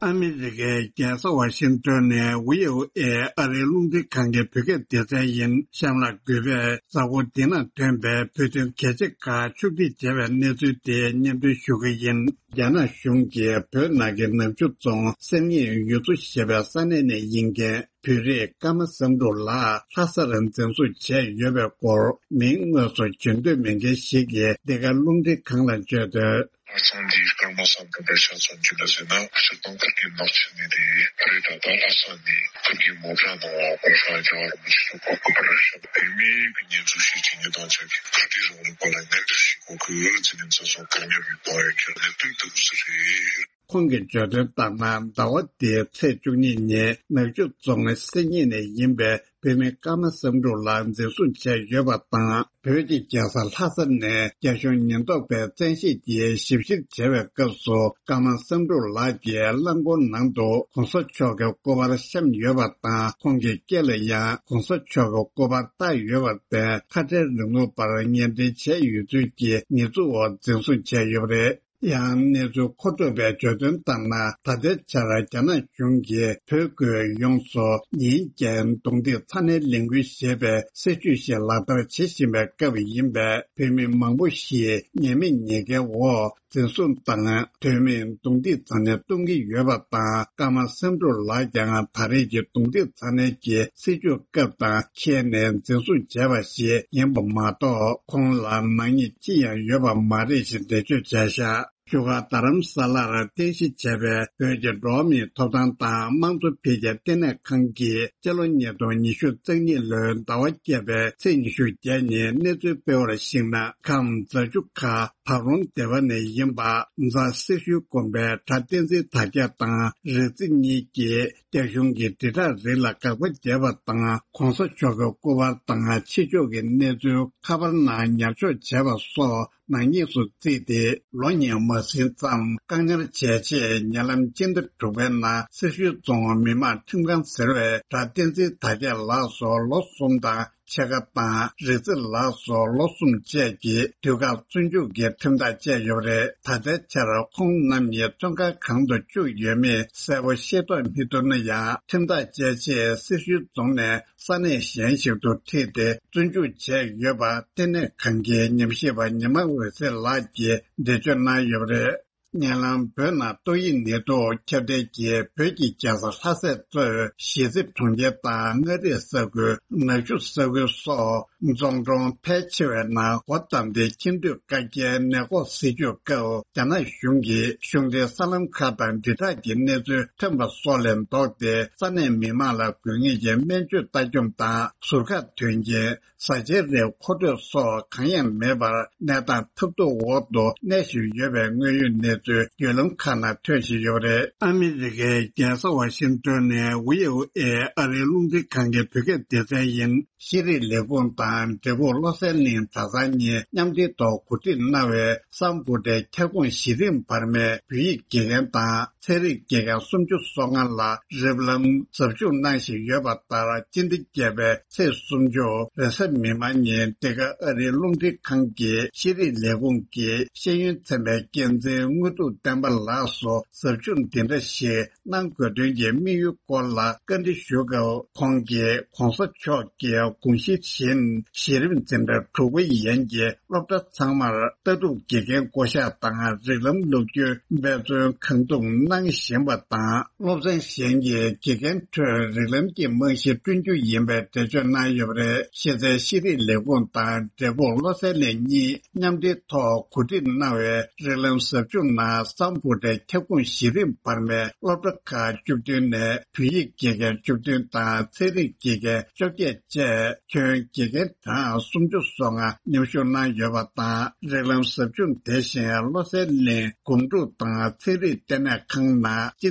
ཨ་མི་རི་ཀའི་རྒྱལ་ས་ཝ་ཤིང་ཊོན་ནས་བྷི་ཨོ་ཨེ་ཨ་རིའི་རླུང་འཕྲིན་ཁང་གི་བོད་སྐད་སྡེ་ཚན་ཡིན། གཤམ་ལ་གུས་པས་གཟའ་འཁོར་འདི་ན་ཐོན་པའི་བོད་དོན་གལ་ཆེ་ཁག་ཕྱོགས་སྒྲིག་བྱས་པའི་གནས་ཚུལ་དེ་སྙན་སྒྲོན་ཞུ་གི་ཡིན། རྒྱ་ནག་གཞུང་གིས་བོད་ནང་གི་ནག་ཆུ་རྫོང་གསེར་རྙེད་ཡུལ་ཚོ་ཞེས་པའི་ས་གནས་ནས་ཡིན་མཁན་བོད་རིགས་ཀརྨ་བསམ་གྲུབ་ལགས་ལྷ་སར་འཛིན་བཟུང་བྱས་ཡོད་པའི་སྐོར། མིང་དངོས་སུ་བརྗོད་འདོད་མེད་མཁན་ཞིག་གིས་འདི་ག་རླུང་འཕྲིན་ཁང་ལ་བརྗོད་དོན། ང་ཚང་འདིའི་ཀརྨ་བསམ་གྲུབ་པའི་ཤ་ཚ་རྒྱུད་ལ་ཟེར་ན། སྤྱིར་བཏང་ཕ་གིའི་ནགས་ཚལ་ནས་རེད། རེད་ད་ལྟ་ལྷ་ས་ནས་ཕ་གིའི་མོ་ཊ་ནང་ལ་གོང་ས་རྒྱལ་བ་རིན་པོ་ཆེ་མཆོག་བཀའ་བསྒོ་བར་ཞབས་བོད་མིའི་གི་ཉེས་འཛུགས་ཤིག་བྱེད་ཉེས་དང་ཆབས་ཅིག་ཁ་བྲལ་རིང་ལུགས་པ་ལ་མངའ་འབྲེལ་ཞིག་དགོས་ཀི་ཟེར་ནས་འཛིན་བཟུང་བཀག་ཉར་བའི་བཏང་ཡོད་ཀྱི་གནད་དོན་ལྟ་བུ་ཟིག་རེད། ཁོང་གིས་བརྗོད་དོན་ལྟར་ན། ཟླ་བ་འདིའི་ཚེས་བཅུ་གཉིས་ཉིན་ནག་ཆུ་རྫོང་གསེར་རྙེད་ནས་ཡིན་པའི་བོད་མི་ཀརྨ་བསམ་གྲུབ་ལགས་འཛིན་བཟུང་བྱས་ཡོད་པ་དང་། བོད་ཀྱི་རྒྱལ་ས་ལྷ་ས་ནས་རྒྱ་གཞུང་ཉེན་རྟོག་པས་བཙན་ཤེད་ཀྱིས་ཞིབ་བཤེར་བྱས་པའི་སྐབས་སུ། ཀརྨ་བསམ་གྲུབ་ལགས་ཀྱི་རླངས་འཁོར་ནང་དུ་༸གོང་ས་མཆོག་གི་སྐུ་པར་བཤམས་ཡོད་པ་དང་། ཁོང་གི་སྐེ་ལ་ཡང་༸གོང་ས་མཆོག་གི་སྐུ་པར་བཏགས་ཡོད་པར་བརྟེན། ཁ་བྲལ་རིང་ལུགས་པར་ངན་འབྲེལ་བྱས་ཡོད་ཚུལ་གྱི་ཉེས་འཛུགས་འོག་འཛིན་བཟུང་བྱས་ཡོད་པ་རེད། ཡང་གནས་ཚུལ་མཁོ་སྤྲོད་པས་བརྗོད་དོན་ལྟར་ན། ད་ལྟའི་ཆར་རྒྱ་ནག་གཞུང་གིས་བོད་ཁུལ་ཡོངས་སུ་ཉིན་བརྒྱད་རྡུང་རྡེག་ཚ་ནན་ལས་འགུལ་ཞེས་པའི་སྲིད་ཇུས་ཤིག་ལག་བསྟར་བྱེད་བཞིན་པའི་སྐབས་ཡིན་པས། བོད་མི་མང་པོ་ཞིག་ཉེས་མེད་ཉེས་འགེལ་འོག་འཛིན་བཟུང་དང་། དོན་མེད་རྡུང་རྡེག་ཚ་ནན་གཏོང་གི་ཡོད་པ་དང་། ཀརྨ་བསམ་གྲུབ་ལགས་ཀྱང་ད་རེས་ཀྱི་རྡུང་རྡེག་ཚ་ནན་གྱི་སྲིད་ཇུས་སྐབས་དང་འཁེལ་ནས་འཛིན་བཟུང་བྱས་པ་ཞིག་ཡིན་པ་མ་གཏོགས། ཁོང་ལ་ནག་ཉེས་ཅི་ཡང་ཡོད་པ་མ་རེད་ཞེས་འགྲེལ་བརྗོད་བྱས་བཞག་བཞུགས་སྒར་རྡ་རམ་ས་ལར་རྟེན་གཞི་བྱས་པའི་བོད་ཀྱི་འགྲོ་བ་མིའི་ཐོབ་ཐང་དང་དམངས་གཙོ་འཕེལ་རྒྱས་ལྟེ་གནས་ཁང་གིས་སྤྱི་ལོ་ཉིས་སྟོང་ཉི་ཤུ་རྩ་གཉིས་ལོའི་ཟླ་བ་བརྒྱད་པའི་ཚེས་ཉི་ཤུ་བརྒྱད་ཉིན་གནས་ཚུལ་སྤེལ་བར་གཞིགས་ན། ཁམས་རྫ་ཆུ་ཁ་བར་ལུང་སྡེ་བ་ནས་ཡིན་པ་རྫ་སེར་ཤུལ་དགོན་པའི་གྲྭ་བསྟན་འཛིན་དར་རྒྱས་དང་རིག་འཛིན་གཉིས་ཀྱིས་རྒྱ་གཞུང་གི་དྲིལ་བསྒྲགས་རིགས་ལ་དགག་པ་བརྒྱབ་པ་དང་། གོང་ས་མཆོག་གི་སྐུ་པར་དང་ཕྱི་ཕྱོགས་ཀྱི་གནས་ཚུལ་ཁ་པར་ནང་ཉར་འཇོག་བྱས་པ་སོགས། ནག་ཉེས་སུ་བརྩིས་ཏེ། ལོ་གཉིས་མ་ཟིན་ཙམ་བཀག་ཉར་བྱས་རྗེས། ཉེ་ལམ་སྤྱི་ཟླ་དྲུག་པའི་ནང་སེར་ཤུལ་རྫོང་མི་དམངས་ཁྲིམས་ཁང་ཟེར་བའི་གྲྭ་བསྟན་འཛིན་དར་རྒྱས་ལགས་སུ་ལོ་གསུམ་དང་ཕྱེད་ཀ་དང་། རིག་འཛིན་ལགས་སུ་ལོ་གསུམ་བཅས་ཀྱི་དུས་བཀག་བཙོན་འཇུག་གི་ཁྲིམས་ཐག་བཅད་ཡོད་པ་རེད། ད་ལྟའི་ཆར་ཁོང་རྣམ་གཉིས་བཙོན་ཁང་གང་དུ་བཅུག་ཡོད་མེད་གསལ་པོ་ཤེས་རྟོགས་མི་ཐུབ་ན་ཡང་། ཁྲིམས་ཐག་བཅད་རྗེས་སེར་ཤུལ་རྫོང་ནས། ས་གནས་གཞན་ཞིག་ཏུ་ཁྲིད་དེ་བཙོན་འཇུག་བྱས་ཡོད་པ་ལྟེ་གནས་ཁང་གི་ཉམས་ཞིབ་པ་ཉི་མ་འོད་ཟེར་ལགས་ཀྱིས་འགྲེལ་བརྗོད་གནང་ཡོད་པ་རེད། ཉེ་ལམ་བོད་ནང་ཏོག་དབྱིབས་ནད་དུག་ཁྱབ་གདལ་གྱིས་བོད་ཀྱི་རྒྱལ་ས་ལྷ་སའི་གཙོས་གཞིས་རྩེ་གྲོང་ཁྱེར་དང་མངའ་རིས་ས་ཁུལ། ནག་ཆུ་ས་ཁུལ་སོགས་རྫོང་གྲོང་ཕལ་ཆེ་བའི་ནང་སྒོ་བསྡམས་ཏེ། ཁྱིམ་སྡོད་བཀག་རྒྱའི་ནད་འགོག་སྲིད་ཇུས་སྐབས། རྒྱ་ནག་གཞུང་གིས་གཞུང་འབྲེལ་གསར་ལམ་ཁག་དང་དྲིལ་བསྒྲགས་ཀྱི་གནས་ཚུལ་ཐོན་པ་སོགས་ལས་ལྡོག་སྟེ། ས་གནས་མི་མང་ལ་དགོས་ངེས་ཀྱི་སྨན་བཅོས་ལྟ་སྐྱོང་དང་། ཟུར་བཀག་དོན་རྐྱེན། བཟའ་བཅའི་རིགས་མཁོ་སྤྲོད་སོགས་གང་ཡང་མེད་པར། གནས་སྟངས་ཐབས་སྡུག་འོག་ཏུ་གནས་བཞིན་ཡོད་པའི་དངོས་ཡོད་གནས་ཚུལ་བརྒྱུད་ལམ་ཁག་ནང་ཐོན་བཞིན་ཡོད་པ་རེད། ཨ་མི་རི་ཀའི་རྒྱལ་ས་ཝ་ཤིང་ཏོན་ནས་ཝི་ཨོ་ཨེ་ཨ་རིའི་རླུང་འཕྲིན་ཁང་གི་བོད་སྐད་སྡེ་ཚན་ཡིན། ཤེས་རིག་ལས་ཁུངས་དང་འབྲས་སྤུངས་བློ་གསལ་གླིང་གྲྭ་ཚང་གཉིས་མཉམ་འབྲེལ་ཐོག་གོ་སྒྲིག་གནང་བའི་སམ་བྷོ་ཊའི་ཁྱབ་ཁོངས་གཞི་རིམ་བར་མའི་བོད་ཡིག་དགེ་རྒན་དང་ཚན་རིག་དགེ་རྒན་སུམ་ཅུ་སོ་ལྔ་ལ་རིབ་ལམ་ཟབ་སྦྱོང་གནང་བཞིན་ཡོད་པ་ལྟར། སྤྱི་ཟླ་བརྒྱད་པའི་ཚེས་སུམ་ཅུ་རེས་གཟའ་མིག་དམར་ཉིན། འདི་ག་ཨ་རིའི་རླུང་འཕྲིན་ཁང་གི་ཤེས་རིག་ལས་ཁུངས་ཀྱི་ཤེས་ཡོན་ཚན་པའི་འགན་འཛིན་དངོས་གྲུབ་བསྟན་པ་ལགས་སུ་ཟབ་སྦྱོང་འདི་འདྲ་ཞིག་གནང་དགོས་དོན་གྱི་དམིགས་ཡུལ་སྐོར་ལ་བཀའ་འདྲི་ཞུས་སྐབས། ཁོང་གིས་༸གོང་ས་མཆོག་གི་དགོངས་གཞི་བཞིན། གཞི་རིམ་འཛིན་གྲྭ་དྲུག་པ་ཡན་གྱི་སློབ་གྲྭ་ཚང་མར་ལྟ་གྲུབ་དགེ་རྒན་བསྐོ་གཞག་དང་། རིགས་ལམ་སློབ་སྐྱོན་འབད་བརྩོན་གང་ཐུབ་གནང་བཞིན་པ་དང་། སློབ་ཚན་གཞན་གྱི་དགེ་རྒན་ཁྲོད་རིགས་ལམ་གྱི་རྨང་གཞི་བསྐྲུན་རྒྱུ་ཡིན་པའི་འགྲེལ་བརྗོད་གནང་ཡོད་པ་རེད། གཞི་རྩའི་ཤེས་རིག་ལས་ཁུངས་དང་འབྲས་སྤུངས་བློ་གསལ་གླིང་གཉིས་མཉམ་འབྲེལ་ཐོག་གོ་སྒྲིག་གནང་བའི་རིགས་ལམ་ཟབ་སྦྱོང་ནང་སམ་བྷོ་ཊའི་ཁྱབ་ཁོངས་གཞི་རིམ་བར་མའི་སློབ་གྲྭ་ཁག་བཅུ་བདུན་ནས་བོད་ཡིག་དགེ་རྒན་བཅུ་བདུན་དང་ཚན་རིག་དགེ་རྒན་བཅོ་བརྒྱད་བཅས་ཁྱོན་དགེ་རྒན་གྲངས་སུམ་ཅུ་སོ་ལྔ་མཉམ་ཞུགས་གནང་ཡོད་པ་དང་། རིགས་ལམ་ཟབ་སྦྱོང་དེ་བཞིན་བློ་གསལ་གླིང་སྒོམ་སྒྲུབ་དང་ཚན་རིག་ལྟེ་གནས་ཁང་ནང་སྤྱི་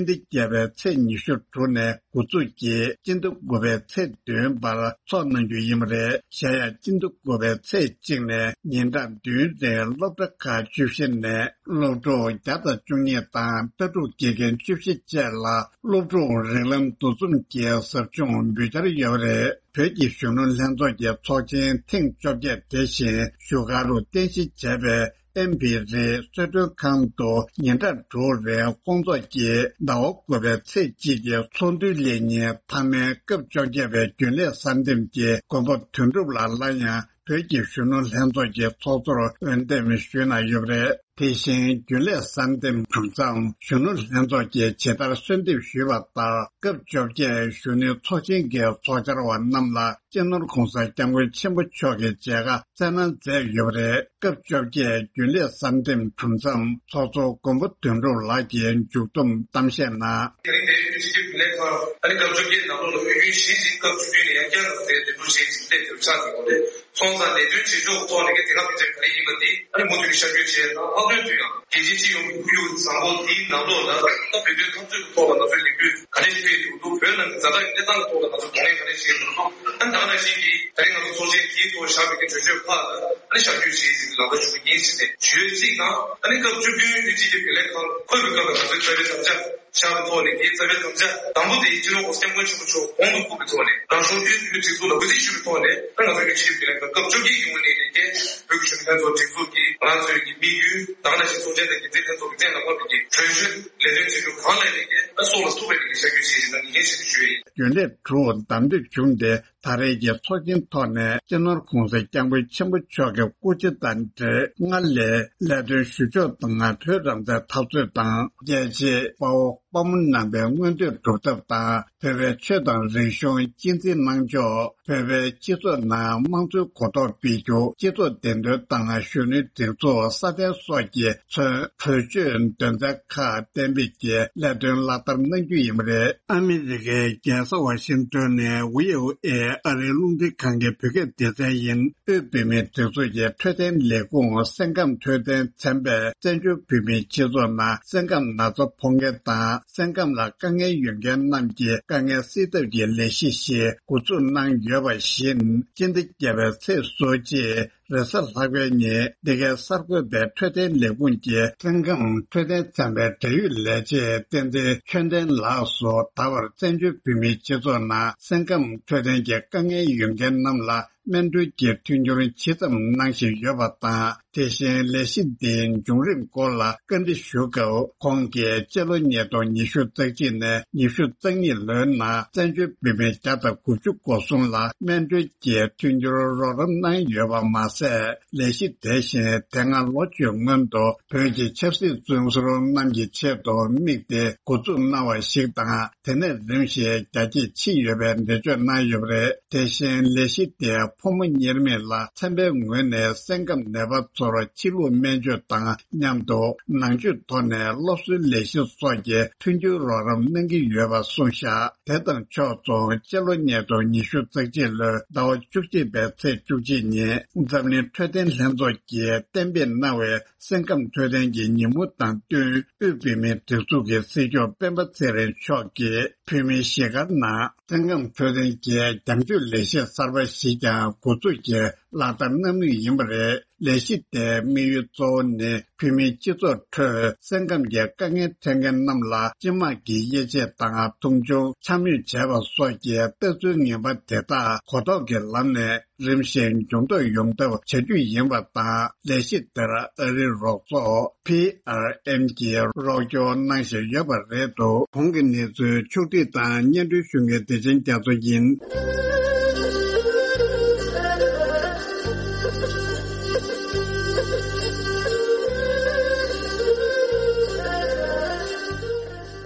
ཟླ་བརྒྱད་པའི་ཚེས་ཉི་ཤུ་དྲུག་ནས་འགོ་འཛུགས་ཀྱིས་སྤྱི་ཟླ་དགུ་པའི་ཚེས་བདུན་བར་འཚོགས་གནང་རྒྱུ་ཡིན་པ་རེད། གཞན་ཡང་སྤྱི་ཟླ་དགུ་པའི་ཚེས་གཅིག་ནས་ཉིན་གྲངས་བདུན་རིང་སློབ་གྲྭ་ཁག་བཅུ་བཞི་ནས་སློབ་ཕྲུག་བརྒྱ་དང་བཅུ་གཉིས་དང་ལྟ་གྲུབ་དགེ་རྒན་བཅུ་བཞི་བཅས་ལ་སློབ་ཕྲུག་རིགས་ལམ་འདུ་འཛོམས་ཀྱི་ཟབ་སྦྱོང་འབུལ་འཆར་ཡོད་པ་རེད། བོད་ཀྱི་གཞོན་ནུ་ལྷན་ཚོགས་ཀྱི་ཚོགས་ཆེན་ཐེངས་བཅོ་བརྒྱད་དེ་བཞིན་བཞུགས་སྒར་དུ་རྟེན་གཞི་བྱས་པའི་ཨེམ་པི་རི་གསོལ་མགྲོན་ཁང་དུ་ཉིན་གྲངས་དྲུག་རིང་སྐོང་ཚོགས་ཀྱིས་ཟླ་བ་དགུ་པའི་ཚེས་གཅིག་གི་ཚོགས་འདུའི་སླད་ཉིན་མཐའ་མའི་སྐབས་བཅོ་བརྒྱད་པའི་རྒྱུན་ལས་གསར་འདེམས་ཀྱི་མགོན་པོ་དོན་གྲུབ་ལགས་སླར་ཡང་བོད་ཀྱི་གཞོན་ནུ་ལྷན་ཚོགས་ཀྱི་ཚོགས་གཙོར་འོས་འདེམས་ཞུས་གནང་ཡོད་པ་རེད། དེ་བཞིན་རྒྱུན་ལས་གསར་འདེམས་གྲུབ་མཚམས་གཞོན་ནུ་ལྷན་ཚོགས་ཀྱིས་ཇི་ལྟར་གསོལ་འདེབས་ཞུས་པ་ལྟར། སྐབས་བཅོ་བརྒྱད་གཞོན་ནུའི་ཚོགས་ཆེན་གྱི་ཚོགས་བཅར་བ་རྣམས་ལ་སྤྱི་ནོར་༸གོང་ས་༸སྐྱབས་མགོན་ཆེན་པོ་མཆོག་གིས་མཇལ་ཁ་བསྩལ་གནང་མཛད་ཡོད་པ་རེད། སྐབས་བཅོ་བརྒྱད་རྒྱུན་ལས་གསར་འདེམས་གྲུབ་མཚམས་ཚོགས་གཙོ་མགོན་པོ་དོན་གྲུབ་ལགས་ཀྱིས་མཇུག་བསྡོམས་གཏམ་བཤད་ནང་། དེ་རིང་འདིར་སྤྱི་ཁྱབ་རྒྱུན་ལས་ཁང་ཨ་ནི་སྐབས་བཅོ་བརྒྱད་ནང་ལོགས་ལ་དབུས་རྒྱུན་གཞིས་ཀྱི་སྐབས་བཅུ་བདུན་ནས་ཡང་བསྐྱར་དུ་དེ་འདེམས་སྒྲུག་བྱེད་ཀྱི་ཆེད་དུ་ཆགས་ཡོད་པ་རེད། སོང་ཙང་ལས་དོན་བྱེད་ཕྱོགས་ཐོག་ནས་དེ་སྔ་ཕན་ཆད་ག་རེ་ཡིན་པ་འདི་ཨ་ནི་མུ་མཐུད་ནས་ཤར་བསྐྱོད་བྱས་དང་། ལྷག་དོན་དུ་ཡང་རྒྱལ་སྤྱིའི་སྤྱི་ཡོངས་ཀྱི་ཁོར་ཡུག་བཟང་པོ་འདིའི་ནང་ལོགས་ལ་ད་བོད་དོན་འཐབ་རྩོད་ཀྱི་ཐོག་ལ་ང་ཚོའི་ལས་འགུལ་ག་རེ་སྤེལ་ཐུབ་འདུག་བོད་ནང་གི་ཛ་དྲག་གི་གནས་སྟངས་ཀྱི་ཐོག་ལ་ང་ཚོས་གདོང་ལེན་ག་རེ་བྱེད་དགོས་འདུག་ཨ་ནི་ད་ག་ནང་བཞིན་གྱི་དེ་རིང་ང་ཚོ་ཚོགས་ཆེན་དེའི་ཐོག་བཞག་པའི་གི་གྲོས་ཆོད་ཁག་ལ་ཨ་ནི་ཤར་བསྐྱོད་བྱེད་ཅིག་ལག་བསྟར་ཞུ་གི་ཡིན་ཟེར་ནས་ཞུ་ཡས་གཅིག་དང་། ཨ་ནི་སྐབས་བཅུ་བདུན་དབུས་སྤྱི་ཁྱབ་རྒྱུན་ལས་ཁང་འཁོད་པའི་སྐབས་ལ་ང་ཚོའི་རྩ་བའི་དམ་བཅའ། ཤར་བའི་ཐོག་ནས་དེའི་རྩ་བའི་དམ་བཅའ་དང་པོ་དེ་སྤྱི་ནོར་༸གོང་ས་༸སྐྱབས་མགོན་ཆེན་པོ་མཆོག་གོང་དུ་བཀུར་བའི་ཐོག་ནས་རང་གཞུང་དབུས་གཞུང་གི་སྒྲིག་འཛུགས་ལ་གུས་བརྩི་ཞུ་བའི་ཐོག་ནས། ད་ང་ཚོ་གི་ཆིབས་བསྒྱུར་ལས་ཁང་སྐབས་བཅོ་བརྒྱད་ཀྱི་ངོས་ནས་ནས་ཀྱི་བོད་ཀྱི་གཞོན་ནུ་ལྷན་ཚོགས་སྒྲིག་འཛུགས་ཀྱི་ང་ཚོའི་གི་དམིགས་ཡུལ་དང་ནང་བཞིན་ཚོགས་ཆེན་དང་འགན་འཛིན་ལྷན་ཚོགས་ཀྱི་བཙན་ལ་ཕབ་པའི་གི་གྲོས་ཆོད་ལས་དོན་བྱེད་རྒྱུ་གང་ལ་ཡིན་ནས་ཀྱི་ཨ་སྲོག་ལ་ཐུག་པའི་གི་བྱ་རྒྱུ་ཞིག་ཡིན་ན་ངེས་ཤེས་ཞུ་ཡི། རྒྱུན་ལས་དྲུག་བདམས་ཐོན་བྱུང་སྟེ། ད་རེས་ཀྱི་ཚོགས་ཆེན་ཐོག་ནས་སྤྱི་ནོར་༸གོང་ས་༸སྐྱབས་མགོན་ཆེན་པོ་མཆོག་གི་སྐུ་ཕྱྭ་དང་འབྲེལ་སྔར་ལས་ལས་དོན་ཞུ་ཕྱོགས་དང་བོད་རང་བཙན་འཐབ་རྩོད་དང་རྒྱལ་གཅེས་དཔའ་བོ་དཔའ་མོ་རྣམ་པའི་མངོན་འདོད་སྒྲུབ་ཐབས་དང་། བོད་པའི་ཆོས་དང་རིག་གཞུང་གཅེས་འཛིན་གནང་ཕྱོགས། བོད་པའི་སྤྱི་ཚོགས་ནང་དམངས་གཙོའི་གོ་རྟོགས་སྤེལ་རྒྱུ། སྤྱི་ཚོགས་བདེ་དོན་དང་གཞོན་ནུའི་སྒྲིག་འཛུགས་སྲ་བརྟན་སོགས་ཀྱི་ཚོན་གྲོས་ཆོད་དོན་ཚན་ཁག་གཏན་འབེབས་ཀྱིས་ལས་དོན་ལག་བསྟར་གནང་རྒྱུ་ཡིན་པ་རེད། ཨ་མི་རི་ཀའི་རྒྱལ་ས་ཝ་ཤིང་ཏོན་ནས་ཝི་ཨོ་ཨེ་ཨ་རིའི་རླུང་འཕྲིན་ཁང་གི་བོད་སྐད་སྡེ་ཚན་ཡིན། དབུས་བོད་མིའི་སྒྲིག་འཛུགས་ཀྱི་འཕྲོད་བསྟེན་ལས་ཁུངས་སེམས་ཁམས་འཕྲོད་བསྟེན་ཚན་པས་བཙན་བྱོལ་བོད་མིའི་སྤྱི་ཚོགས་ནང་སེམས་ཁམས་ན་ཚ་ཕོག་མཁན་དང་། སེམས་ཁམས་ལ་དཀའ་ངལ་ཡོད་མཁན་རྣམས་ཀྱི་དཀའ་ངལ་སེལ་ཐབས་ཀྱི་ལས་གཞི་ཞིག་འགོ་འཛུགས་གནང་ཡོད་པ་བཞིན། སྤྱི་ཟླ་བརྒྱད་པའི་ཚེས་སོ་གཅིག་རེས་གཟའ་ལྷག་པའི་ཉིན་འདི་གའི་གསར་འགོད་པས་འཕྲོད་བསྟེན་ལས་ཁུངས་ཀྱི་སེམས་ཁམས་འཕྲོད་བསྟེན་ཚན་པའི་འབྲེལ་ཡོད་ལས་བྱེད་བསྟན་འཛིན་ཆོས་ལྡན་ལགས་སུ། ད་བར་བཙན་བྱོལ་བོད་མིའི་སྤྱི་ཚོགས་ནང་སེམས་ཁམས་འཕྲོད་བསྟེན་གྱི་དཀའ་ངལ་ཡོད་མཁན་རྣམས་ལ་སྨན་སྤྲོད་ཀྱི་མཐུན་འགྱུར་ཇི་ཙམ་གནང་བཞིན་ཡོད་པ་དང་། དེ་བཞིན་ལས་གཞི་འདིའི་འབྱུང་རིམ་སྐོར་ལ་བཀའ་འདྲི་ཞུ་སྐབས། ཁོང་གིས་སྤྱི་ལོ་ཉིས་སྟོང་ཉི་ཤུ་རྩ་གཅིག་ནས་ཉི་ཤུ་རྩ་གཉིས་ལོའི་ནང་བཙན་བྱོལ་བོད་མི་བརྒྱ་དང་དགུ་བཅུ་གོ་གསུམ་ལ་སྨན་སྤྲོད་ཀྱི་མཐུན་འགྱུར་རོགས་རམ་གནང་ཡོད་པ་མ་ཟད། ལས་གཞི་དེ་བཞིན་དེ་སྔ་ལོ་བཅུའི་སྔོན་དུ་བོད་ཀྱི་ཆབ་སྲིད་བཙོན་ཟུར་རྣམས་ཀྱི་ཆེད་དུ་དམིགས་ཏེ་འགོ་འཛུགས་གནང་བ་ཞིག་དང་། དེ་ནས་རིམ་བཞིན་རྒྱ་སྐྱེད་ཕྱིན་ཡོད་པའི་འགྲེལ་བརྗོད་གནང་ཡོད་པ་རེད། དེ་བཞིན་ལས་གཞི་དེས་ཕོ་མོ་གཉེར་མེད་ལ་ཚན་པའི་ངོས་ནས་སེམས་ཁམས་ནད་པ་ཚོར་ཕྱི་ལུགས་སྨན་བཅོས་དང་མཉམ་དུ་ནང་ཆོས་ཐོག་ནས་སློབ་གསོའི་ལས་གཞི་སོགས་ཀྱི་མཐུན་འགྱུར་རོགས་རམ་གནང་གི་ཡོད་པ་གསུངས་བཞག་དེ་དང་ཕྱོགས་མཚུངས་སྤྱི་ལོ་ཉིས་སྟོང་ཉི་ཤུ་རྩ་གཅིག་ལོའི་ཟླ་བ་བཅུ་གཅིག་པའི་ཚེས་བཅུ་གཅིག་ཉིན་འཛམ་གླིང་འཕྲོད་བསྟེན་ལྷན་ཚོགས་ཀྱིས་གཏན་འབེབས་གནང་བའི་སེམས་ཁམས་འཕྲོད་བསྟེན་གྱི་ཉིན་མོ་དང་བསྟུན། དབུས་བོད་མིའི་སྒྲིག་འཛུགས་ཀྱི་སྲིད་སྐྱོང་སྤེན་པ་ཚེ་རིང་མཆོག་གིས་བོད་མིའི་གཞིས་སྒར་ནང་སེམས་ཁམས་འཕྲོད་བསྟེན་གྱི་རྒྱང་སྐྱོད་ལས་གཞི་གསར་པ་ཞིག་ཀྱང་འགོ་འཛུགས་ཀྱིས་ལག་བསྟར་གནང་མུས་ཡིན་པ་རེད། ལས་གཞི་དེའི་དམིགས་ཡུལ་གཙོ་བོ་ནི་བོད་མིའི་སྤྱི་ཚོགས་ཁྲོད་སེམས་ཁམས་ཀྱི་དཀའ་ངལ་འཕྲད་མཁན་རྣམས་ལ་སྤྱི་དམངས་ཀྱི་དབྱེ་འབྱེད་དང་མཐོང་ཆུང་འཕྱ་སྨོད་བྱས་པ་སོགས་ཀྱི་ལྟ་ཚུལ་ངན་པ་དེ་དག་གོ་རྟོགས་ཀྱི་ལམ་ནས། རིམ་བཞིན་འཇུས་གཏོང་ཡོང་ཐབས་བྱ་རྒྱུ་ཡིན་པ་དང་། ལས་གཞི་དེར་ཨ་རིའི་རོགས་ཚོགས་པི་ཨར་ཨེམ་གྱིས་རོགས་སྐྱོར་གནང་བཞིན་ཡོད་པ་རེད་འདུག་གོང་གི་གནས་ཚུལ་ཕྱོགས་སྒྲིག་དང་སྙན་སྒྲོན་ཞུ་མཁན་བདེ་ཆེན་རྒྱ་མཚོ་ཡིན།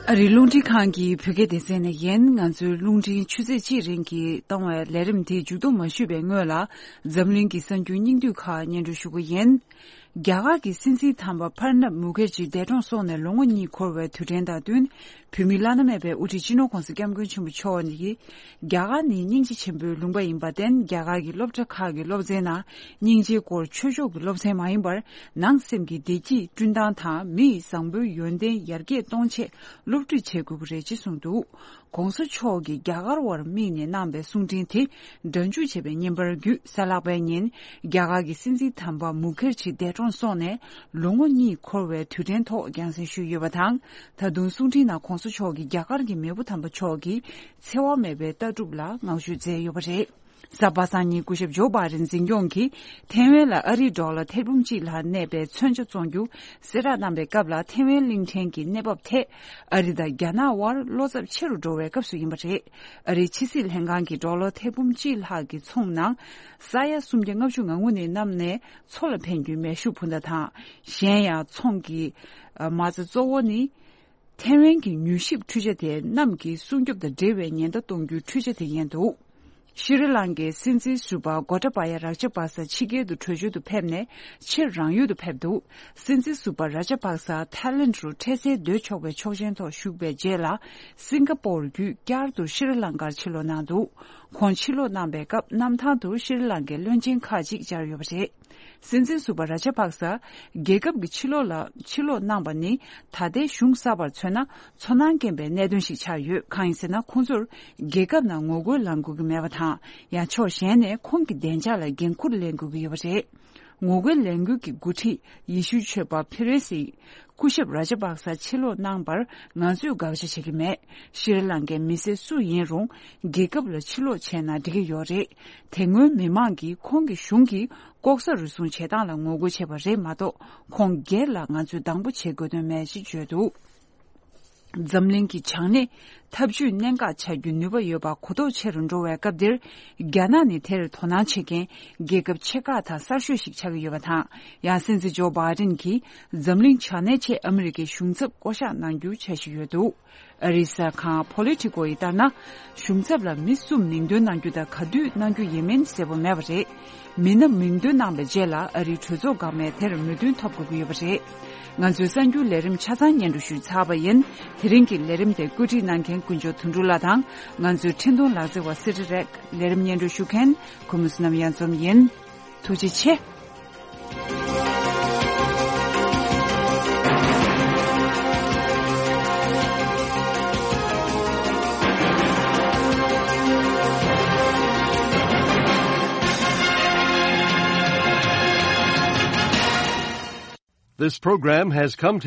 ཨ་རིའི་རླུང་འཕྲིན་ཁང་གི་བོད་སྐད་སྡེ་ཚན་ནས་ཡིན། ང་ཚོའི་རླུང་འཕྲིན་ཆུ་ཚོད་གཅིག་རིང་གི་གཏོང་བའི་ལས་རིམ་དེ་མཇུག་བསྡོམས་མ་ཞུས་པའི་སྔོན་ལ། འཛམ་གླིང་གི་གསར་འགྱུར་སྙིང་བསྡུས་ཁག་སྙན་སྒྲོན་ཞུ་གི་ཡིན། རྒྱ་གར་གྱི་སྲིད་འཛིན་དམ་པ་པར་ནབ་མུ་ཁེར་ཇི་འདས་གྲོངས་སོང་ནས་ལོ་ངོ་གཉིས་འཁོར་བའི་དུས་དྲན་དང་བསྟུན། བོད་མིའི་བླ་ན་མེད་པའི་དབུ་ཁྲིད་སྤྱི་ནོར་༸གོང་ས་༸སྐྱབས་མགོན་ཆེན་པོ་མཆོག་ནས། རྒྱ་གར་ནི་སྙིང་རྗེ་ཆེན་པོའི་ལུང་པ་ཡིན་པར་བརྟེན། རྒྱ་གར་གྱི་སློབ་གྲྭ་ཁག་གི་སློབ་ཚན་ནང་སྙིང་རྗེའི་སྐོར་ཆོས་ཕྱོགས་ཀྱི་སློབ་ཚན་མ་ཡིན་པར། ནང་སེམས་ཀྱི་བདེ་སྐྱིད་བསྐྲུན་སྟངས་དང་། མི་ཡི་བཟང་པོའི་ཡོན་ཏན་ཡར་རྒྱས་གཏོང་ཆེད་སློབ་ཁྲིད་བྱེད་དགོས་ཀྱི་རེད་ཅེས་གསུངས་འདུག ༸གོང་ས་མཆོག་གིས་རྒྱ་གར་བར་དམིགས་ནས་གནང་པའི་གསུང་འཕྲིན་དེ་སྒྲ་འཇུག་བྱས་པའི་བརྙན་པར་བརྒྱུད། གཟའ་ལྷག་པའི་ཉིན་རྒྱ་གར་གྱི་སྲིད་འཛིན་དམ་པ་མུ་ཁེར་ཇི་འདས་གྲོངས་སོང་ནས་ལོ་ངོ་གཉིས་འཁོར་བའི་དུས་དྲན་ཐོག་རྒྱང་སྲིང་ཞུས་ཡོད་པ་དང་། ད་དུང་གསུང་འཕྲིན་ནང་༸གོང་ས་མཆོག་གིས་རྒྱ་གར་གྱི་མེས་པོ་དམ་པ་མཆོག་གི་འཚེ་བ་མེད་པའི་ལྟ་གྲུབ་ལ་བསྔགས་བརྗོད་མཛད་ཡོད་པ་རེད། གཟའ་པ་སངས་ཉིན་སྐུ་ཞབས་ཇོ་བྷའི་ཌེན་འཛིན་སྐྱོང་གིས་ཐེ་ཝན་ལ་ཨ་རིའི་ཌོ་ལར་ཐེར་འབུམ་གཅིག་ལྷག་གནས་པའི་མཚོན་ཆ་བཙོང་རྒྱུ་གསལ་བསྒྲགས་གནང་པའི་སྐབས་ལ། ཐེ་ཝན་གླིང་ཕྲན་གྱི་གནས་བབ་ཐད་ཨ་རི་དང་རྒྱ་ནག་དབར་བློ་འཚབ་ཆེ་རུ་འགྲོ་བའི་སྐབས་སུ་ཡིན་པ་རེད། ཨ་རིའི་ཕྱི་སྲིད་ལྷན་ཁང་གིས་ཌོ་ལར་ཐེར་འབུམ་གཅིག་ལྷག་གི་ཚོང་ནང་ས་ཡ་སུམ་བརྒྱ་ལྔ་བཅུ་ང་དགུ་ནས་བསྣམས་ནས་མཚོ་ལ་འཕེན་རྒྱུའི་མེ་ཤུགས་འཕུར་མདའ་དང་། གཞན་ཡང་ཚོང་གི་མ་རྩ་གཙོ་བོ་ནི། ཐེ་ཝན་གྱི་མྱུལ་ཞིབ་འཕྲུལ་ཆ་དེ་གནམ་གྱི་སྲུང་སྐྱོབ་དང་འབྲེལ་བའི་ཉེན་བརྡ་གཏོང་རྒྱུའི་འཕྲུལ་ཆ་དེ་ཡིན་འདུག་ཤྲི་ལང་ཀའི་སྲིད་འཛིན་ཟུར་པ་གོ་ཏ་པ་ཡ་རཱ་ཇ་པག་ས་ཕྱི་རྒྱལ་དུ་བྲོས་བྱོལ་དུ་ཕེབས་ནས་ཕྱིར་རང་ཡུལ་དུ་ཕེབས་འདུག་སྲིད་འཛིན་ཟུར་པ་རཱ་ཇ་པག་ས་ཐའི་ལེན་ཌི་རུ་འཕྲལ་སེལ་སྡོད་ཆོག་པའི་ཆོག་མཆན་ཐོག་ཞུགས་པའི་རྗེས་ལ། སིང་ག་པོར་བརྒྱུད་བསྐྱར་དུ་ཤྲི་ལང་ཀར་ཕྱིར་ལོག་གནང་འདུག་ཁོང་ཕྱིར་ལོག་གནང་པའི་སྐབས་གནམ་ཐང་དུ་ཤྲི་ལང་ཀའི་བློན་ཆེན་ཁག་ཅིག་བཅར་ཡོད་པ་རེད། སྲིད་འཛིན་ཟུར་པ་རཱ་ཇ་པག་ས་རྒྱལ་ཁབ་ཀྱི་ཕྱི་ལོགས་ལ་ཕྱིར་ལོག་གནང་པ་ནི་ད་ལྟའི་གཞུང་གསར་པར་མཚོན་ན་ཚོར་སྣང་སྐྱེན་པའི་གནད་དོན་ཞིག་ཆགས་ཡོད། གང་ཡིན་ཟེར་ན། ཁོང་ཚོར་རྒྱལ་ཁབ་ནང་ངོ་རྒོལ་ལངས་དགོས་ཀྱི་མེད་པ་དང་། ཡང་ཕྱོགས་གཞན་ནས་ཁོང་གི་བདེ་འཇགས་ལ་འགན་འཁུར་ལེན་དགོས་ཀྱི་ཡོད་པ་རེད། ངོ་རྒོལ་ལས་འགུལ་གྱི་འགོ་ཁྲིད་ཡེ་ཤུའི་ཆོས་པ་ཕེ་རེ་སི། སྐུ་ཞབས་ར་ཇ་པག་ས་ཕྱིར་ལོག་གནང་བར་ང་ཚོས་དགག་བྱ་བྱེད་ཀྱི་མེད། ཤྲི་ལང་ཀའི་མི་སེར་སུ་ཡིན་རུང་རྒྱལ་ཁབ་ལ་ཕྱིར་ལོག་བྱས་ན་འགྲིག་གི་ཡོད་རེད། དེ་སྔོན་མི་མང་གིས་ཁོང་གི་གཞུང་གིས་ལྐོག་ཟ་རུལ་སུངས་བྱེད་སྟངས་ལ་ངོ་རྒོལ་བྱས་པ་རེད་མ་གཏོགས། ཁོང་སྒེར་ལ་ང་ཚོས་སྡང་པོ་བྱེད་དགོས་དོན་མེད་ཅེས་བརྗོད་འདུག་འཛམ་གླིང་གི་བྱང་སྣེ་འཐབ་ཇུས་གནད་འགག་ཆགས་རྒྱུའི་ནུས་པ་ཡོད་པ་གོ་རྟོགས་ཆེ་རུ་འགྲོ་བའི་སྐབས་འདིར། རྒྱ་ནག་ནི་དེར་དོ་སྣང་བྱེད་མཁན་རྒྱལ་ཁབ་ཆེ་ཁག་དང་གསར་ཤོས་ཤིག་ཆགས་ཀྱི་ཡོད་པ་དང་། ཡང་སྲིད་འཛིན་ཇོ་བྷའི་ཌེན་གྱིས་འཛམ་གླིང་བྱང་སྣེའི་ཆེད་ཨ་མི་རི་ཀའི་གཞུང་ཚབ་བསྐོ་གཞག་གནང་རྒྱུ་འཆར་གཞི་ཡོད་འདུག་ཨ་རིའི་གསར་ཁང་Politico་ཡིས་ལྟར་ན། གཞུང་ཚབ་ལ་མི་སུ་མིང་འདོན་གནང་རྒྱུ་དང་ག་དུས་གནང་རྒྱུ་ཡིན་མིན་གསལ་པོ་མེད་པ་རེད། མི་སྣ་མིང་འདོན་གནང་བའི་རྗེས་ལ་ཨ་རིའི་གྲོས་ཚོགས་འགག་མིན་དེར་མོས་མཐུན་ཐོབ་དགོས་ཀྱི་ཡོད་པ་རེད། ང་ཚོའི་གསར་འགྱུར་ལས་རིམ་ཆ་ཚང་སྙན་སྒྲོན་ཞུས་ཚར་བ་ཡིན། དེ་རིང་གི་ལས་རིམ་དེ་བཀོད་སྒྲིག་གནང་མཁན་ཀུན་སྤྱོད་དོན་གྲུབ་ལགས་དང་། ང་ཚོའི་འཕྲིན་གཏོང་ལག་རྩལ་བ་སི་ཏྲི་རེག་ལས་རིམ་སྙན་སྒྲོན་ཞུ་མཁན་ཁོ་མོ་བསོད་ནམས་གཡང་འཛོམས་ཡིན། ཐུགས་རྗེ་ཆེ། This program has come to